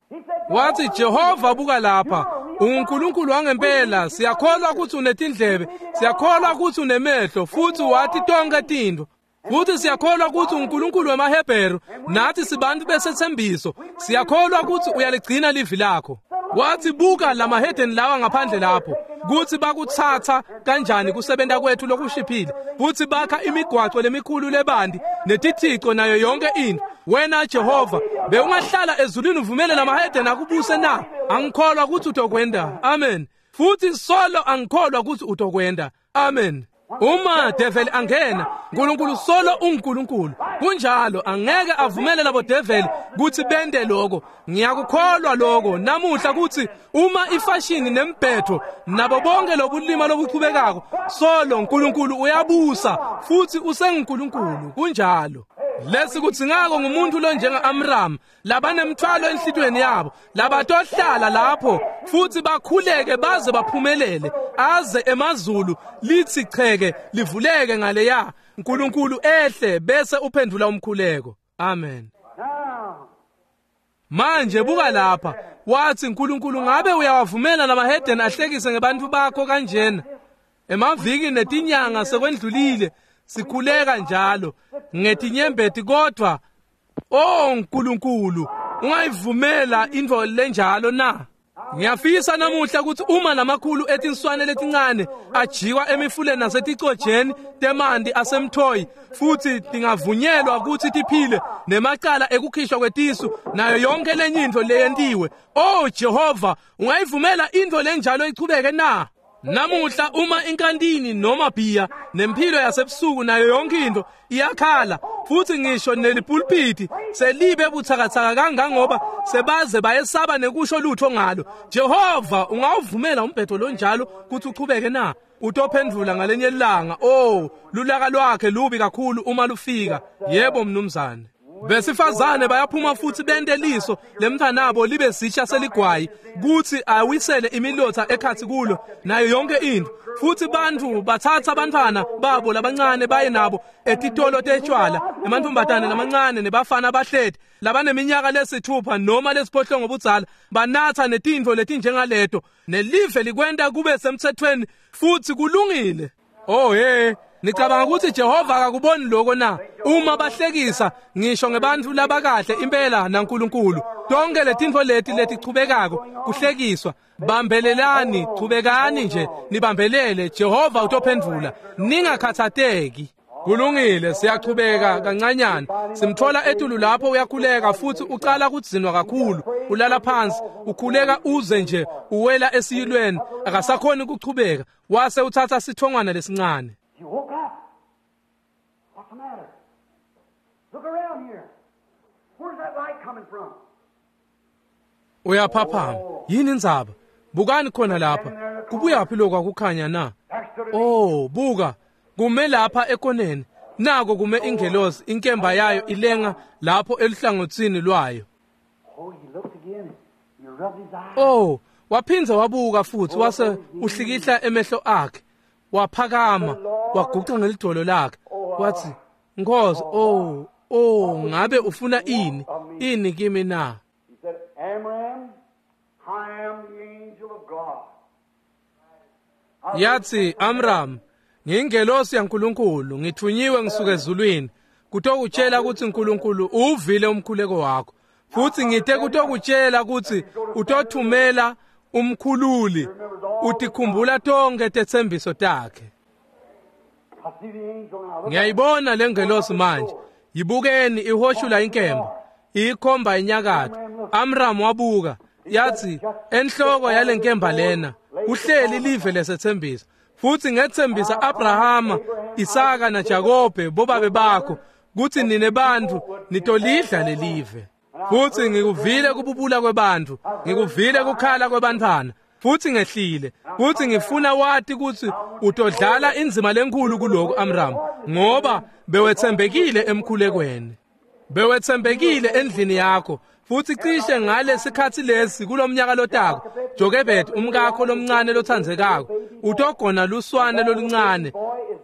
Wathi, "Jehova, buka lapha, unguNkulunkulu wangempela, siyakholwa ukuthi unetindlebe, siyakholwa ukuthi unemehlo, futhi wathi tonke tintfo, futhi siyakholwa ukuthi uNkulunkulu wemaHebheru, nathi sibantu besethembiso, siyakholwa ukuthi uyaligcina livi lakho." Wathi, "Buka lamahedeni lawa ngaphandle lapho, kuthi bakuthatha kanjani kusebenta kwethu lokushiphile, futhi bakha imigwaco lemikhulu lebandi netithico nayo yonke into. Wena Jehova, bewungahlala ezulwini uvumele lamahedeni akubuse na? Angikholwa ukuthi utokwenda. Amen. Futhi solo angikholwa ukuthi utokwenda. Amen. Uma devil angena, uNkulunkulu solo unguNkulunkulu. Kunjalo, angeke avumele labo devil kuthi bende lokho. Ngiyakukholwa lokho namuhla kuthi uma ifashini nembhetho nabo bonke lobulima lobuchubekako, solo uNkulunkulu uyabusa futhi usenguNkulunkulu. Kunjalo. Lesi kuthi ngako ngumuntu lo njenga Amram, labanemthwalo enhlitweni yabo, labatohlala lapho futhi bakhuleke baze baphumelele, aze emazulu lithi cheke livuleke ngaleya, uNkulunkulu ehle bese uphendula umkhuleko. Amen. Manje buka lapha, wathi, uNkulunkulu ngabe uyawavumela lamahedeni ahlekise ngebantu bakho kanjena? Emaviki netinyanga sekwendlulile, sikhuleka njalo ngetinyembeti, kodwa oh uNkulunkulu, ungayivumela into lenjalo na? Ngiyafisa namuhla ukuthi uma lamakhulu etinswane letincane ajikwa emifuleni naseticojeni temanti asemthoyi, futhi tingavunyelwa ukuthi tiphile nemacala ekukhishwa kwetisu nayo yonke lenye into leyentiwe, oh Jehova, ungayivumela into lenjalo ichubeke na? Namuhla uma inkantini noma bhiya nempilo yasebusuku nayo yonke into iyakhala, futhi ngisho nelipulpiti selibe buthakathaka kangangoba sebaze bayesaba nekusho lutho ngalo, Jehova, ungawuvumela umbhedo lonjalo kuthi uchubeke na? Utophendula ngalenye ilanga. Oh, lulaka lwakhe lubi kakhulu uma lufika. Yebo mnumzane. Besifazane bayaphuma futhi bente liso lemntwanabo libe sitsha seligwayi, kuthi awisele imilotha ekhathi kulo nayo yonke into. Futhi bantu bathatha abantwana babo labancane baye nabo etitolo tetshwala, emantombazane lamancane nebafana abahleti labaneminyaka lesithupha noma lesiphohlongo budzala, banatha netintfo letinjengaleto, nelive likwenta kube semthethweni futhi kulungile. Oh hey, nicabanga ukuthi Jehova akakuboni lokho na? Uma bahlekisa ngisho ngebantu labakahle impela naNkulunkulu, tonke letintfo leti letichubekako kuhlekiswa, bambelelani, chubekani nje nibambelele, Jehova utophendvula, ningakhathateki. Kulungile, siyachubeka kancanyana. Simthola etulu lapho uyakhuleka futhi ucala kudzinwa kakhulu, ulala phansi, ukhuleka uze nje uwela esiyilweni, akasakhoni ukuchubeka. Wase uthatha sithongwana lesincane. You woke up. What's the matter? Look around here. Where's that light coming from? Uyaphaphama. Yini indzaba? Bukani khona lapha. Kubuyaphi lokho akukhanya na? Oh, buka. Kume lapha ekoneni. Nako kume ingelosi, inkemba yayo ilenga lapho eluhlangothini lwayo. Oh, he looked again. He rubbed his eyes. Oh, waphindze wabuka futhi wase uhlikihla emehlo akhe. Waphakama, waguqa ngelidolo lakhe. Wathi, "Nkosi, oh, oh, ngabe ufuna ini? Ini kimi na?" He said, "Amram, I am the angel of God." Yathi, "Amram, ngingelosi yaNkulunkulu, ngithunyiwe ngisuka ezulwini kutokutshela ukuthi uNkulunkulu uvile umkhuleko wakho, futhi ngithe kutokutshela ukuthi utothumela umkhululi, utikhumbula tonke tetsembiso takhe." I see the angel now. Look Ngiyayibona lengelosi manje. Yibukeni ihoshula inkemba, ikhomba inyakatho. Amram wabuka, yathi, enhloko yalenkemba lena kuhleli live lesethembiso, futhi ngethembisa Abrahama, Isaka naJakobe bobabe bakho kuthi nine bantu nitolidla lelive. Futhi ngikuvile kububula kwebantu, ngikuvile kukhala kwebantwana, futhi ngehlile, futhi ngifuna wati ukuthi utodlala inzima lenkulu kuloko Amram, ngoba bewethembekile emkhulekweni, bewethembekile endlini yakho, Futhi cishe ngalesikhatsi lesi kulomnyaka lotako, Jochebed umkakho lomncane lothandzekako utogona luswane loluncane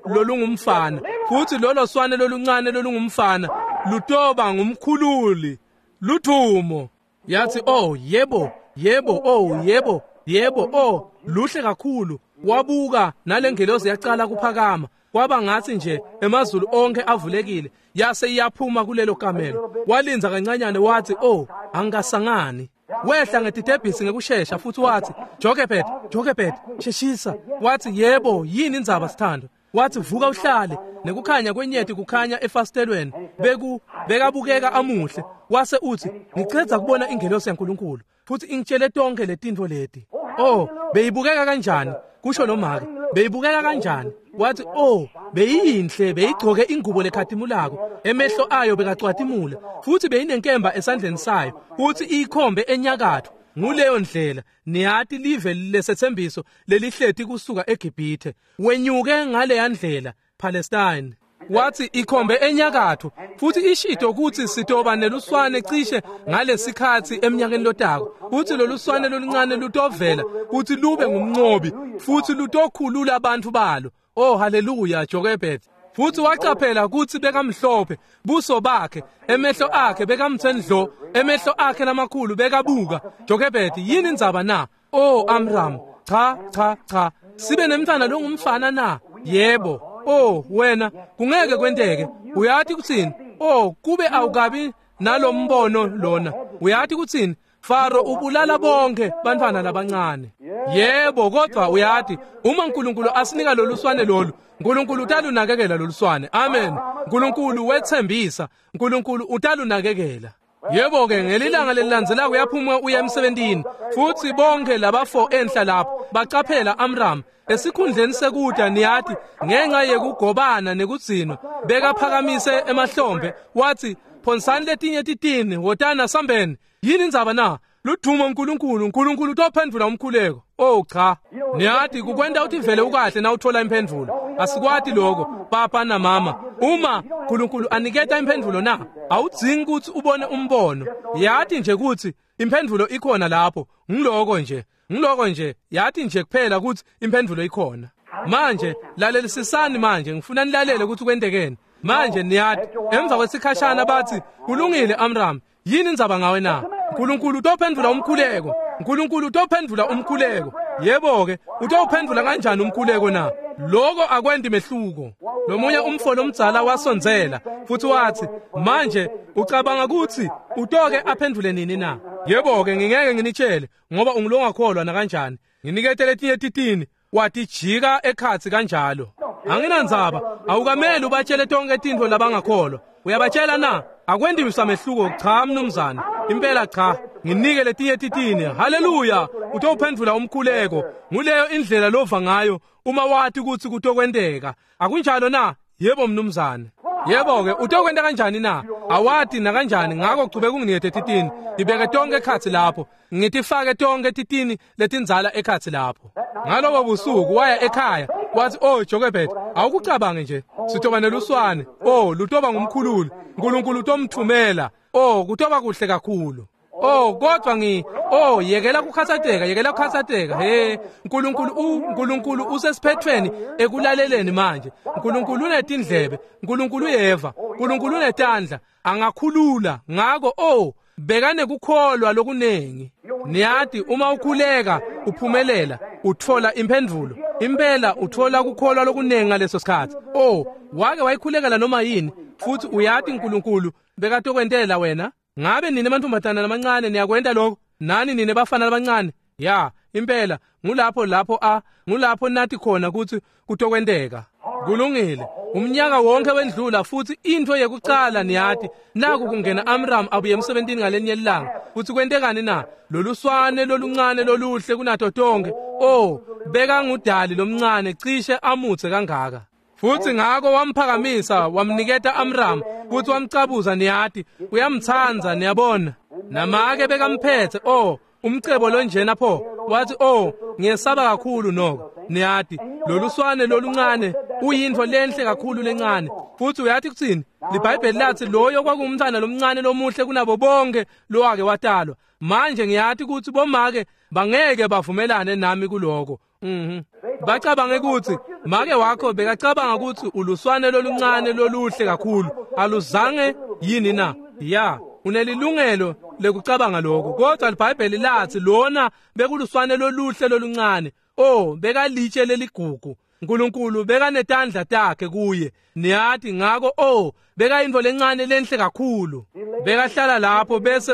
lolungumfana, futhi lolo swane loluncane lolungumfana lutoba ngumkhululi luthumo. Yathi, oh yebo, yebo, oh yebo, yebo, oh luhle kakhulu. Wabuka nalengelosi yaqala kuphakama, kwaba ngathi nje emazulu onke avulekile, yase iyaphuma kulelo kamelo. Walinza kancanyane wathi, oh angasangani. Wehla ngetitebhisi ngekushesha futhi wathi, Jochebed, Jochebed, sheshisa. Wathi, yebo, yini indzaba sithando? Wathi, vuka uhlale. Nekukhanya kwenyeti kukhanya efasitelweni, beku bekabukeka amuhle. Wase uthi, ngicedza kubona ingelosi yaNkulunkulu futhi ingitshele tonke letintfo leti. Oh, beyibukeka kanjani? Kusho lo make. Beyibukeka kanjani? Wathi, oh, beyinhle, beyigcoke ingubo lekhatimulako, emehlo ayo bekacwatimula, futhi beyinenkemba esandleni sayo, futhi iyikhombe enyakatho. Nguleyo ndlela niyati live lesethembiso lelihleti kusuka eGibhithe, wenyuke ngaleya ndlela Palestine. Wathi ikhombe enyakatho, futhi ishito ukuthi sitoba neluswane cishe ngalesikhatsi eminyakeni lotako, futhi loluswane loluncane lutovela futhi lube ngumnqobi, futhi lutokhulula abantu balo. Oh haleluya, Jochebed. Futhi waqaphela ukuthi bekamhlophe buso bakhe, emehlo akhe bekamthendlo, emehlo akhe lamakhulu bekabuka. Jochebed, yini indzaba na? Oh Amram, cha cha cha, sibe nemntwana longumfana na? Yebo. Oh wena, kungeke kwenteke. Uyathi kuthini? Oh kube awukabi nalombono lona. Uyathi kuthini? Faro ubulala bonke bantwana labancane. Yebo, kodwa uyathi uma uNkulunkulu asinika loluswane lolu, uNkulunkulu utalunakekela loluswane. Amen. uNkulunkulu wethembisa, uNkulunkulu utalunakekela. Yebo ke, ngelilanga lelilandzelako uyaphuma uya emsebentini, futhi bonke labafo enhla lapho bacaphela Amram esikhundleni sekuda, niyathi ngenxa yekugobana nekugcinwa bekaphakamise emahlombe. Wathi, phonsani letinye titini, wotana sambeni. Yini indzaba na? Ludvumo uNkulunkulu, uNkulunkulu utophendvula umkhuleko. Oh cha, niyathi kukwenta utivele ukahle na uthola imphendvulo. Asikwati lokho papa na mama. Uma uNkulunkulu aniketa imphendvulo na, awudzingi ukuthi ubone umbono. Yathi nje ukuthi imphendvulo ikhona lapho. Ngiloko nje, ngiloko nje, yathi nje kuphela ukuthi imphendvulo ikhona. Manje lalelisisani manje, ngifuna nilalele ukuthi kwentekeni. Manje niyathi emva kwesikhashana bathi, kulungile Amram, yini indzaba ngawe na? uNkulunkulu utophendvula umkhuleko. uNkulunkulu utophendvula umkhuleko. Yebo ke, utophendvula kanjani umkhuleko na? Lokho akwendi mehluko. Lomunye umfo lomdzala wasondzela futhi wathi, manje ucabanga ukuthi utoke aphendvule nini na? Yebo ke, ngingeke nginitshele ngoba ungilongakholwa na kanjani. Nginikete letinye titini, watijika ekhatsi kanjalo. Anginandzaba, awukameli ubatshele tonke tintfo labangakholwa. Uyabatshela na? Akwendi mehluko. Cha mnumzane, impela cha. Nginike letinye titini. Haleluya, utophendvula umkhuleko. Nguleyo indlela lova ngayo uma wati ukuthi kutokwenteka. Akunjalo na? Yebo mnumzane. Yebo ke, utokwenta kanjani na? Awati na kanjani, ngakho chubeka unginikete titini. Ngibeke tonke ekhatsi lapho. Ngitifake tonke titini letindzala ekhatsi lapho. Ngalobo busuku waya ekhaya, wathi, oh Jochebed, awukucabange nje, sitoba neluswane. Oh, lutoba ngumkhululi. uNkulunkulu utomthumela. Oh, kutoba kuhle kakhulu. Oh, kodwa ngi oh yekela kukhathazeka, yekela kukhathazeka. He, uNkulunkulu uNkulunkulu usesiphethweni ekulaleleni manje. uNkulunkulu unetindlebe, uNkulunkulu uyeva, uNkulunkulu unetandla, angakhulula. Ngako oh bekane kukholwa lokunengi. Niyati uma ukhuleka uphumelela, uthola imphendvulo. Impela uthola kukholwa lokunengi ngaleso sikhathi. Oh, wake wayikhulekela noma yini, futhi uyati uNkulunkulu bekatokwentela wena. Ngabe nine mantombazana lamancane niyakwenta lokho? Nani nine bafana labancane? Ya, impela ngulapho lapho a ngulapho nathi khona ukuthi kutokwenteka. Kulungile. Umnyaka wonke wendlula futhi into yekucala niyati naku kungena Amram abuye emsebentini ngalenye ilanga. Futhi kwentekani na? Loluswane loluncane loluhle kunato tonke. Oh, beka ngudali lomncane cishe amutse kangaka. Futhi ngako wamphakamisa wamniketa Amram futhi wamcabuza, niyati uyamtsandza, niyabona. Namake bekamphethe. Oh, Umcebo lonjena pho. Wathi, "Oh, ngiyesaba kakhulu noko. Niyati, loluswane loluncane uyintfo lenhle kakhulu lencane. Futhi uyathi kutsini? LiBhayibheli lathi loyo kwakungumntwana lomncane lomuhle kunabo bonke lowake watalwa. Manje ngiyathi ukuthi bomake bangeke bavumelane nami kuloko. Mhm. Bacabange ukuthi make wakho bekacabanga ukuthi uluswane loluncane loluhle kakhulu. Aluzange yini na? Ya, unelilungelo lekucabanga lokho. Kodwa iBhayibheli lathi lona bekuluswane loluhle loluncane. Oh, bekalitshe leligugu. uNkulunkulu bekanetandla takhe kuye. Niyathi ngako, oh, beka into lencane lenhle kakhulu. Bekahlala lapho bese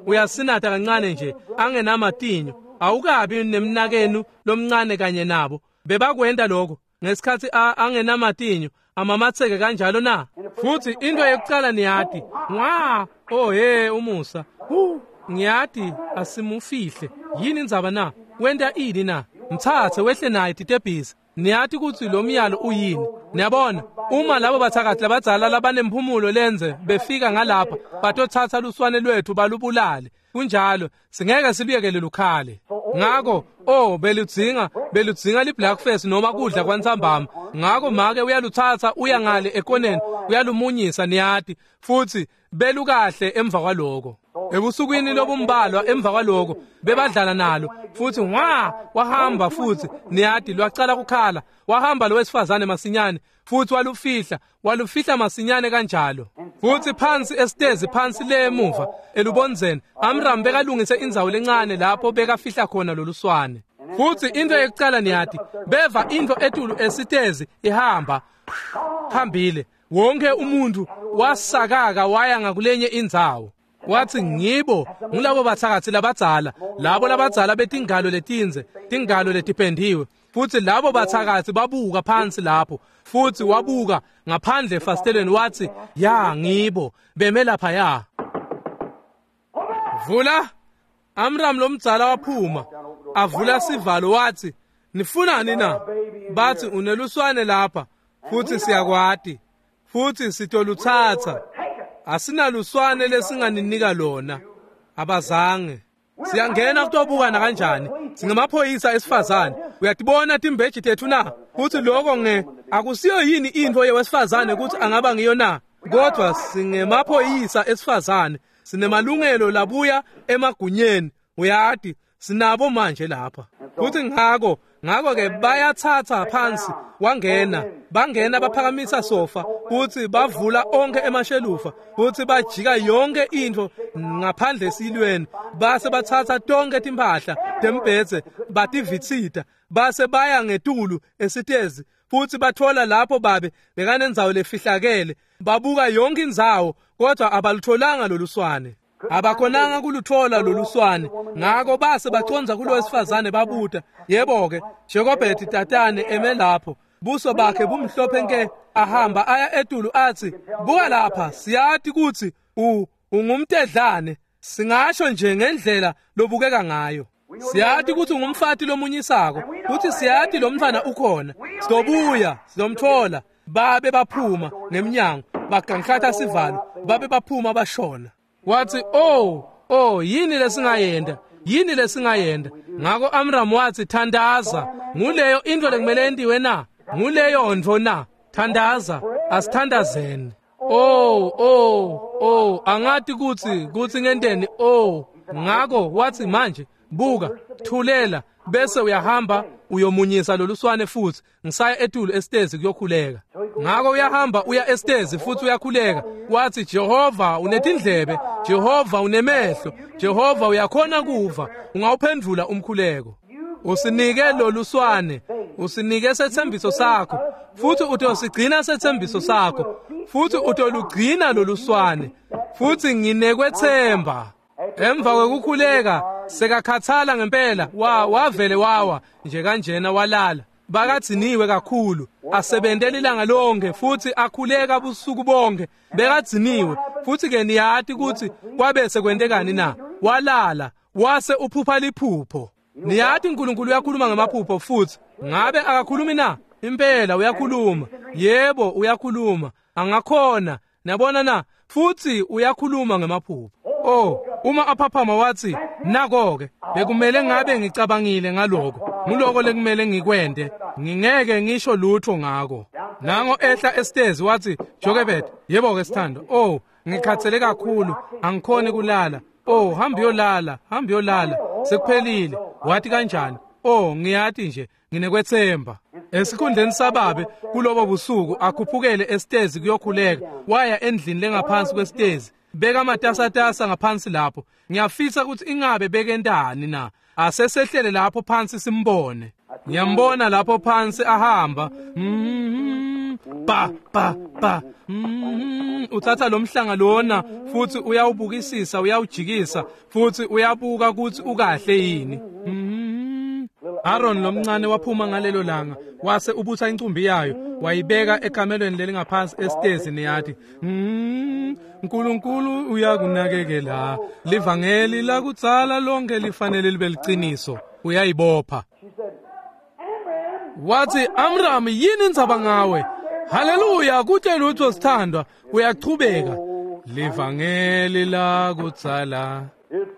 uyasinatha kancane nje angenamatinyo. Awukabi nemnakenu lomncane kanye nabo. Bebakwenda lokho ngesikhathi angenamatinyo amamatheke kanjalo na. Futhi into yokuqala niyathi, "Ngwa, oh hey umusa. Hu, ngiyathi asimufihle. Yini indzaba na? Wenta ini na? Mthathe wehle naye titebhisi." Niyathi ukuthi lo myalo uyini. Niyabona, uma labo bathakathi labadzala labanemphumulo lenze befika ngalapha batothatha luswane lwethu balubulale. Kunjalo, singeke siluyekele lukhale. Ngako, oh, beludzinga, beludzinga li-breakfast noma kudla kwantsambama. Ngako make uyaluthatha uya ngale ekoneni, uyalumunyisa niyathi, futhi belukahle emva kwaloko. Ebusukwini lobumbalwa emva kwaloko bebadlala nalo futhi ngwa wahamba futhi niyathi lwacala kukhala. Wahamba lo wesifazane masinyane futhi walufihla, walufihla masinyane kanjalo. Futhi phansi esitezi phansi le emuva elubonzeni Amram bekalungise indzawo lencane lapho bekafihla khona loluswane. Futhi into yokucala niyathi beva into etulu esitezi ihamba hambile. Wonke umuntu wasakaka waya ngakulenye indzawo. Wathi ngibo ngilabo bathakathi labadzala, labo labadzala betingalo letinze, tingalo letipendiwe. Futhi labo bathakathi babuka phansi lapho. Futhi wabuka ngaphandle efasitelweni wathi, "Ya ngibo beme lapha ya." Vula. Amram lomdzala waphuma avula sivalo wathi, "Nifunani na?" Bathi, "Uneluswane lapha futhi siyakwati futhi sitoluthatha. Asinaluswane lesinganinika lona." Abazange. Siyangena kutobukana kanjani? Singamaphoyisa esifazane. Uyatibona timbeji tethu na? Futhi lokho nge akusiyo yini into yewesifazane ukuthi angaba ngiyo na? Kodwa singemaphoyisa esifazane. Sinemalungelo labuya emagunyeni. Uyati sinabo manje lapha. Futhi ngako ngako ke bayathatha phansi wangena, bangena baphakamisa sofa futhi bavula onke emashelufa futhi bajika yonke into ngaphandle esilweni, base bathatha tonke timphahla tembhedze bativitsita base baya ngetulu esitezi futhi bathola lapho babe bekanendzawo lefihlakele. Babuka yonke indzawo kodwa abalutholanga loluswane. Abakhonanga kuluthola loluswane. Ngako base baconza kulo wesifazane babuta, "Yebo ke, Jacobeti tatane eme lapho, buso bakhe bumhlophe nke." Ahamba aya etulu athi, "Buka lapha, siyati ukuthi u ungumtedlane, singasho nje ngendlela lobukeka ngayo. Siyati ukuthi ungumfati lomunyisako, futhi siyati lo mntwana ukhona. Sizobuya, sizomthola." Babe baphuma ngemnyango, baganhlatha sivalo, babe baphuma bashona. Wathi, "Oh, oh, yini lesingayenda? Yini lesingayenda?" Ngako Amram wathi, "Thandaza. Nguleyo into lekumele entiwe na? Nguleyo ntfo na? Thandaza, asithandazeni." Oh, oh, oh, angathi kuthi kuthi ngenteni. Oh, ngako wathi, "Manje buka, thulela bese uyahamba uyomunyisa loluswane futhi ngisaya etulu esitezi kuyokhuleka." Ngako uyahamba uya esitezi futhi uyakhuleka. Wathi, "Jehova unetindlebe, Jehova unemehlo, Jehova uyakhona kuva, ungawuphendvula umkhuleko. Usinike loluswane, usinike sethembiso sakho, futhi utosigcina sethembiso sakho, futhi utolugcina loluswane, futhi nginekwethemba." Emva kwekukhuleka sekakhathala ngempela, wa wavele wawa nje kanjena walala. Bakadziniwe kakhulu, asebentela ilanga lonke futhi akhuleka busuku bonke. Bekadziniwe futhi ke niyati ukuthi kwabe sekwentekani na? Walala wase uphupha liphupho. Niyati uNkulunkulu uyakhuluma ngamaphupho futhi. Ngabe akakhulumi na? Impela uyakhuluma. Yebo uyakhuluma. Angakhona. Niyabona na? Futhi uyakhuluma ngamaphupho. Oh, uma aphaphama wathi, Nako-ke bekumele ngabe ngicabangile ngaloko. Nguloko lekumele ngikwente. Ngingeke ngisho lutho ngako. Nango ehla esitezi wathi, Jochebed, yebo-ke sithando. Oh, ngikhathele kakhulu, angikhoni kulala. Oh, hamba uyolala, hamba uyolala. Sekuphelile. Wathi kanjani? Oh, ngiyati nje, nginekwethemba. Esikhundleni sababe kulobo busuku akhuphukele esitezi kuyokhuleka. Waya endlini lengaphansi kwesitezi. Beka amatasatasa ngaphansi lapho. Ngiyafisa ukuthi ingabe bekentani na. Asesehlele lapho phansi simbone. Ngiyambona lapho phansi ahamba. Mm, ba ba ba. Mm, uthatha lo mhlanga lona futhi uyawubukisisa, uyawujikisa futhi uyabuka ukuthi ukahle yini. Mm. Aaron lomncane waphuma ngalelo langa wase ubutha incumbi yayo wayibeka ekamelweni lelingaphansi esitezi niyathi. Mm, uNkulunkulu uyakunakekela. Livangeli lakutsala lonke lifanele libe liqiniso. Uyayibopha. Wathi, Amram, yini indzaba ngawe? Haleluya, kuthe lutho sithandwa. Uyachubeka. Livangeli lakutsala,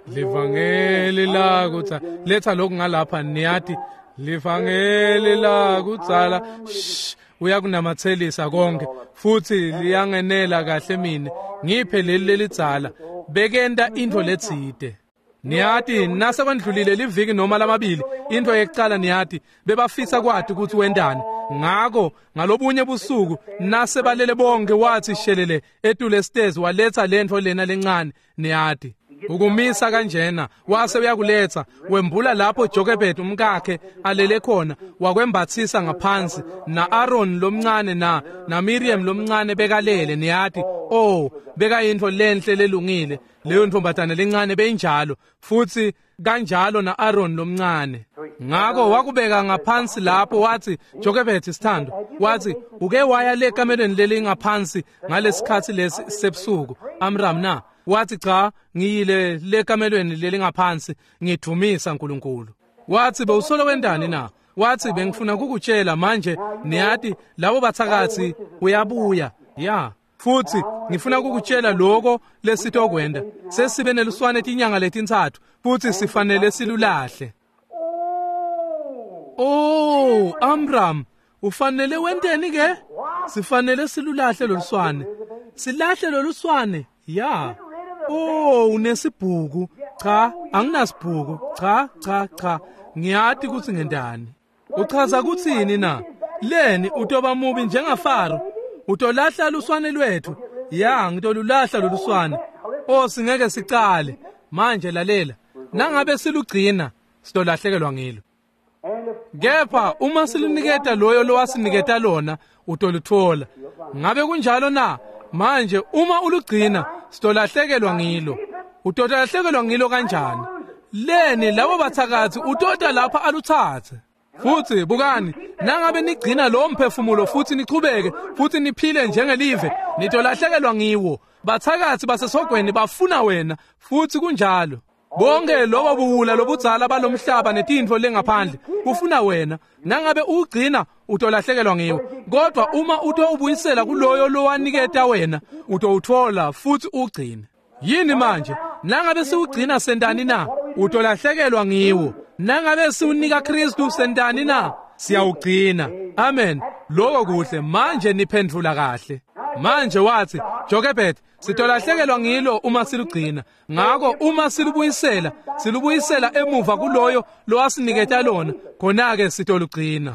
livangeli lakutsala. Letha lokhu ngalapha niyathi. Livangeli lakutsala. Shh, uyakunamathelisa konke futhi liyangenela kahle mine. Ngiphe leli lelidzala. Bekenta into letsite. Niyati nasekwendlulile liviki noma lamabili into yekucala niyati bebafisa kwati ukuthi wendani. Ngako ngalobunye busuku nasebalele bonke wathi shelele etule esitezi waletha lento lena lencane niyati. Ukumisa kanjena wase uyakuletha wembula lapho Jochebed umkakhe alele khona wakwembathisa ngaphansi na Aaron lomncane na na Miriam lomncane bekalele niyati. Oh, bekayintfo lenhle lelungile leyo ntombatana lencane beyinjalo futhi kanjalo na Aaron lomncane. Ngako wakubeka ngaphansi lapho wathi, Jochebed sithando, wathi uke waya le kamelweni leli ngaphansi ngalesikhathi lesi sebusuku Amram na? Wathi cha, ngiyile le kamelweni leli ngaphansi ngidumisa uNkulunkulu. Wathi bewusolo wendani na? Wathi bengifuna ukukutshela manje niyati labo bathakathi uyabuya. Ya, futhi ngifuna ukukutshela lokho lesitokwenda. Sesibe neluswane tinyanga letintsatfu futhi sifanele silulahle. Oh, Amram, ufanele wenteni ke? Sifanele silulahle loluswane. Silahle loluswane. Ya. Oh, unesibhuku. Cha, anginasibhuku. Cha, cha, cha. Ngiyati ukuthi ngendani. Uchaza kuthini na? Leni utoba mubi njengaFaro. Utolahla luswane lwethu. Ya, ngitolulahla loluswane. Oh, singeke sicale. Manje lalela. Nangabe silugcina, sitolahlekelwa ngilo. Kepha uma siluniketa loyo lowasiniketa lona, utoluthola. Ngabe kunjalo na? Manje uma ulugcina, sitolahlekelwa ngilo. Utolahlekelwa ngilo kanjani? Leni labo bathakathi utota lapha aluthathe. Futhi bukani, nangabe nigcina lo mphefumulo futhi nichubeke futhi niphile njengelive, nitolahlekelwa ngiwo. Bathakathi basesogweni bafuna wena futhi kunjalo. Bonke lobo buwula lobudzala balomhlaba netintfo lengaphandle kufuna wena. Nangabe ugcina utolahlekelwa ngiwo. Kodwa uma utowubuyisela kuloyo lowaniketa wena, utowuthola futhi ugcine. Yini manje? Nangabe siwugcina sentani na? Utolahlekelwa ngiwo. Nangabe siwunika Kristu sentani na? Siyawugcina. Amen. Lokho kuhle. Manje niphendvula kahle. Manje wathi, Jochebed, sitolahlekelwa ngilo uma silugcina. Ngako uma silubuyisela, silubuyisela emuva kuloyo lowasiniketa lona, khona-ke sitolugcina.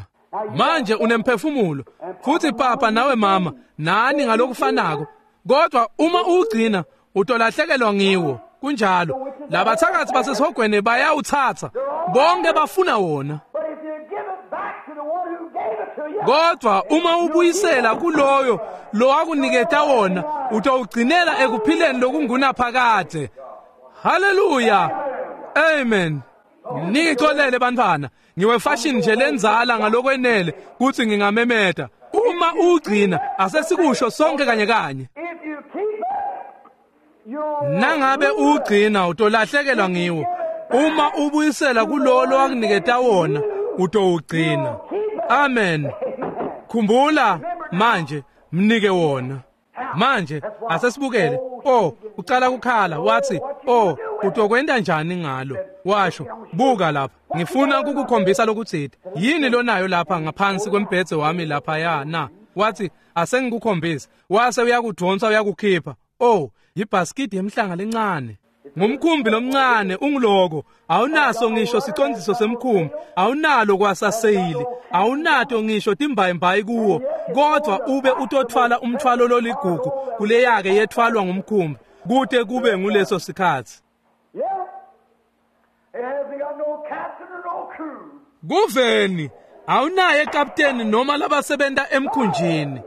Manje unemphefumulo futhi papa nawe mama nani ngalokufanako. Kodwa uma ugcina utolahlekelwa ngiwo. Kunjalo. Labathakathi basesihogweni bayawuthatha. Bonke bafuna wona. Kodwa uma ubuyisela kuloyo lowakuniketa wona, utawugcinela ekuphileni lokungunaphakade. Haleluya. Amen. Ningixolele bantwana, ngiwefashion nje lenzala ngalokwenele kuthi ngingamemeta. Uma ugcina, asesikusho sonke kanye kanye. Nangabe ugcina utolahlekelwa ngiwo. Uma ubuyisela kulowo lowakuniketa wona, utowugcina. Amen. Khumbula manje, mnike wona. Manje asesibukele. Oh, ucala ukukhala wathi, "Oh, utokwenta njani ngalo? Washo, buka lapha, ngifuna ukukukhombisa lokutsite. Yini lonayo lapha ngaphansi kwembhedze wami lapha ya na? Wathi, asengikukhombise. Wase uyakudonsa uyakukhipha. Oh, yibhaskidi yemhlanga lencane. Ngumkhumbi lomncane unguloko, awunaso ngisho sicondziso semkhumbi, awunalo kwasaseyili, awunato ngisho timbayimbayi kuwo, kodwa ube utothwala umthwalo loligugu kuleyake yethwalwa ngumkhumbi kute kube nguleso sikhathi. Kuveni awunaye kapteni noma labasebenta emkhunjini.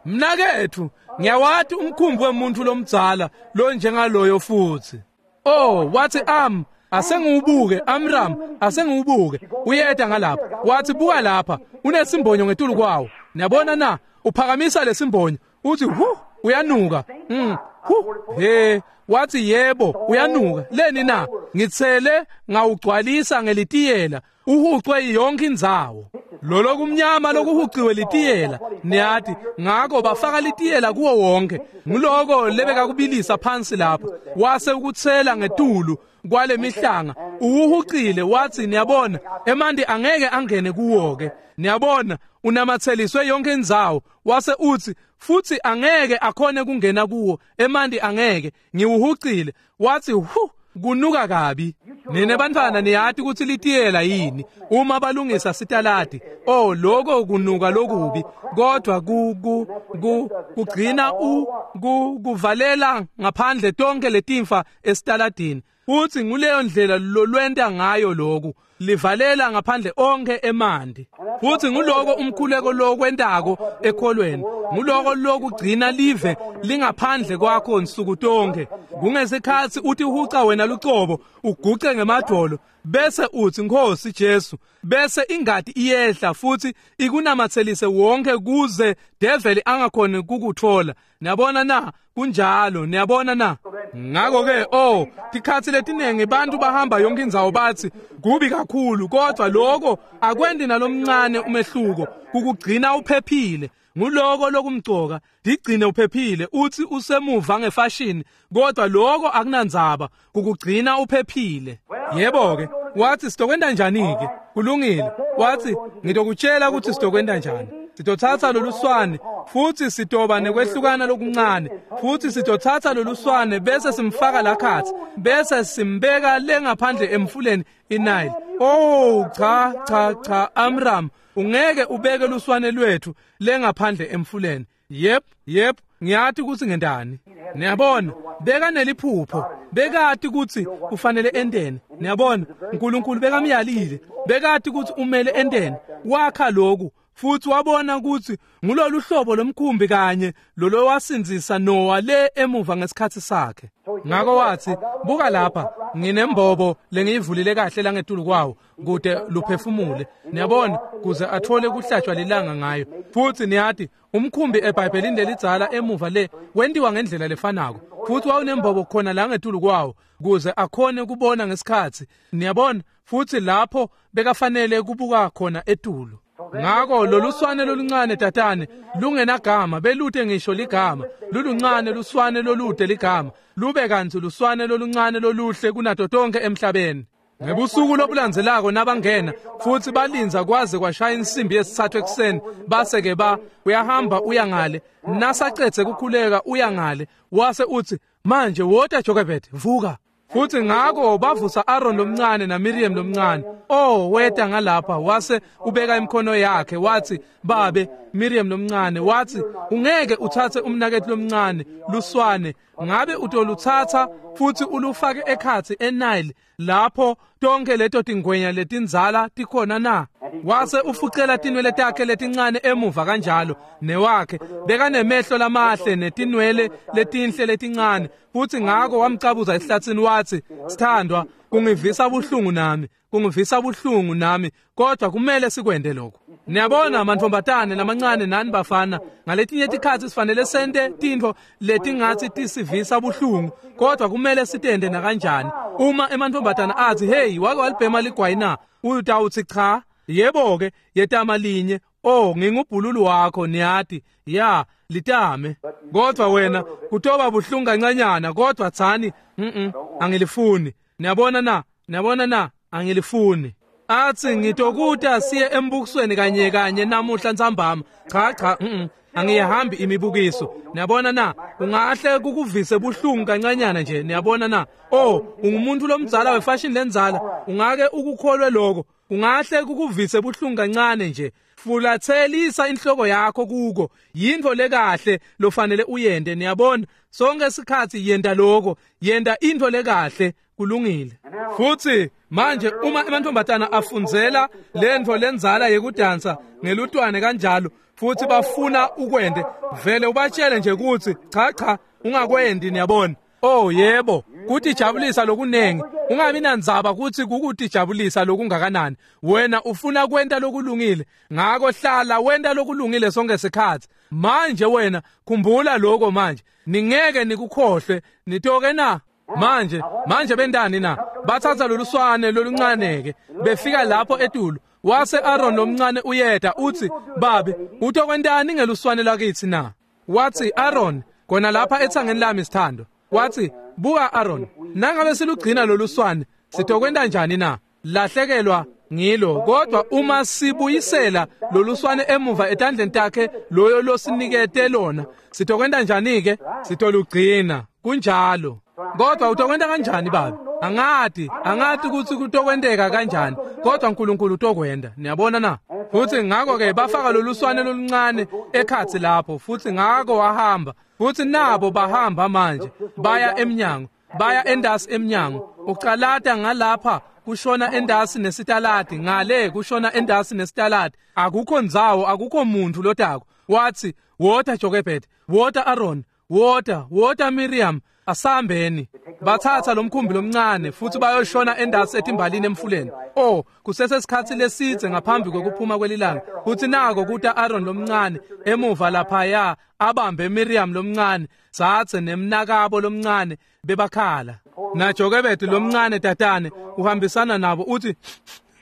Mnaketfu, ngiyawati umkhumbi wemuntu lomdzala lonjengaloyo futhi. Oh, wathi am asengiwubuke Amram, asengiwubuke. Uyeta ngalapha. Wathi buka lapha, unesimbonyo ngetulu kwawo. Niyabona na? Uphakamisa lesimbonyo, uthi hu, uyanuka. Mm, hu, he, wathi yebo, uyanuka. Leni na? Ngitsele ngawugcwalisa ngelitiyela, uhucwe yonke indzawo. Lolo kumnyama lokuhuciwe litiyela, niyathi, ngako bafaka litiyela kuwo wonke. Nguloko lebeka kubilisa phansi lapha, wase ukutsela ngetulu kwale mihlanga, uwuhucile. Wathi niyabona, emanti angeke angene kuwo ke. Niyabona, unamatheliswe yonke indzawo. Wase uthi futhi angeke akhone kungena kuwo, emanti angeke, ngiwuhucile. Wathi hu, kunuka kabi. Nine bantwana niyati ukuthi litiyela yini uma balungisa sitaladi. Oh, lokho kunuka lokubi, kodwa ku ku ku kugcina u ku kuvalela ngaphandle tonke letimfa esitaladini. Uthi nguleyo ndlela lolwenta ngayo lokhu, livalela ngaphandle onke emanti. Futhi nguloko umkhuleko lokwentako ekholweni, nguloko lokugcina live lingaphandle kwakho nsuku tonke. Kungesikhathi uthi uhuca wena lucobo, uguce ngemadolo, bese uthi Nkosi Jesu, bese ingati iyehla futhi ikunamathelise wonke kuze devil angakhoni kukuthola. Niyabona na? Kunjalo, niyabona na? Ngakho ke, oh, tikhathi letinengi bantu bahamba yonke indzawo bathi kubi kakhulu, kodwa lokho akwendi nalomncane umehluko, kukugcina uphephile. Nguloko lokumcoka, digcine uphephile. Uthi usemuva ngefashion, kodwa lokho akunandzaba, kukugcina uphephile. Yebo ke, wathi sitokwenta njani ke? Kulungile. Wathi ngitokutshela ukuthi sitokwenta njani. Sitothatha loluswane futhi sitoba nekwehlukana lokuncane, futhi sitothatha loluswane bese simfaka lakhathi, bese simbeka lengaphandle emfuleni iNile. Oh, cha cha cha, Amram, ungeke ubeke luswane lwethu lengaphandle emfuleni. Yep, yep, ngiyathi ukuthi ngentani. Niyabona, beka neliphupho, bekati ukuthi ufanele enteni. Niyabona, uNkulunkulu bekamyalile, bekati ukuthi umele enteni. Wakha lokhu futhi wabona ukuthi ngulolu hlobo lomkhumbi kanye lolo wasinzisa Noah le emuva ngesikhathi sakhe. Ngakho wathi, buka lapha, nginembobo lengiyivulile kahle la ngetulu kwawo kude luphefumule. Niyabona, kuze athole kuhlatshwa lilanga ngayo. Futhi niyathi umkhumbi eBhayibhelini lelidzala emuva le wentiwa ngendlela lefanako, futhi wawunembobo khona la ngetulu kwawo kuze akhone kubona ngesikhathi. Niyabona, futhi lapho bekafanele kubuka khona etulu. Ngakho loluswane loluncane tatane lungenagama, belute ngisho ligama, luluncane luswane lolude ligama, lube kantsi luswane loluncane loluhle kunato tonke emhlabeni. Ngebusuku lobulandzelako nabangena futhi balinza kwaze kwashaya insimbi yesithathu ekuseni, base ke ba uyahamba uya ngale, nasacedze kukhuleka uya ngale, wase uthi manje wota Jochebed, vuka. Futhi ngakho bavusa Aaron lomncane na Miriam lomncane. Oh, weta ngalapha wase ubeka imikhono yakhe wathi, babe Miriam lomncane, wathi ungeke uthathe umnakethu lomncane luswane, ngabe utoluthatha futhi ulufake ekhathi eNile lapho tonke leto tingwenya letinzala tikhona na? Wase ufucela tinwele takhe letincane emuva kanjalo newakhe, bekanemehlo lamahle netinwele letinhle letincane. Futhi ngakho wamcabuza esihlathini wathi, sithandwa, kungivisa buhlungu nami, kungivisa buhlungu nami, kodwa kumele sikwende lokho. Niyabona mantombazane lamancane nani bafana, ngaletinye tikhatsi sifanele sente tintfo letingatsi tisivisa buhlungu, kodwa kumele sitende nakanjani. Uma emantombazane athi, hey, wake walibhema ligwayi na? Utawutsi cha. Yebo ke, yetama linye. Oh, ngingubhululu wakho, niyati. Ya, litame. Kodwa wena kutoba buhlungu kancanyana, kodwa tsani, mhm, Angilifuni. Niyabona na? Niyabona na? Angilifuni. Athi ngitokuta siye embukisweni kanye kanye namuhla ntsambama. Cha cha, mhm. Angiyihambi imibukiso. Niyabona na? Ungahle kukuvise buhlungu kancanyana nje. Niyabona na? Oh, ungumuntu lomdzala wefashion lenzala. Ungake ukukholwe lokho. Ungahle kukuvise buhlungu kancane nje. Fulathelisa inhloko yakho kuko. Yinto lekahle lofanele uyende. Niyabona? Sonke isikhathi yenda lokho. Yenda into lekahle. Kulungile. Futhi manje uma amantombazana afunzela lento lenzala yekudansa ngelutwane kanjalo futhi bafuna ukwende, vele ubatshele nje ukuthi cha cha ungakwendi. Niyabona? Oh yebo, kutijabulisa lokunengi. Ungabi nandzaba ukuthi kukutijabulisa lokungakanani. Wena ufuna kwenta lokulungile, ngako hlala wenta lokulungile sonke isikhathi. Manje wena khumbula lokho manje, ningeke nikukhohlwe. Nitoke na? Manje manje bendani na? Bathatha loluswane loluncane ke befika lapho etulu. Wase Aaron lomncane uyeda uthi, babe utokwentani ngeluswane lakithi na? Wathi Aaron, kona lapha ethangeni lami sithando. Wathi, buka Aaron, nangabe silugcina loluswane sitokwenta njani na? Lahlekelwa ngilo. Kodwa uma sibuyisela loluswane emuva etandleni takhe loyo losinikete lona, sitokwenta njani ke? Sitolugcina. Kunjalo. Kodwa utokwenta kanjani babe? Angati, angati ukuthi kutokwenteka kanjani, kodwa uNkulunkulu utokwenda. Niyabona na? Futhi ngakho ke bafaka loluswane loluncane ekhatsi lapho, futhi ngako wahamba. Futhi nabo bahamba manje, baya emnyango, baya endasi emnyango. Ucalata ngalapha kushona endasi nesitaladi, ngale kushona endasi nesitaladi. Akukho ndzawo, akukho muntu lotako. Wathi, wota Jochebed, wota Aaron, wota, wota Miriam, asambeni. Bathatha lomkhumbi lomncane futhi bayoshona endasi etimbalini emfuleni. Oh, kusesesikhathi lesidze ngaphambi kokuphuma kwelilanga. Futhi nako kuta Aaron lomncane emuva laphaya abambe Miriam lomncane, sathe nemnakabo lomncane bebakhala. Na Jochebed lomncane tatane uhambisana nabo uthi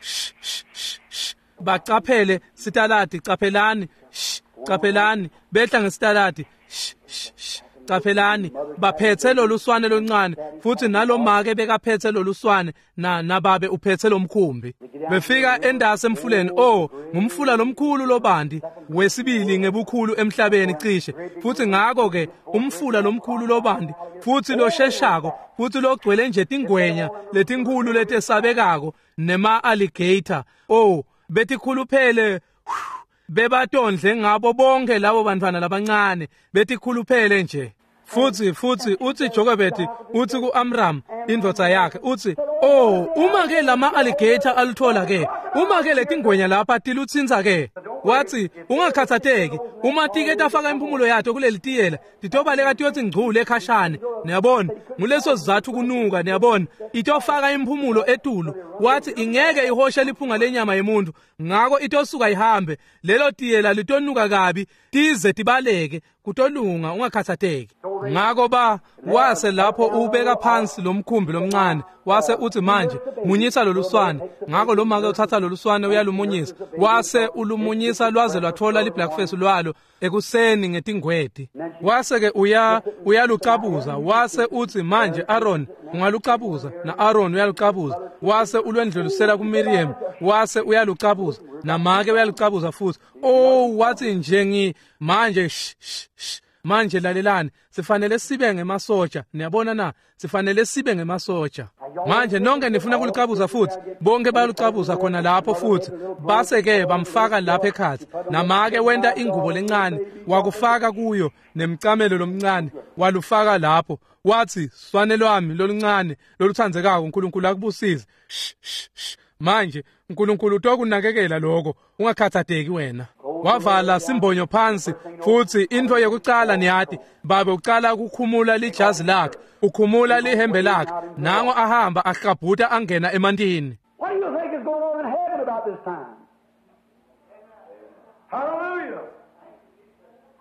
shh shh shh, bacaphele sitaladi, caphelani, shh, caphelani, behla ngesitaladi, shh shh, caphelani. Baphethe loluswane loncane, futhi nalomake bekaphethe loluswane na nababe uphethe lomkhumbi. Befika endasi emfuleni. Oh, ngumfula lomkhulu lobandi wesibili ngebukhulu emhlabeni cishe. Futhi ngakho ke umfula lomkhulu lobandi futhi losheshako futhi logcwele nje tingwenya letinkulu letesabekako nema alligator. Oh, betikhuluphele bebatondle ngabo bonke labo bantwana labancane, betikhuluphele nje. Futhi futhi uthi Jochebed uthi kuAmram indvodza yakhe uthi, oh, uma ke lama alligator aluthola ke, uma ke letingwenya lapha tilutsinza ke. Wathi, ungakhathatheki, uma tike tafaka impumulo yato kuleli tiyela, titobaleka tiyothi ngcule ekhashane. Niyabona, nguleso sizathu kunuka. Niyabona, itofaka impumulo etulu. Wathi ingeke ihoshe liphunga lenyama yemuntu, ngako itosuka ihambe. Lelo tiyela litonuka kabi, tize tibaleke. Kutolunga, ungakhathatheki. Ngako ba wase lapho ubeka phansi lomkhumbi lomncane, wase uthi manje munyisa loluswane. Ngako lo make uthatha loluswane uyalumunyisa, wase ulumunyisa lwaze lwathola liblackface lwalo ekuseni ngetingweti. Wase ke uya uyalucabuza, wase uthi manje Aaron ungalucabuza, na Aaron uyalucabuza. Wase ulwendlulisela kuMiriam, wase uyalucabuza, namake uyalucabuza futhi. Oh, wathi nje ngi manje sh sh manje lalelani, sifanele sibe ngemasoja. Niyabona na? Sifanele sibe ngemasoja. Manje nonke nifuna kulucabuza futhi, bonke bayalucabuza khona lapho futhi. Base ke bamfaka lapha ekhatsi. Namake wenta ingubo lencane, wakufaka kuyo nemcamelo lomncane, walufaka lapho. Wathi, swane lwami loluncane loluthandzekako, uNkulunkulu akubusise. Shh shh. Manje uNkulunkulu utokunakekela lokho, ungakhathatheki wena. Wavala simbonyo phansi, futhi into yokucala niyati, babe ucala ukukhumula lijazi lakhe, ukhumula lihembe lakhe, nango ahamba ahlabhuta angena emantini. What do you think is going on in heaven about this time? Hallelujah.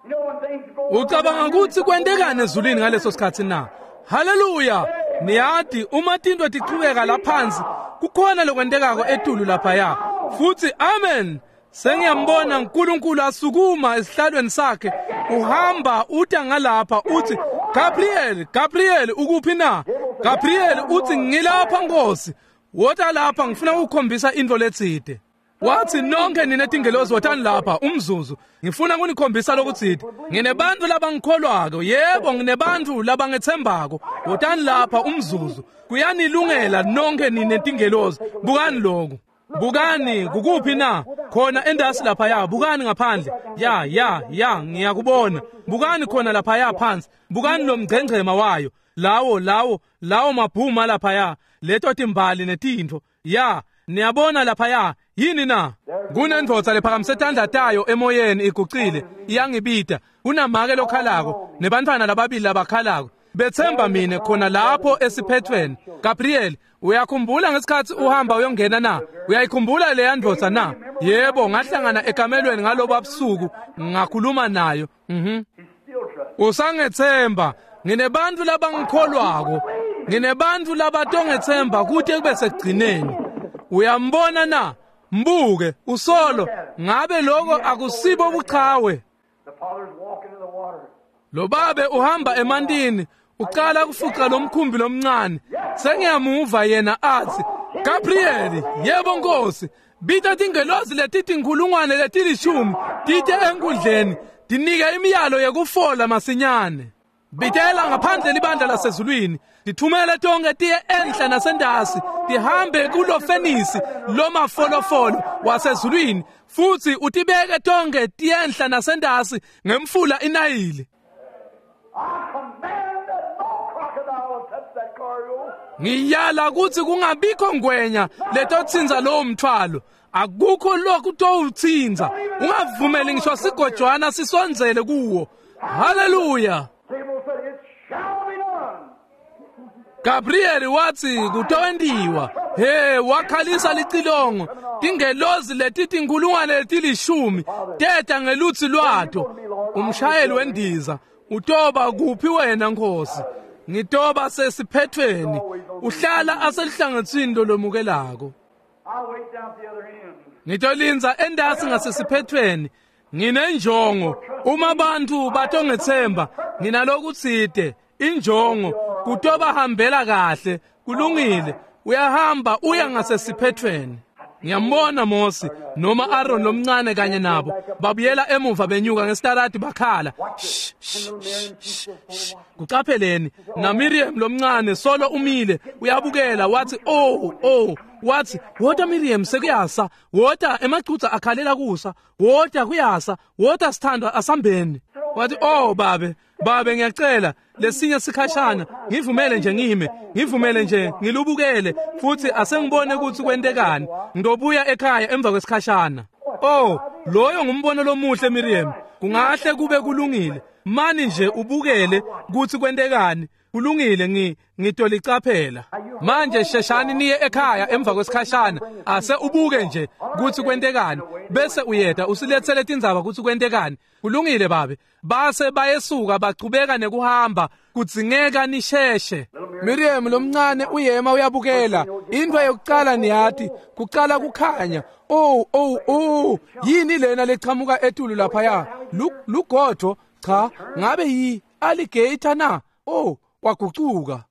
You know when things go on. Ucabanga ukuthi kwentekani ezulwini ngaleso sikhathi na? Hallelujah. Niyati uma tinto tichubeka laphansi, kukhona lokwentekako etulu laphaya. Futhi amen. Sengiyambona uNkulunkulu asukuma esihlalweni sakhe, uhamba uta ngalapha uthi, Gabriel, Gabriel ukuphi na? Gabriel uthi ngilapha Nkosi, wota lapha ngifuna ukukhombisa into letsite. Wathi nonke nine tingelozi wotani lapha umzuzu, ngifuna kunikhombisa lokutsite. Nginebantu labangikholwako, yebo nginebantu labangetsembako. Wotani lapha umzuzu, kuyanilungela nonke nine tingelozi. Bukani lokhu. Bukani kukuphi na? Khona endasi lapha ya, bukani ngaphandle. Ya ya ya ngiyakubona. Bukani khona lapha ya phansi. Bukani lo mgcengcema wayo. Lawo lawo lawo mabhuma lapha ya, leto timbali netintfo. Ya, niyabona lapha ya, yini na? Kunendvodza lephakamise tandla tayo emoyeni igucile, iyangibita. Kunamake lokhalako nebantfwana lababili labakhalako. Bethemba mine khona lapho esiphethweni. Gabriel, uyakhumbula ngesikhathi uhamba uyongena na? Uyayikhumbula leya ndvodza na? Yebo, ngahlangana ekamelweni ngalobo busuku, ngakhuluma nayo. Mhm. Usangethemba, nginebantu labangikholwako, nginebantu labatongethemba kude kube sekugcineni. Uyambona na? Mbuke, usolo, ngabe lokho akusibo buchawe? Lo babe uhamba emantini, uqala kufuqa lomkhumbi lomncane. Sengiyamuva yena athi, Gabriel, yebo Nkosi, bita tingelozi letitinkhulungwane letilishumi tite enkundleni, tinike imiyalo yekufola masinyane. Bitela ngaphandle libandla lasezulwini, tithumele tonke tiye enhla nasendasi, tihambe kulo fenisi lomafolofolo wasezulwini, futhi utibeke tonke tiyenhla nasendasi ngemfula iNayili. Ngiyala kuthi kungabikho ngwenya letotsinza lowo mthwalo. Akukho lokhu towutsinza. Ungavumeli ngisho sigojwana sisondzele kuwo. Haleluya. Gabriel wathi kutowentiwa. He, wakhalisa licilongo. Tingelozi letitinkhulungwane letilishumi teta ngelutsi lwato. Umshayeli wendiza utoba kuphi wena Nkosi? Ngitoba sesiphethweni. Uhlala aselihlangotsini lolomukelako. Ngitolinza endasi ngasesiphethweni. Nginenjongo. Uma abantu batongethemba, nginalokutsite injongo kutoba hambela kahle. Kulungile, uyahamba uya ngasesiphethweni. Ngiyambona Mose noma Aaron lomncane kanye nabo babuyela emuva benyuka ngesitaladi bakhala. Shh shh shh. Kucapheleni na Miriam lomncane solo umile uyabukela. Wathi oh oh, wathi wota Miriam sekuyasa, wota emacutsa akhalela kusa, wota kuyasa, wota sithandwa asambeni. Wathi oh babe, babe ngiyacela lesinye sikhashana ngivumele nje ngime, ngivumele nje ngilubukele futhi asengibone ukuthi kwentekani. Ngidobuya ekhaya emva kwesikhashana. Oh, loyo ngumbono lomuhle Miriam. Kungahle kube kulungile. Mani nje ubukele ukuthi kwentekani. Kulungile, ngi ngitolicaphela. Manje sheshani niye ekhaya emva kwesikhashana. Ase ubuke nje ukuthi kwentekani bese uyeda usilethele tindzaba ukuthi kwentekani. Kulungile babe. Base bayesuka bachubeka nekuhamba, kudzingeka nisheshe. Miriam lomncane uyema uyabukela. Into yokuqala niyathi kuqala kukhanya. Oh oh oh, yini lena leqhamuka etulu lapha ya? Lugodvo cha, ngabe yi alligator na? Oh, kwagucuka.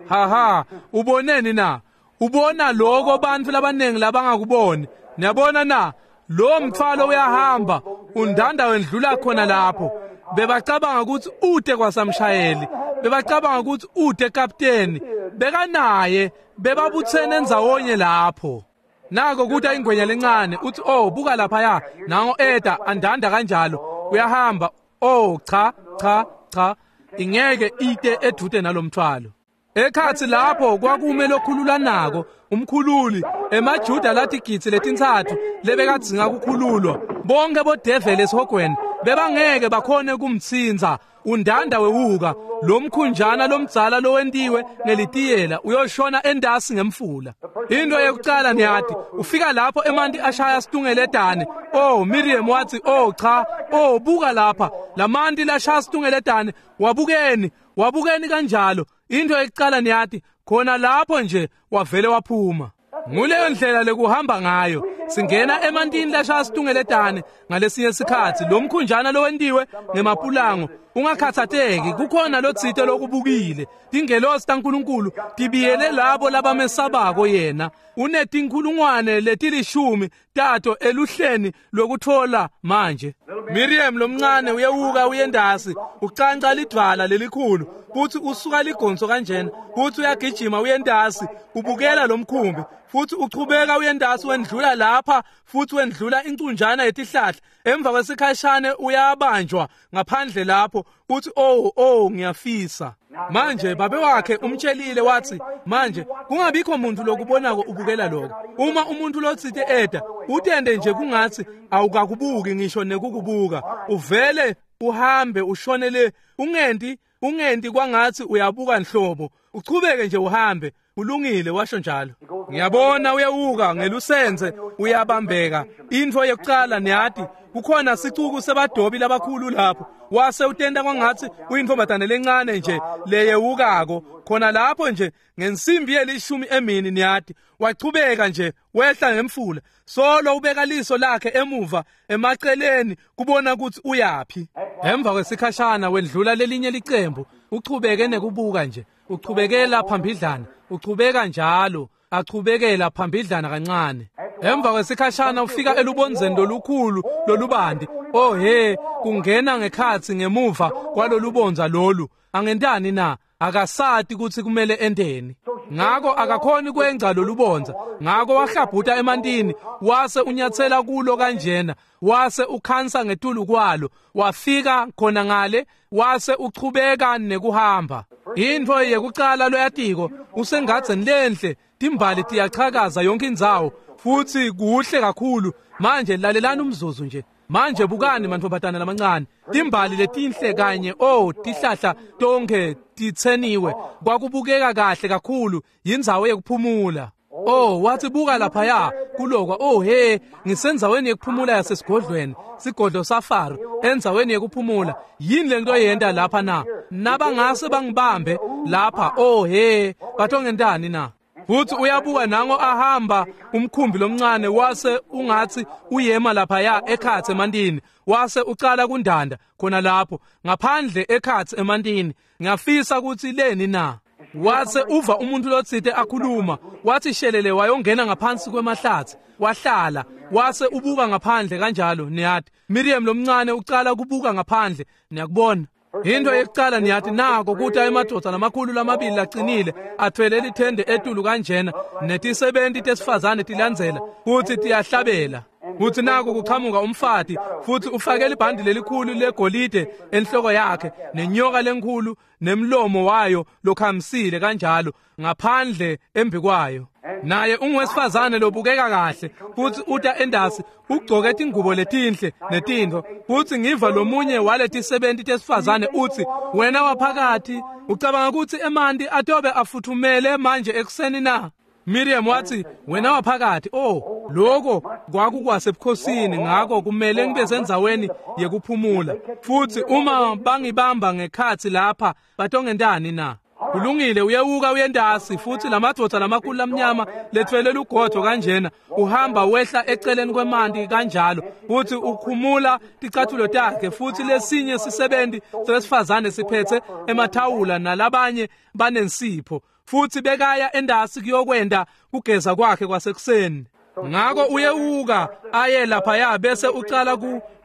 Ha ha, uboneni na? Ubona lokho bantu labanengi labangakuboni. Niyabona na? Lo mthwalo uyahamba, undanda wendlula khona lapho. Bebacabanga ukuthi ude kwasamshayeli, bebacabanga ukuthi ude kapteni, bekanaye, bebabuthene endzawonye lapho. Nako kuta ingwenya lencane uthi oh buka lapha ya, nango eda andanda kanjalo, uyahamba. Oh cha cha cha, ingeke ite edude nalomthwalo. Ekhathi lapho kwakume lokhululanako umkhululi emaJuda lathi gitsi letintsatfu lebekadzinga kukhululwa. Bonke bodeveli esihogweni bebangeke bakhone kumtsinza. Undanda wewuka lomkhunjana lomdzala lowentiwe ngelitiyela uyoshona endasi ngemfula. Into yokuqala niyathi ufika lapho emanti ashaya situngeletane. Oh Miriam wathi oh cha, oh buka lapha lamanti lashaya situngeletane. Wabukeni, wabukeni kanjalo. Into yokuqala niyathi khona lapho nje wavele waphuma. Nguleyo ndlela lekuhamba ngayo. Singena emantini lashaya situngeletane ngalesinye sikhatsi, lo mkhunjana lowentiwe ngemapulango. Ungakhathatheki, kukhona lotsite lokubukile. Tingelosi taNkulunkulu tibiyele labo labamesabako yena. Unetinkhulungwane letilishumi tato eluhleni lokuthola manje. Miriam lomncane uyewuka uyendasi, ucanca lidvwala lelikhulu, futhi usuka ligonso kanjena, futhi uyagijima uyendasi, ubukela lomkhumbi, futhi uchubeka uyendasi wendlula lapha, futhi wendlula incunjana yetihlahla. Emva kwesikhashane uyabanjwa ngaphandle lapho, uthi oh oh ngiyafisa. Manje babe wakhe umtshelile wathi, manje kungabikho muntu lokubonako ubukela lokho. Uma umuntu lotsite eda, utende nje kungathi awukakubuki ngisho nekukubuka. Uvele uhambe ushonele, ungenti ungenti kwangathi uyabuka nhlobo. Uchubeke nje uhambe. Ulungile, washo njalo. Ngiyabona uyewuka ngelusenze uyabambeka. Intfo yokucala niyati kukhona sicuku sebadobi labakhulu lapho. Wase utenda kwangathi uyintombatane lencane nje leyewukako khona lapho nje ngensimbi yelishumi emini niyati. Wachubeka nje wehla ngemfula, solo ubeka liso lakhe emuva emaceleni kubona ukuthi uyapi. Emva kwesikhashana wendlula lelinye licembu, uchubeke nekubuka nje, uchubekela phambidlana, uchubeka njalo, achubekela phambidlana kancane. Emva kwesikhashana ufika elubonzeni lolukhulu lolubandi. Oh he, kungena ngekhatsi ngemuva kwalolubonza lolu. Angentani na? Akasati ukuthi kumele enteni. Ngako akakhoni kwengca lolubonza. Ngako wahlabhuta emantini, wase unyathela kulo kanjena, wase ukhansa ngetulu kwalo, wafika khona ngale, wase uchubeka nekuhamba. Intfo yekucala loyatiko usengadzeni lenhle, timbali tiyachakaza yonke indzawo, futhi kuhle kakhulu. Manje lalelani umzuzu nje. Manje bukani mantfombatana lamancane, timbali letinhle kanye oh tihlahla tonke titseniwe, kwakubukeka kahle kakhulu, yindzawo yekuphumula. Oh wathi buka laphaya kulokwa, oh he, ngisendzaweni yekuphumula yasesigodlweni, sigodlo saFaro, endzaweni yekuphumula. Yini lento yenta lapha na? Nabangase bangibambe lapha, oh he, batongentani na? Futhi uyabuka nango ahamba umkhumbi lomncane, wase ungathi uyema laphaya ekhatsi emantini, wase ucala kundanda khona lapho ngaphandle ekhatsi emantini. Ngiyafisa ukuthi leni na? Wase uva umuntu lotsite akhuluma, wathi shelele wayongena ngaphansi kwemahlathi, wahlala, wase ubuka ngaphandle kanjalo niyati. Miriam lomncane ucala kubuka ngaphandle, niyakubona. Into yekucala niyathi nako kuthi emadoda lamakhulu lamabili laqinile athwele lithende etulu kanjena, netisebenti tesifazane tilandzela futhi tiyahlabela. Futhi nako kuqhamuka umfati, futhi ufake libhandi lelikhulu legolide enhloko yakhe, nenyoka lenkhulu nemlomo wayo lokhamisile kanjalo ngaphandle embikwayo. Naye ungwesifazane lobukeka kahle, futhi uta endasi ugcoke tingubo letinhle netintfo. Futhi ngiva lomunye waletisebenti tesifazane uthi, wena waphakathi ucabanga ukuthi emanti atobe afuthumele manje ekuseni na? Miriam wathi, wena waphakathi, oh lokho kwakukwasebukhosini, ngakho kumele ngibe sendzaweni yekuphumula. Futhi uma bangibamba ngekhatsi lapha batongentani na? Kulungile, uyewuka uyendasi, futhi lamadvodza lamakhulu lamnyama lethwele lugodvo kanjena, uhamba wehla eceleni kwemanti kanjalo, futhi ukhumula ticathulo takhe, futhi lesinye sisebenti sesifazane siphethe emathawula nalabanye banensipho, futhi bekaya endasi kuyokwenda kugeza kwakhe kwasekuseni. Ngako uyewuka aye laphaya bese ucala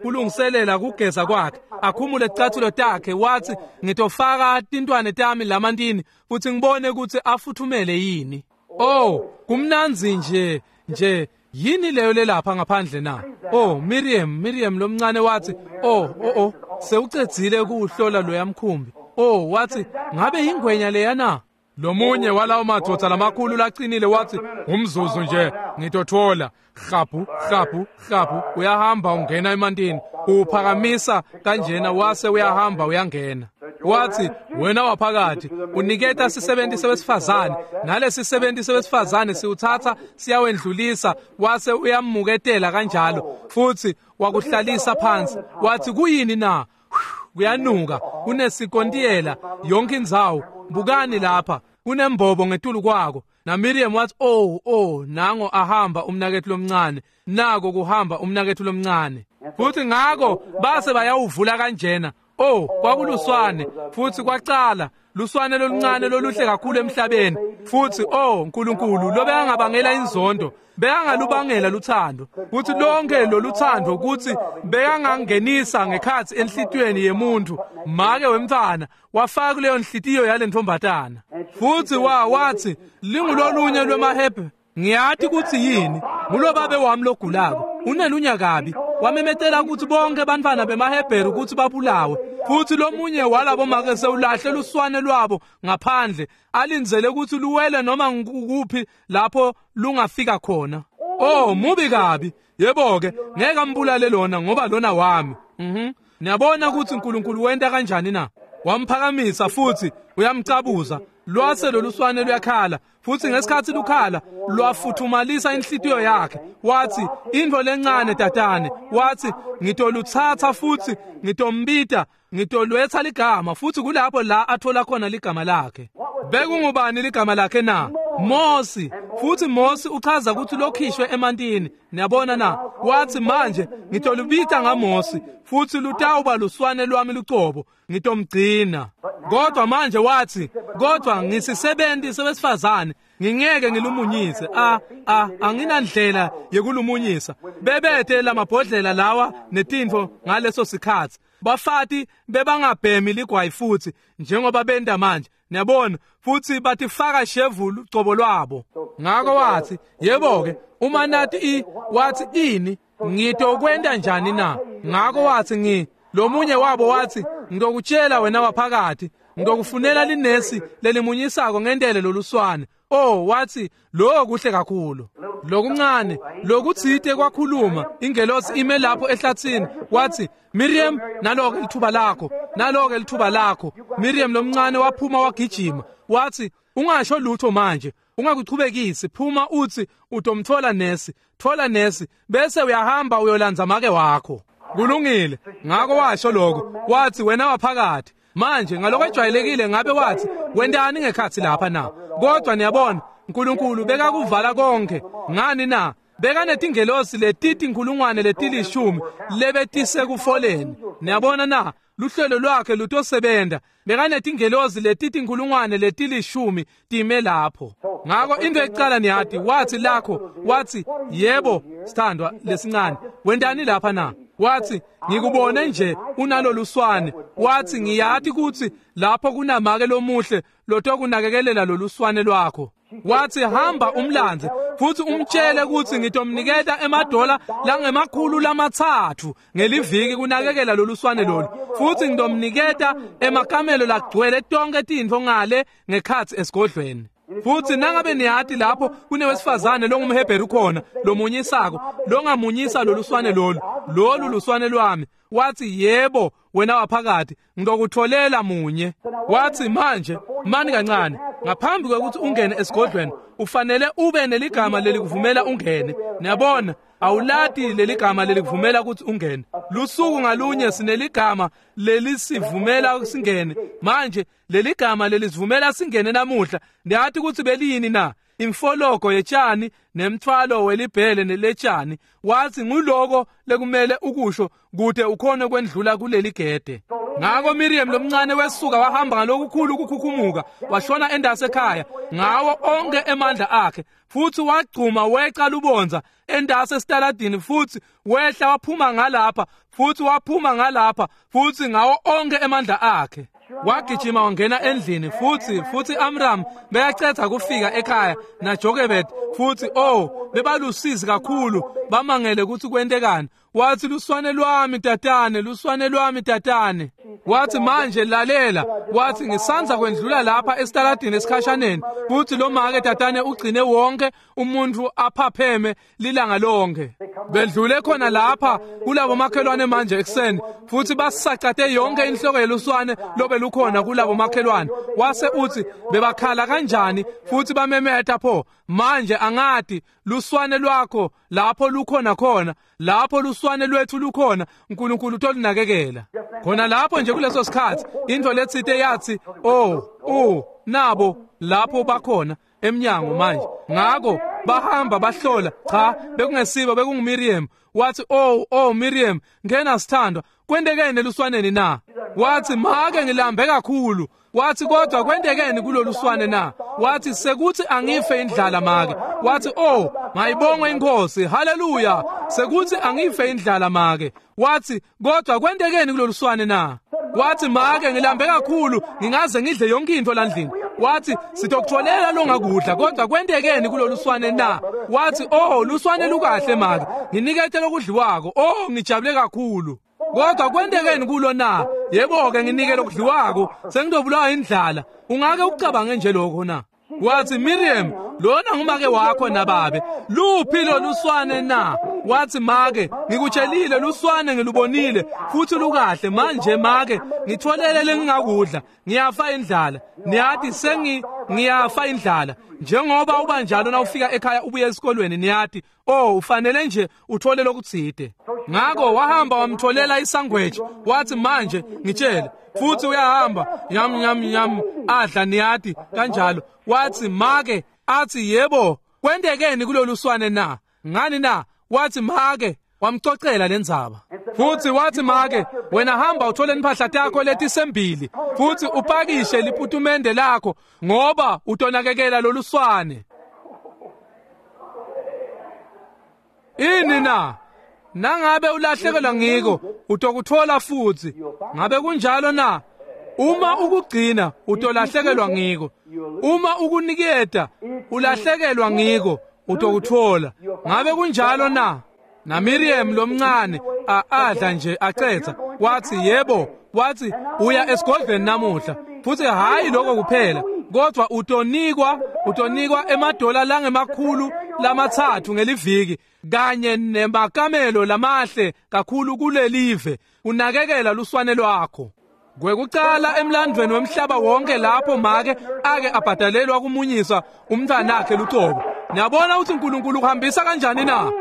kulungiselela kugeza kwakhe, akhumule ticathulo takhe, wathi ngitofaka tintwane tami lamantini futhi ngibone ukuthi afuthumele yini. Oh kumnanzi nje nje, yini leyo lelapha ngaphandle na? Oh Miriam, Miriam lomncane wathi, oh oh oh sewucedzile kuhlola loya mkhumbi. Oh wathi, ngabe ingwenya leya na? Lomunye walawo madoda lamakhulu laqinile wathi, umzuzu nje ngitothola. Hlaphu hlaphu hlaphu, uyahamba ungena emantini, uphakamisa kanjena, wase uyahamba uyangena. Wathi, wena waphakathi uniketa sisebenti sewesifazane, nalesi sisebenti sewesifazane siwuthatha siyawendlulisa, wase uyamuketela kanjalo, futhi wakuhlalisa phansi. Wathi kuyini na? Kuyanuka, kunesikontiyela yonke indzawo. Bukani lapha, kunembobo ngetulu kwako. NaMiriam wathi, "Oh, oh, nango ahamba umnakethu lomncane, nako kuhamba umnakethu lomncane." Futhi ngako base bayawuvula kanjena. Oh, kwakuluswane, futhi kwacala luswane loluncane loluhle kakhulu emhlabeni. Futhi oh Nkulunkulu, lobekangabangela inzondo, bekangalubangela luthando. Kuthi lonke loluthando kuthi bekangangenisa ngekhathi enhlitiyweni yemuntu, make wemntwana wafaka kuleyo nhlitiyo yalentombatana. Futhi wa wathi lingulolunye lwemahebhe, ngiyati ukuthi yini, ngulobabe wami logulako, unelunya kabi. Wamemetela ukuthi bonke bantwana bemaHebheru ukuthi babulawe. Futhi lomunye walabo make sewulahle luswane lwabo ngaphandle, alindzele ukuthi luwele noma ngukuphi lapho lungafika khona. Oh, mubi kabi. Yebo ke, ngeke ambulale lona ngoba lona wami. Mhm. Niyabona ukuthi uNkulunkulu wenta kanjani na? Wamphakamisa futhi uyamcabuza. Lwase loluswane luyakhala, futhi ngesikhathi lukhala lwafuthumalisa inhlitiyo yakhe. Wathi, "Into lencane tatane," wathi, "ngitoluthatha futhi ngitombita, ngitolwetha ligama." Futhi kulapho la athola khona ligama lakhe. Bekungubani ligama lakhe na? Mosi. Futhi Mosi uchaza ukuthi lokhishwe emantini. Niyabona na? Wathi, "Manje ngitolubita ngaMosi, futhi lutawuba luswane lwami lucobo, ngitomgcina." Kodwa manje wathi, "Kodwa ngisisebenti sebesifazane, ngingeke ngilumunyise. A a anginandlela yekulumunyisa." Bebethe lamabhodlela lawa netinfo ngaleso sikhathi. Bafati bebangabhemi ligwayi futhi njengoba benda manje. Niyabona, futhi batifaka shevu lucobo lwabo. Ngako wathi, "Yebo ke, uma nathi i wathi ini ngitokwenta njani na?" Ngako wathi, ngi lomunye wabo wathi, "Ngitokutshela wena waphakathi, ngitokufunela linesi lelimunyisako ngendele loluswane." Oh, wathi, "Lo kuhle kakhulu." Lokuncane lokuthite kwakhuluma ingelosi ime lapho ehlathini. Wathi, "Miriam, naloke lithuba lakho, naloke lithuba lakho." Miriam lomncane waphuma wagijima. Wathi, "Ungasho lutho manje, ungakuchubekisi, phuma uthi utomthola nesi, thola nesi, bese uyahamba uyolanza make wakho." Kulungile. Ngako washo lokho. Wathi, "Wena waphakathi." Manje ngaloko ejwayelekile ngabe wathi, "Wendani ngekhathi lapha na?" Kodwa niyabona, uNkulunkulu bekakuvala konke. Ngani na? Bekanetingelosi letiti inkulungwane letilishumi lebetise kufoleni. Niyabona na? Luhlelo lwakhe lutosebenza. Bekanetingelosi letiti inkulungwane letilishumi time lapho. Ngako into ecala niyati, wathi lakho, wathi, "Yebo, sithandwa lesincane, wendani lapha na?" Wathi, "Ngikubone nje unaloluswane." Wathi, "Ngiyati ukuthi lapho kunamake lomuhle lotokunakekelela loluswane lwakho." Wathi, "Hamba umlandze futhi umtshele ukuthi ngitomniketa emadola langemakhulu lamathathu ngeliviki kunakekela loluswane lolu, futhi ngitomniketa emakamelo lagcwele tonke tintfo ngale ngekhathi esigodlweni. Futhi nangabe niyati lapho kunewesifazane longumHebheru khona lomunyisako, longamunyisa loluswane lolu, lolu luswane lwami." Wathi, "Yebo, wena waphakathi, ngitokutholela munye." Wathi, "Manje mani kancane, ngaphambi kwekuthi ungene esigodlweni ufanele ube neligama lelikuvumela ungene." Niyabona, awulati leligama lelikuvumela ukuthi ungene. Lusuku ngalunye sineligama lelisivumela singene. Manje leligama lelisivumela singene namuhla, niyathi ukuthi beliyini na? Imfologo yetshani nemthwalo welibhele neletshani. Wathi, "Nguloko lekumele ukusho kude ukhone kwendlula kuleli gede." Ngako Miriam lomncane wesuka wahamba ngalokukhulu ukukhukhumuka, washona endase ekhaya ngawo onke emandla akhe, futhi wagcuma weca lubonza endase esitaladini, futhi wehla waphuma ngalapha, futhi waphuma ngalapha, futhi ngawo onke emandla akhe. Wagijima wangena endlini, futhi futhi Amram beyacetha kufika ekhaya naJokebed, futhi oh bebalusizi kakhulu, bamangele ukuthi kwentekani. Wathi, "Luswane lwami tatane, luswane lwami tatane." Wathi, "Manje lalela." Wathi, "Ngisanza kwendlula lapha esitaladini esikhashaneni, futhi lo make tatane ugcine wonke umuntu aphapheme lilanga lonke. Bedlule khona lapha kulabo makhelwane manje ekuseni, futhi basacate yonke inhloko yeluswane lobe lukhona kulabo makhelwane." Wase uthi, "Bebakhala kanjani futhi bamemeta pho. Manje angati luswane lwakho lapho lukhona khona, lapho luswane lwethu lukhona, uNkulunkulu utolunakekela." Khona lapho nje kuleso sikhathi into letsite yathi, "Oh, oh, nabo lapho bakhona." emnyango manje. Ngako bahamba bahlola, cha bekungesibo, bekunguMiriam. Wathi, "Oh, oh Miriam, ngena sithandwa, kwentekeni eluswaneni na?" Wathi, "Make ngilambe kakhulu." Wathi, "Kodwa kwentekeni kuloluswane na?" Wathi, "Sekuthi angife indlala make." Wathi, "Oh, mayibongwe inkosi, haleluya, sekuthi angife indlala make." Wathi, "Kodwa kwentekeni kuloluswane na?" Wathi, "Make ngilambe kakhulu, ngingaze ngidle yonke into landlini." Wathi, "Sitokutholela longakudla, kodwa kwentekeni kuloluswane na?" Wathi, "Oh, luswane lukahle make, nginikete lokudliwako. Oh, ngijabule kakhulu. Kodwa kwentekeni kulo na? Yebo ke nginike lokudliwako, sengidobulawa indlala. Ungake ucabange nje lokho na?" Wathi, "Miriam, lona ngumake wakho nababe, luphi loluswane na?" Wathi, "Make, ngikutshelile luswane ngilubonile futhi lukahle. Manje make ngitholele lengingakudla, ngiyafa indlala. Niyathi sengi ngiyafa indlala. Njengoba uba njalo na ufika ekhaya ubuye esikolweni, niyathi, oh ufanele nje uthole lokutsite." Ngako wahamba wamtholela isangweji. Wathi, "Manje ngitshele." Futhi uyahamba yam yam yam adla, niyathi kanjalo. Wathi, "Make," athi, "Yebo, kwentekeni kuloluswane na? Ngani na?" Wathi, "Make," wamcocela lendzaba. Futhi wathi, "Make, wena hamba uthole impahla yakho letisembili futhi upakishe liputumende lakho ngoba utonakekela loluswane." Ini na? Nangabe ulahlekelwa ngiko utokuthola futhi. Ngabe kunjalo na? Uma ukugcina utolahlekelwa ngiko. Uma ukuniketa ulahlekelwa ngiko utokuthola. Ngabe kunjalo na? Na Miriam lomncane adla nje acetha. Wathi, "Yebo." Wathi, "Uya esigodlweni namuhla." Futhi hayi lokho kuphela, kodwa utonikwa utonikwa emadola langemakhulu lamathathu ngeliviki kanye nemakamelo lamahle kakhulu kulelive, unakekela luswane lwakho. Kwekucala emlandweni wemhlaba wonke lapho make ake abhadalelwa kumunyisa umntwanakhe lucobo. Niyabona ukuthi uNkulunkulu uhambisa kanjani na?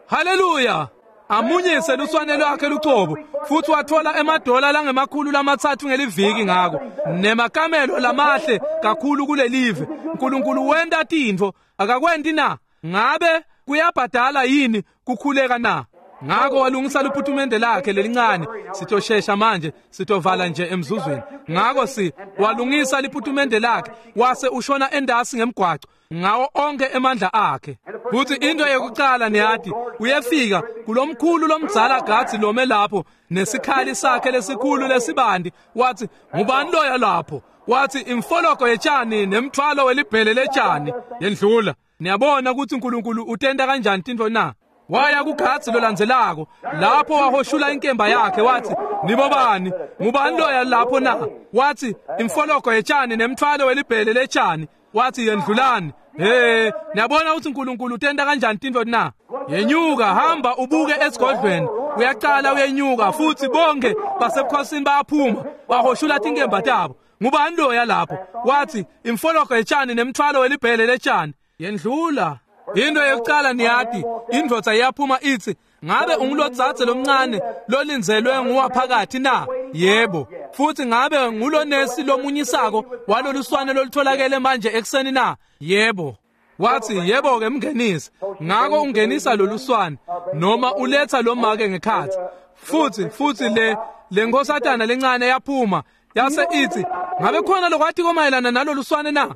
Haleluya! Amunyise luswane lwakhe lucobo, futhi wathola emadola langemakhulu lamathathu ngeliviki ngako nemakamelo lamahle kakhulu kulelive. uNkulunkulu wenta tintfo, akakwenti na? Ngabe kuyabhadala yini kukhuleka na? Ngako walungisa liputumende lakhe lelincane. Sitoshesha manje, sitovala nje emzuzweni. Ngako si walungisa liputumende lakhe wase ushona endasi ngemgwaco ngawo onke emandla akhe. Futhi into yokucala niyathi, uyefika kulomkhulu lomdzala gathi lome lapho nesikhali sakhe lesikhulu lesibandi. Wathi, "Ngubani loya lapho?" Wathi, "Imfologo yetshani nemthwalo welibhele letshani." Yendlula. Niyabona ukuthi uNkulunkulu utenda kanjani tintfo na? Waya kugathi lolandzelako lapho wahoshula inkemba yakhe. Wathi, "Nibobani? Ngubani loya lapho na?" Wathi, "Imfologo yetshani nemthwalo welibhele letshani." Wathi, "Yendlulani." Hey, niyabona ukuthi uNkulunkulu utenda kanjani tintfo na? Yenyuka, hamba ubuke esigodlweni. Uyaqala uyenyuka, futhi bonke basebukhosini bayaphuma bahoshula tinkemba tabo. Ngubani loya lapho? Wathi, "Imfologo yetshani nemthwalo welibhele letshani." Yendlula. Into yokucala niyathi, indvodza iyaphuma ithi, "Ngabe ungulodzadze lomncane lolinzelwe nguwaphakathi na?" Yebo. Futhi ngabe ngulonesi lomunyisako waloluswane lolutholakele manje ekuseni na? Yebo. Wathi, "Yebo ke mngenise." Ngako ungenisa loluswane noma uletha lo make ngekhathi. Futhi futhi le lenkosatana lencane yaphuma yase ithi, "Ngabe khona lokwathi komayelana naloluswane na?"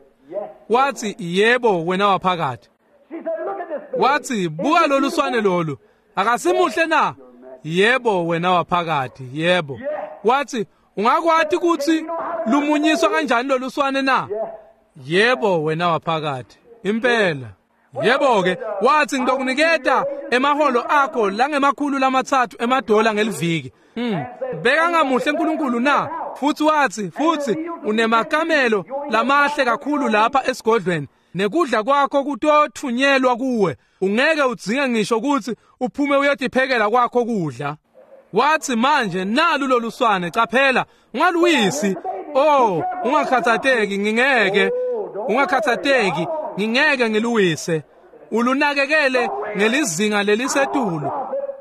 Wathi, "Yebo wena waphakathi." Wathi, "Buka loluswane lolu, akasimuhle na?" Yebo wena waphakathi, yebo. Wathi, "Ungakwati ukuthi lumunyiswa kanjani loluswane na?" Yebo wena waphakathi, impela. Yebo ke. Wathi, "Ngitokuniketa emaholo akho langemakhulu lamathathu emadola ngeliviki." Hmm. Beka ngamuhle uNkulunkulu na? Futhi wathi, futhi unemakamelo lamahle kakhulu lapha esigodlweni, nekudla kwakho kutothunyelwa kuwe, ungeke udzinge ngisho ukuthi uphume uyotiphekela kwakho kudla. Wathi, "Manje nalu loluswane, caphela, ungaluwisi. Oh, ungakhathateki, ngingeke, ungakhathateki, ngingeke ngiluwise. Ulunakekele ngelizinga lelisetulu.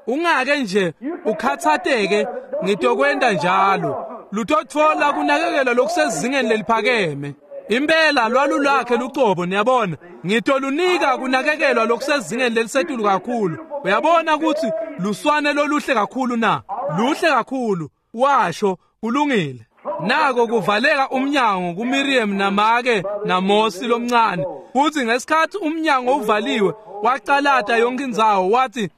Ungake nje ukhathateke, ngitokwenta njalo. Lutotfola kunakekela lokusezingeni leliphakeme." Impela lwalulakhe lucobo, niyabona. Ngitolunika kunakekelwa lokusezingeni lelisetulu kakhulu. Uyabona ukuthi luswane loluhle kakhulu na? Luhle kakhulu, washo, kulungile. Nako kuvaleka umnyango kuMiriam namake naMosi lomncane. Futhi ngesikhathi umnyango uvaliwe, wacalata yonke indzawo, wathi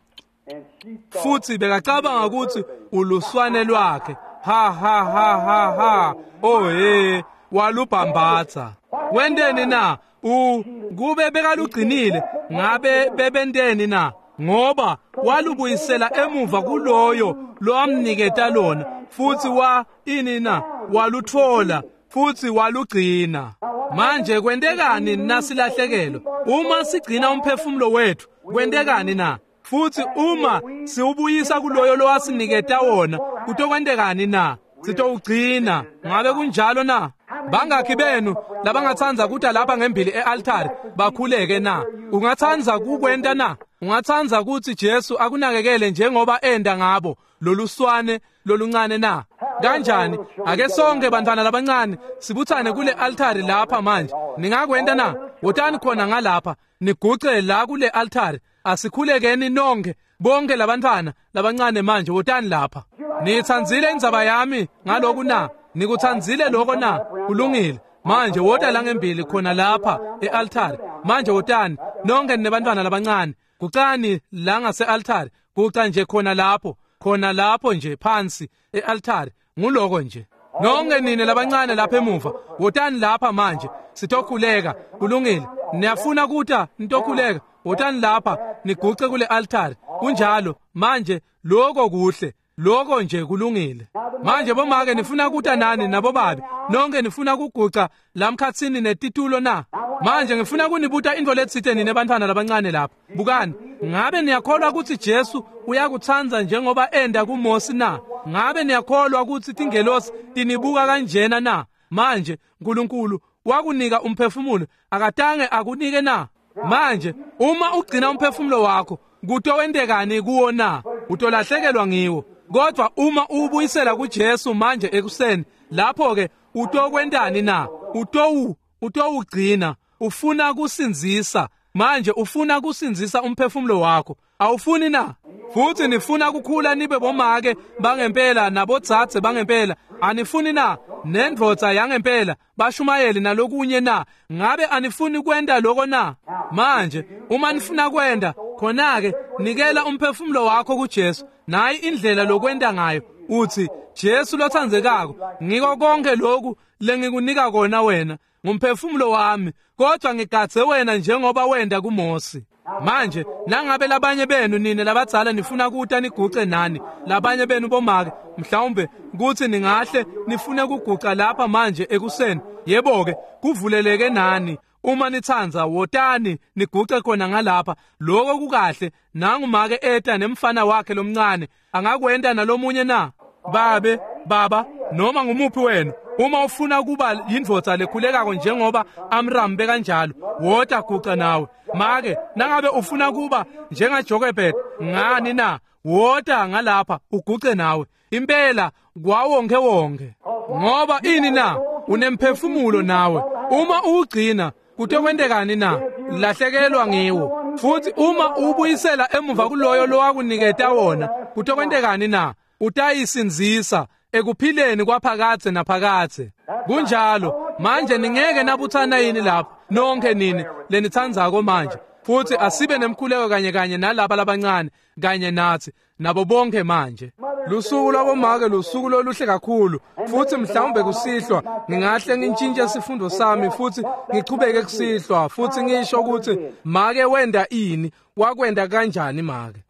futhi bekacabanga ukuthi uluswane lwakhe. Ha ha ha ha ha. Oh hey, walubhambatha. Wendeni na? U kube bekalugcinile, ngabe bebenteni na? Ngoba walubuyisela emuva kuloyo lowamniketa lona, futhi wa ini na? Waluthola futhi walugcina. Manje kwentekani nasilahlekelwa? Uma sigcina umphefumulo wethu, kwentekani na? Futhi uma siwubuyisa kuloyo lowasiniketa wona, kutokwentekani na? Sitowugcina. Ngabe kunjalo na? Bangakhi benu labangatsanza kuta lapha ngembili e-altari bakhuleke na? Ungatsanza kukwenta na? Ungatsanza ukuthi Jesu akunakekele njengoba enda ngabo loluswane loluncane na? Kanjani? Ake sonke bantwana labancane sibuthane kule altari lapha manje. Ningakwenta na? Wotani khona ngalapha, niguce la kule altari. Asikhulekeni nonke, bonke labantwana labancane manje, wotani lapha. Nitsandzile indzaba yami ngaloku na? Nikutsandzile lokho na? Kulungile. Manje wota la ngembili khona lapha e-altari. Manje wotani nonke ninebantwana labancane. Gucani la ngase-altari. Guca nje khona lapho, khona lapho nje phansi e-altari. Nguloko nje. Nonke nine labancane lapha emuva, wotani lapha manje. Sitokhuleka. Kulungile. Niyafuna kuta nitokhuleka? Wotani lapha niguce kule altari. Kunjalo. Manje lokho kuhle. Lokho nje kulungile. Manje bomake nifuna kuta nani nabobabe? Nonke nifuna kuguca lamkhatsini netitulo na? Manje ngifuna kunibuta into letsite nine bantwana labancane lapha. Bukani, ngabe niyakholwa ukuthi Jesu uyakutsandza njengoba enda kuMosi na? Ngabe niyakholwa ukuthi tingelosi tinibuka kanjena na? Manje uNkulunkulu wakunika umphefumulo, akatange akunike na? Manje uma ugcina umphefumulo wakho, kutowentekani kuwo na? Utolahlekelwa ngiwo. Kodwa uma ubuyisela kuJesu manje ekuseni, lapho ke utokwentani na? Utowu utowugcina. Ufuna kusinzisa. Manje ufuna kusinzisa umphefumulo wakho. Awufuni na? Futhi nifuna kukhula nibe bomake bangempela nabodzadze bangempela. Anifuni na? Nendvodza yangempela, bashumayeli nalokunye na? Ngabe anifuni kwenta lokho na? Manje uma nifuna kwenta, khona ke nikela umphefumulo wakho kuJesu. Nayi indlela lokwenta ngayo. Uthi, Jesu lotsandzekako, ngiko konke lokhu lengikunika kona wena, ngumphefumulo wami, kodwa ngigadze wena njengoba wenda kuMosi. Manje nangabe labanye benu nine labadzala nifuna kuta niguce nani, labanye benu bomake mhlawumbe kuthi ningahle nifune kuguca lapha manje ekuseni, yebo ke kuvuleleke nani. Uma nitsanza wotani niguce khona ngalapha. Lokho kukahle. Nangu make eta nemfana wakhe lomncane, angakwenta nalomunye na? Babe, baba, noma ngumuphi wena, uma ufuna kuba yindvodza lekhulekako njengoba Amram bekanjalo, wota guca nawe. Make, nangabe ufuna kuba njengaJokebed, ngani na? Wota ngalapha uguce nawe. Impela kwawonke wonke. Ngoba ini na? Unemphefumulo nawe. Uma uwugcina, kutokwentekani na? Lahlekelwa ngiwo. Futhi uma ubuyisela emuva kuloyo lowakuniketa wona, kutokwentekani na? Utayisinzisa ekuphileni kwaphakadze naphakadze. Kunjalo. Manje ningeke nabuthana yini lapha nonke nini lenitsandzako manje? Futhi asibe nemkhuleko kanye kanye nalaba labancane kanye nathi nabo bonke manje. Lusuku lwabomake lusuku loluhle kakhulu, futhi mhlawumbe kusihlwa ngingahle ngintshintshe sifundo sami futhi ngichubeke kusihlwa futhi ngisho ukuthi make wenda ini, wakwenda kanjani make.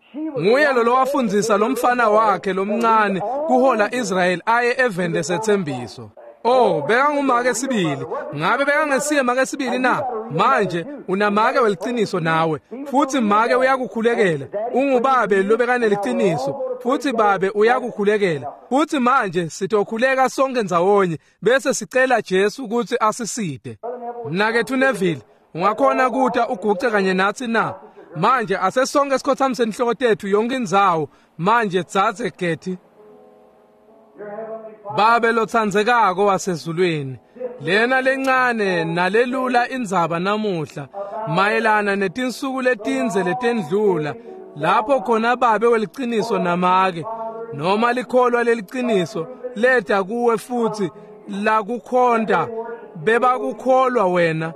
Nguye lo lowafundzisa lomfana wakhe lomncane kuhola Israel aye eveni lesethembiso. Oh, bekangumake sibili. Ngabe bekangesiye make sibili na? Manje unamake weliciniso nawe, futhi make uyakukhulekela. Ungubabe lobekaneliciniso, futhi babe uyakukhulekela. Futhi manje sitokhuleka sonke ndzawonye bese sicela Jesu ukuthi asiside. Mnakethu Neville, ungakhona kuta uguce kanye nathi na? Manje asesonke sikhothamise inhloko tethu yonke indzawo. Manje dzadze Getty, Babe lotsandzekako wasezulwini, Lena lencane nalelula indzaba namuhla mayelana netinsuku letindze letendlula lapho khona babe weliciniso namake noma likholwa leliciniso leta kuwe futhi lakukhonta bebakukholwa wena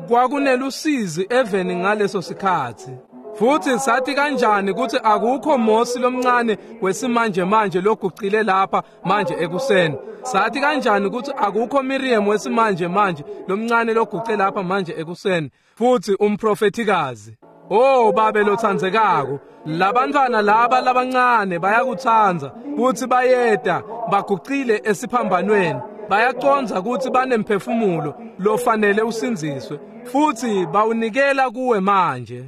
kwakunelusizi eveni ngaleso sikhatsi. Futhi sathi kanjani ukuthi akukho Mosi lomncane wesimanje manje logucile lapha manje ekuseni. Sathi kanjani ukuthi akukho Miriam wesimanje manje lomncane loguce lapha manje ekuseni. Futhi umprofethikazi. Oh babe lothandzekako, labantwana laba labancane bayakutsandza futhi bayeda bagucile esiphambanweni. Bayacondza ukuthi banemphefumulo lofanele usindziswe futhi bawunikela kuwe manje.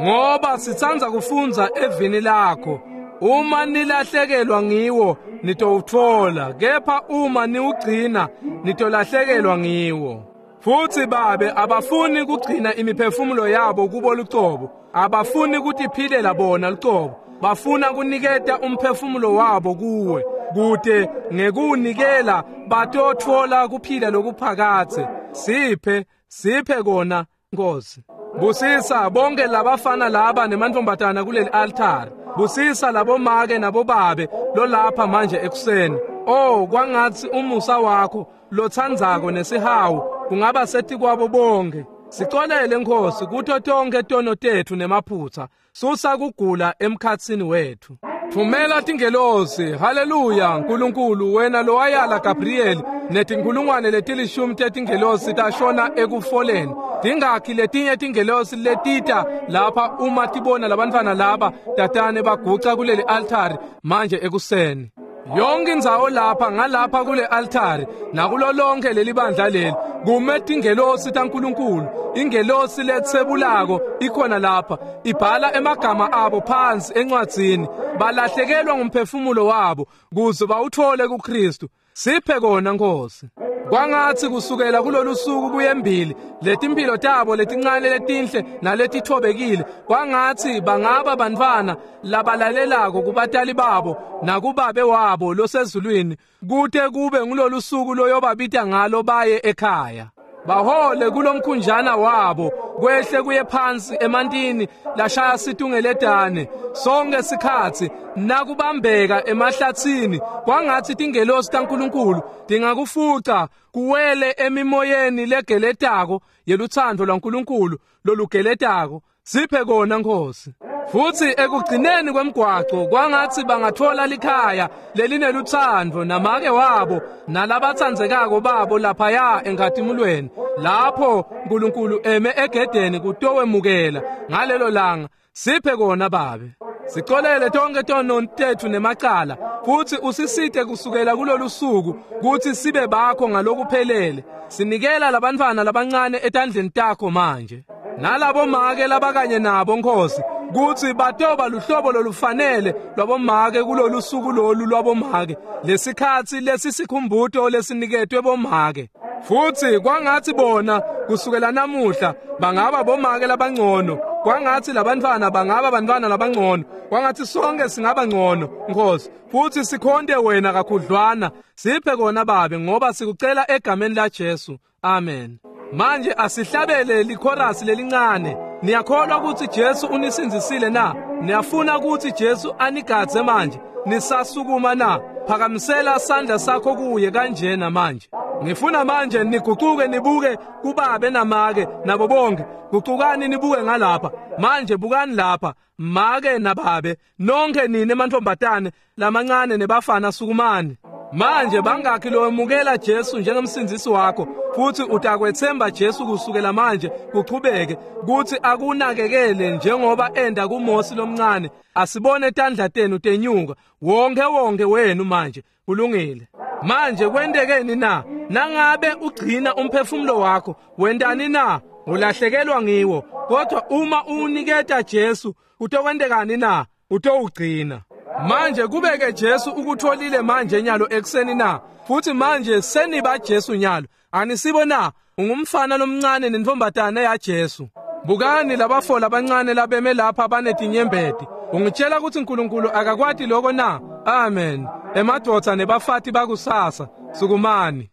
Ngoba sitsandza kufundza evini lakho, uma nilahlekelwa ngiwo nitowutfola, kepha uma niwugcina nitolahlekelwa ngiwo. Futhi babe abafuni kugcina imiphefumulo yabo kubo lucobo, abafuni kutiphilela bona lucobo, bafuna kuniketa umphefumulo wabo kuwe kute ngekuwunikela batotfola kuphila lokuphakadze. Siphe, siphe kona Nkosi. Busisa bonke labafana laba nemantfombatana kuleli altari. Busisa labomake nabobabe lolapha manje ekuseni. Oh kwangatsi umusa wakho lotsandzako nesihawu kungaba setikwabo bonke. Sicolele Nkosi kuto tonke tono tetfu nemaphutsa. Susa kugula emkhatsini wetfu. Thumela tingelosi. Haleluya. Nkulunkulu wena lowayala Gabriel netinkulungwane letilishumi tetingelosi tashona ekufoleni. Tingakhi letinye tingelosi letita lapha uma tibona labantwana laba tatane baguca kuleli altari manje ekuseni. Yonke indzawo lapha ngalapha kule altari nakulo lonke leli bandla leli kume tingelosi taNkulunkulu. Ingelosi letsebulako ikhona lapha ibhala emagama abo phansi encwadzini. Balahlekelwa ngumphefumulo wabo kuze bawuthole kuKristu. Siphe kona Nkosi. Kwangatsi kusukela kulolu suku kuyembili letimpilo tabo letincane letinhle naletithobekile kwangatsi bangaba bantfwana labalalelako kubatali babo nakubabe wabo losezulwini kute kube ngulolu suku loyobabita ngalo baye ekhaya. Bahole kulomkhunjana wabo kwehle kuye phansi emantini lashaya situngeletane sonke sikhatsi nakubambeka emahlatsini. Kwangatsi tingelosi taNkulunkulu tingakufuca kuwele emimoyeni legeletako yelutsandvo lwaNkulunkulu lolugeletako. Siphe kona Nkosi. Futhi ekugcineni kwemgwaco kwangatsi bangatfola likhaya lelinelutsandvo namake wabo nalabatsandzekako babo laphaya enkhatimulweni lapho Nkulunkulu eme egedeni kutowemukela ngalelo langa. Siphe kona babe. Sicolele tonke tono tetfu nemacala futhi usisite kusukela kulolu suku kutsi sibe bakho ngalokuphelele. Sinikela labantfwana labancane etandleni takho manje nalabo make labakanye nabo Nkosi kutsi batoba luhlobo lolufanele lwabomake kulolu suku lolu lwabomake lesikhatsi lesisikhumbuto lesiniketwe bomake. Futhi kwangatsi bona kusukela namuhla bangaba bomake labangcono, kwangatsi labantfwana bangaba bantfwana labangcono, kwangatsi sonke singaba ngcono Nkosi futhi sikhonte wena kakhudlwana. Siphe kona babe ngoba sikucela egameni la Jesu. Amen. Manje asihlabele likhorasi lelincane. Niyakholwa ukuthi Jesu unisindzisile na? Niyafuna ukuthi Jesu anigadze manje? Nisasukuma na? Phakamisela sandla sakho kuye kanjena manje. Ngifuna manje nigucuke nibuke kubabe namake nabo bonke. Gucukani nibuke ngalapha. Manje bukani lapha make nababe nonke nine mantfombatane lamancane nebafana sukumani. Manje bangakhi lowemukela Jesu njengemsindzisi wakho futhi utakwetsemba Jesu kusukela manje kuchubeke kuthi akunakekele njengoba enda kuMosi lomncane. Asibone tandla tenu tenyuka wonke wonke wenu manje. Kulungile. Manje kwentekeni na? Nangabe ugcina umphefumulo wakho wendani na? Ulahlekelwa ngiwo. Kodwa uma uniketa Jesu utokwentekani na? Utowugcina. Manje kubeke Jesu ukutholile manje nyalo ekuseni na? Futhi manje seniba Jesu nyalo. Anisibo na? Ungumfana lomncane nentombatane ya Jesu. Bukani labafo labancane labeme lapha banetinyembeti. Ungitshela ukuthi uNkulunkulu akakwati lokho na? Amen. Emadvodza nebafati bakusasa sukumani.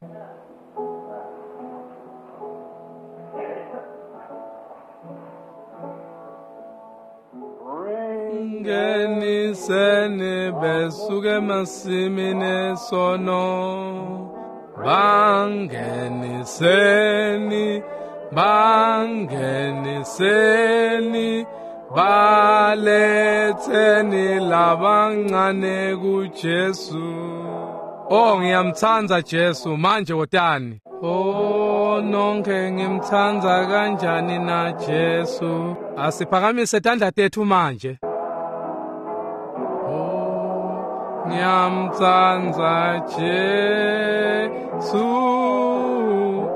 Bangeniseni besuke emasimini esono. Bangeniseni, bangeniseni, baletheni labancane kuJesu. Oh, ngiyamthanda Jesu, manje wotani. Oh, nonke ngimthanda kanjani na Jesu. Asiphakamise tandla tethu manje. Oh, ngiyamthanda Jesu.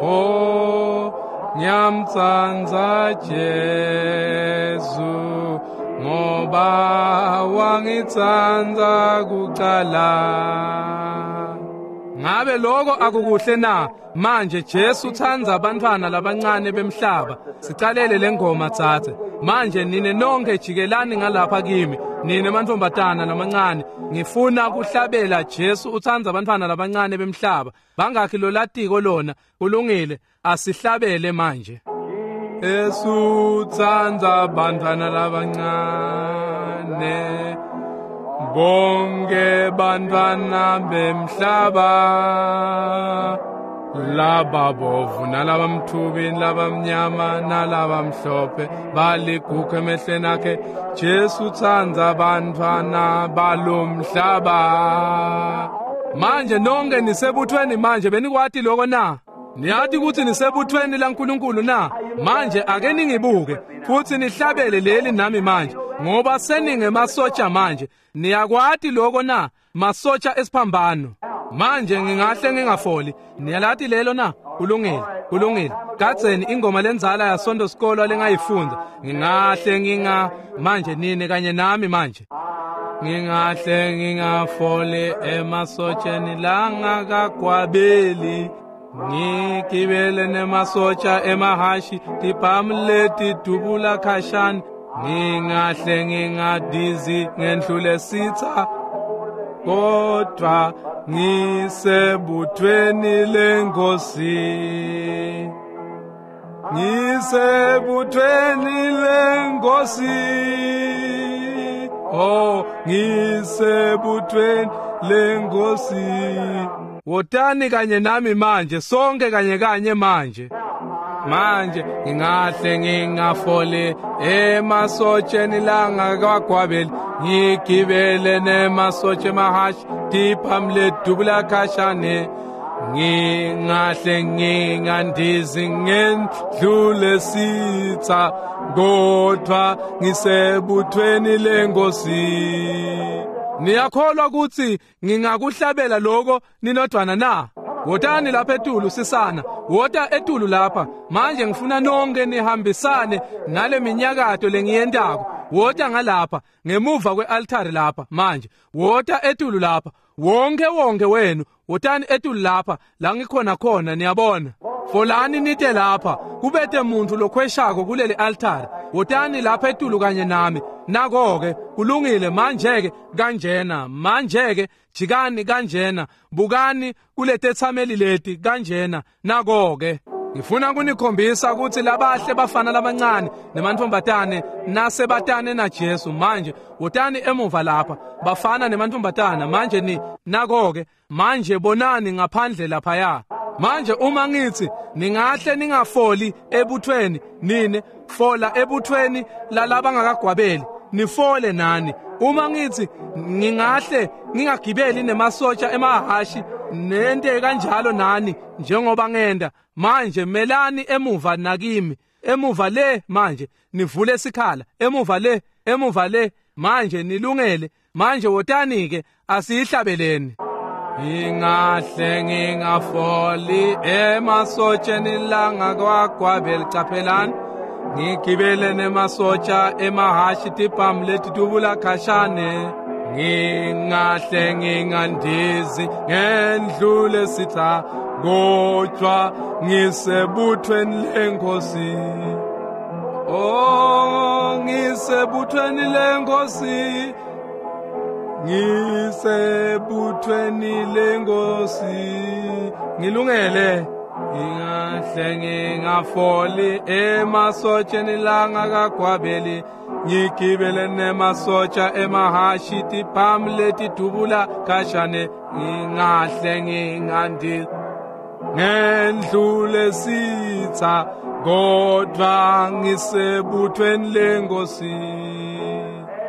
Oh, ngiyamthanda Jesu, ngoba wangithanda kuqala. Ngabe lokho akukuhle na? Manje Jesu uthanda abantwana labancane bemhlaba. Sicalele lengoma tsatse. Manje nine nonke jikelani ngalapha kimi, nine mantombazana lamancane. Ngifuna kuhlabela Jesu uthanda abantwana labancane bemhlaba. Bangakhi lolatiko lona? Kulungile, asihlabele manje. Jesu uthanda abantwana labancane, bonke bantwana bemhlaba, laba bovu nalabamthubi nalabamnyama nalabamhlophe, baligugu emehlweni akhe. Jesu uthanda abantwana balomhlaba. Manje nonke nisebuthweni manje, benikwati lokho na? Niyathi ukuthi nisebuthweni laNkulunkulu na? Manje ake ningibuke futhi nihlabele leli nami manje, ngoba seningemasotsha manje. Niyakwati lokho na? Masotsha esiphambano. Manje ngingahle ngingafoli. Niyalathi lelo na? Kulungile, kulungile. Kadzeni ingoma lenzala yasonto sikolo lengayifunda. Ngingahle nginga manje nini kanye nami manje. Ngingahle ngingafoli emasotsheni langakagwabeli. Ngigibele nemasotsha emahashi, tiphamleti dubula khashane. Ngingahle ngingadizi ngendlule sitha, kodwa ngisebuthweni lenkosi. Ngisebuthweni lenkosi. Oh, ngisebuthweni lenkosi. Wotani kanye nami manje, sonke kanye kanye manje. Manje ngingahle ngingafoli emasotsheni langakagwabeli, ngigibele nemasotshe emahashi, tiphamle dubula khashane. Ngingahle ngingandizi ngendlule sitha, kodwa ngisebuthweni lenkosi. Niyakholwa ukuthi ngingakuhlabela lokho ninodwana na? Wotani lapha etulu sisana, wota etulu lapha. Manje ngifuna nonke nihambisane nale minyakato lengiyentako. Wota ngalapha ngemuva kwealtari lapha manje. Wota etulu lapha, wonke wonke wenu wotani etulu lapha la ngikhona khona, niyabona. Folani nite lapha, kubete muntu lokhweshako kuleli altari. Wotani lapha etulu kanye nami. Nako-ke kulungile manje-ke kanjena, manje-ke jikani kanjena, bukani kuletethameli leti kanjena. Nako-ke ngifuna kunikhombisa ukuthi labahle bafana labancane nemantombazane nasebatane na Jesu. Manje wotani emuva lapha bafana nemantombazana manje ni nako-ke manje bonani ngaphandle laphaya. Manje uma ngithi ningahle ningafoli ebuthweni, nine fola ebuthweni lalabangakagwabeli, nifole nani. Uma ngithi ngingahle ngingagibeli nemasotsha emahashi nente kanjalo nani njengoba ngenda, manje melani emuva nakimi, emuva le manje nivule isikhala, emuva le, emuva le manje nilungele. Manje wotani ke asiyihlabeleni. Ngingahle ngingafoli emasotsheni langakagwabeli, caphelani ngigibele nemasotsha emahashi, tiphamu letidubula khashane. Ngingahle ngingandizi ngendlule sitha, kodwa ngisebuthweni lenkosi. Oh, ngisebuthweni lenkosi, ngisebuthweni lenkosi. Ngilungele. Ngingahle ngingafoli emasotsheni langakagwabeli ngigibele nemasotsha emahashi tiphamu letidubula khashane ngingahle ngingandi ngendlule sitha kodwa ngisebuthweni lenkosi.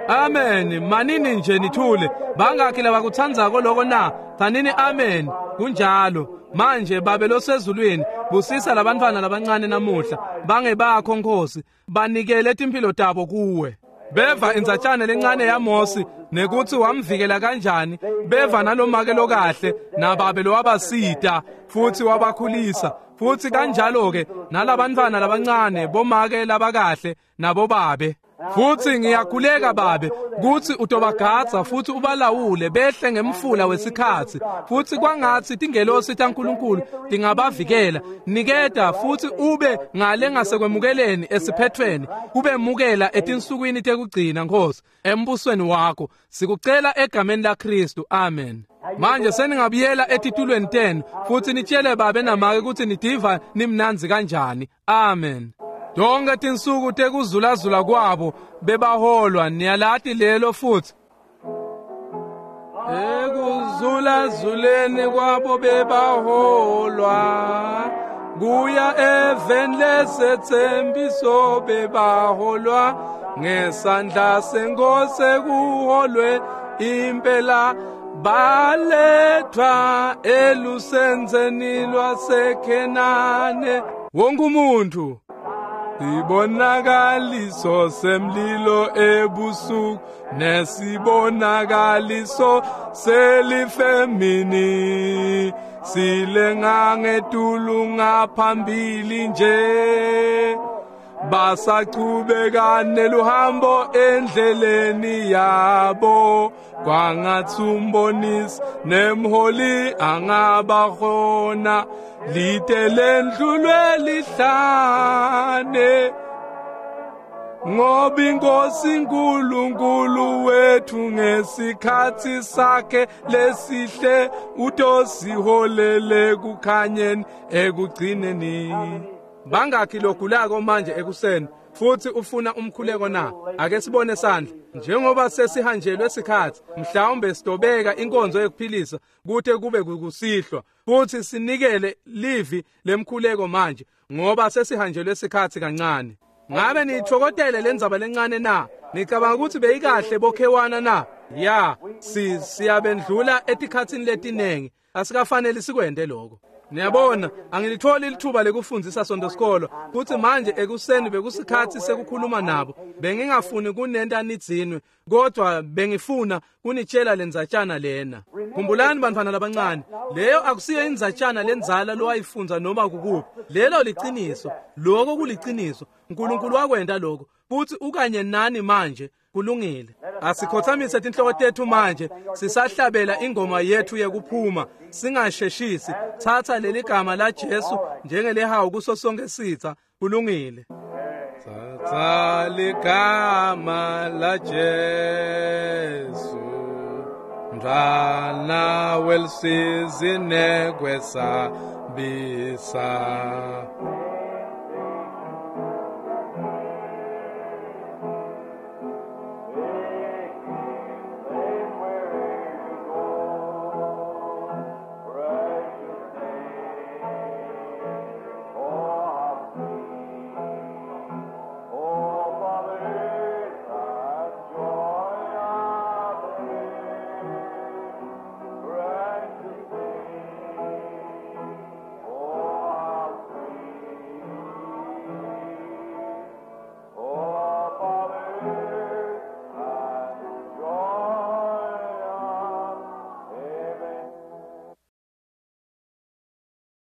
Amen. Manini nje nithule. Bangakhi labakuthandzako lokho na? Thanini amen. Kunjalo. Manje Babe losezulwini, busisa labantwana labancane namuhla. Bangebakho Nkosi, banikele timphilo tabo kuwe. Beva indzatshana lencane yaMosi nekuthi wamvikela kanjani. Beva nalomake lokahle nababe lowabasita futhi wabakhulisa. Futhi kanjalo ke nalabantwana labancane bomake labakahle nabobabe. Futhi ngiyakhuleka Babe kuthi utobagadza futhi ubalawule behle ngemfula wesikhatsi. Futhi kwangatsi tingelosi taNkulunkulu tingabavikela. Niketa futhi ube ngale ngasekwemukeleni esiphethweni, kubemukela etinsukwini tekugcina Nkosi embusweni wakho. Sikucela egameni laKristu. Amen. Manje seningabuyela etitulweni tenu futhi nitshele babe namake ukuthi nidiva nimnanzi kanjani. Amen. Tonke tinsuku tekuzulazula kwabo bebaholwa niyalati lelo futhi. Ekuzulazuleni kwabo bebaholwa kuya eveni lesethembiso bebaholwa ngesandla senkosi kuholwe impela balethwa elusenzeni lwaseKhenane. Wonke umuntu sibonakaliso semlilo ebusuku nesibonakaliso selifemini silenga ngetulu ngaphambili nje basachubeka neluhambo endleleni yabo kwangatsi umbonisi nemholi angabakhona lite lendlulwe lihlane ngoba inkosi uNkulunkulu wethu ngesikhathi sakhe lesihle utosiholele kukhanyeni ekugcineni. Bangakhi logulako manje ekuseni futhi ufuna umkhuleko na? Ake sibone sandla. Njengoba sesihanjelwe isikhathi, mhlawumbe sidobeka inkonzo yokuphilisa kute kube kusihlwa futhi sinikele livi lemkhuleko manje ngoba sesihanjelwe isikhathi kancane. Ngabe niyithokotele lendzaba lencane na? Nicabanga ukuthi beyikahle bokhewana na? Ya, si siyabendlula etikhatsini letinengi. Asikafanele sikwende lokho. Niyabona, angilitholi lithuba lekufundisa sonto sikolo. Futhi manje ekuseni bekusikhathi sekukhuluma nabo. Bengingafuni kunenta nidzinwe, kodwa bengifuna kunitshela lendzatshana lena. Khumbulani bantwana labancane, leyo akusiyo indzatshana lenzala lowayifunza noma kukuphi. Lelo liciniso, lokho kuliciniso. uNkulunkulu wakwenta lokho. Futhi ukanye nani manje. Kulungile. Asikhothamise tinhloko tethu manje sisahlabela ingoma yethu yekuphuma. Singasheshisi. Thatha leli gama la Jesu njengelehawu kuso sonke sitha. Kulungile. Thatha ligama la Jesu mntwana welisizi nekwesabisa.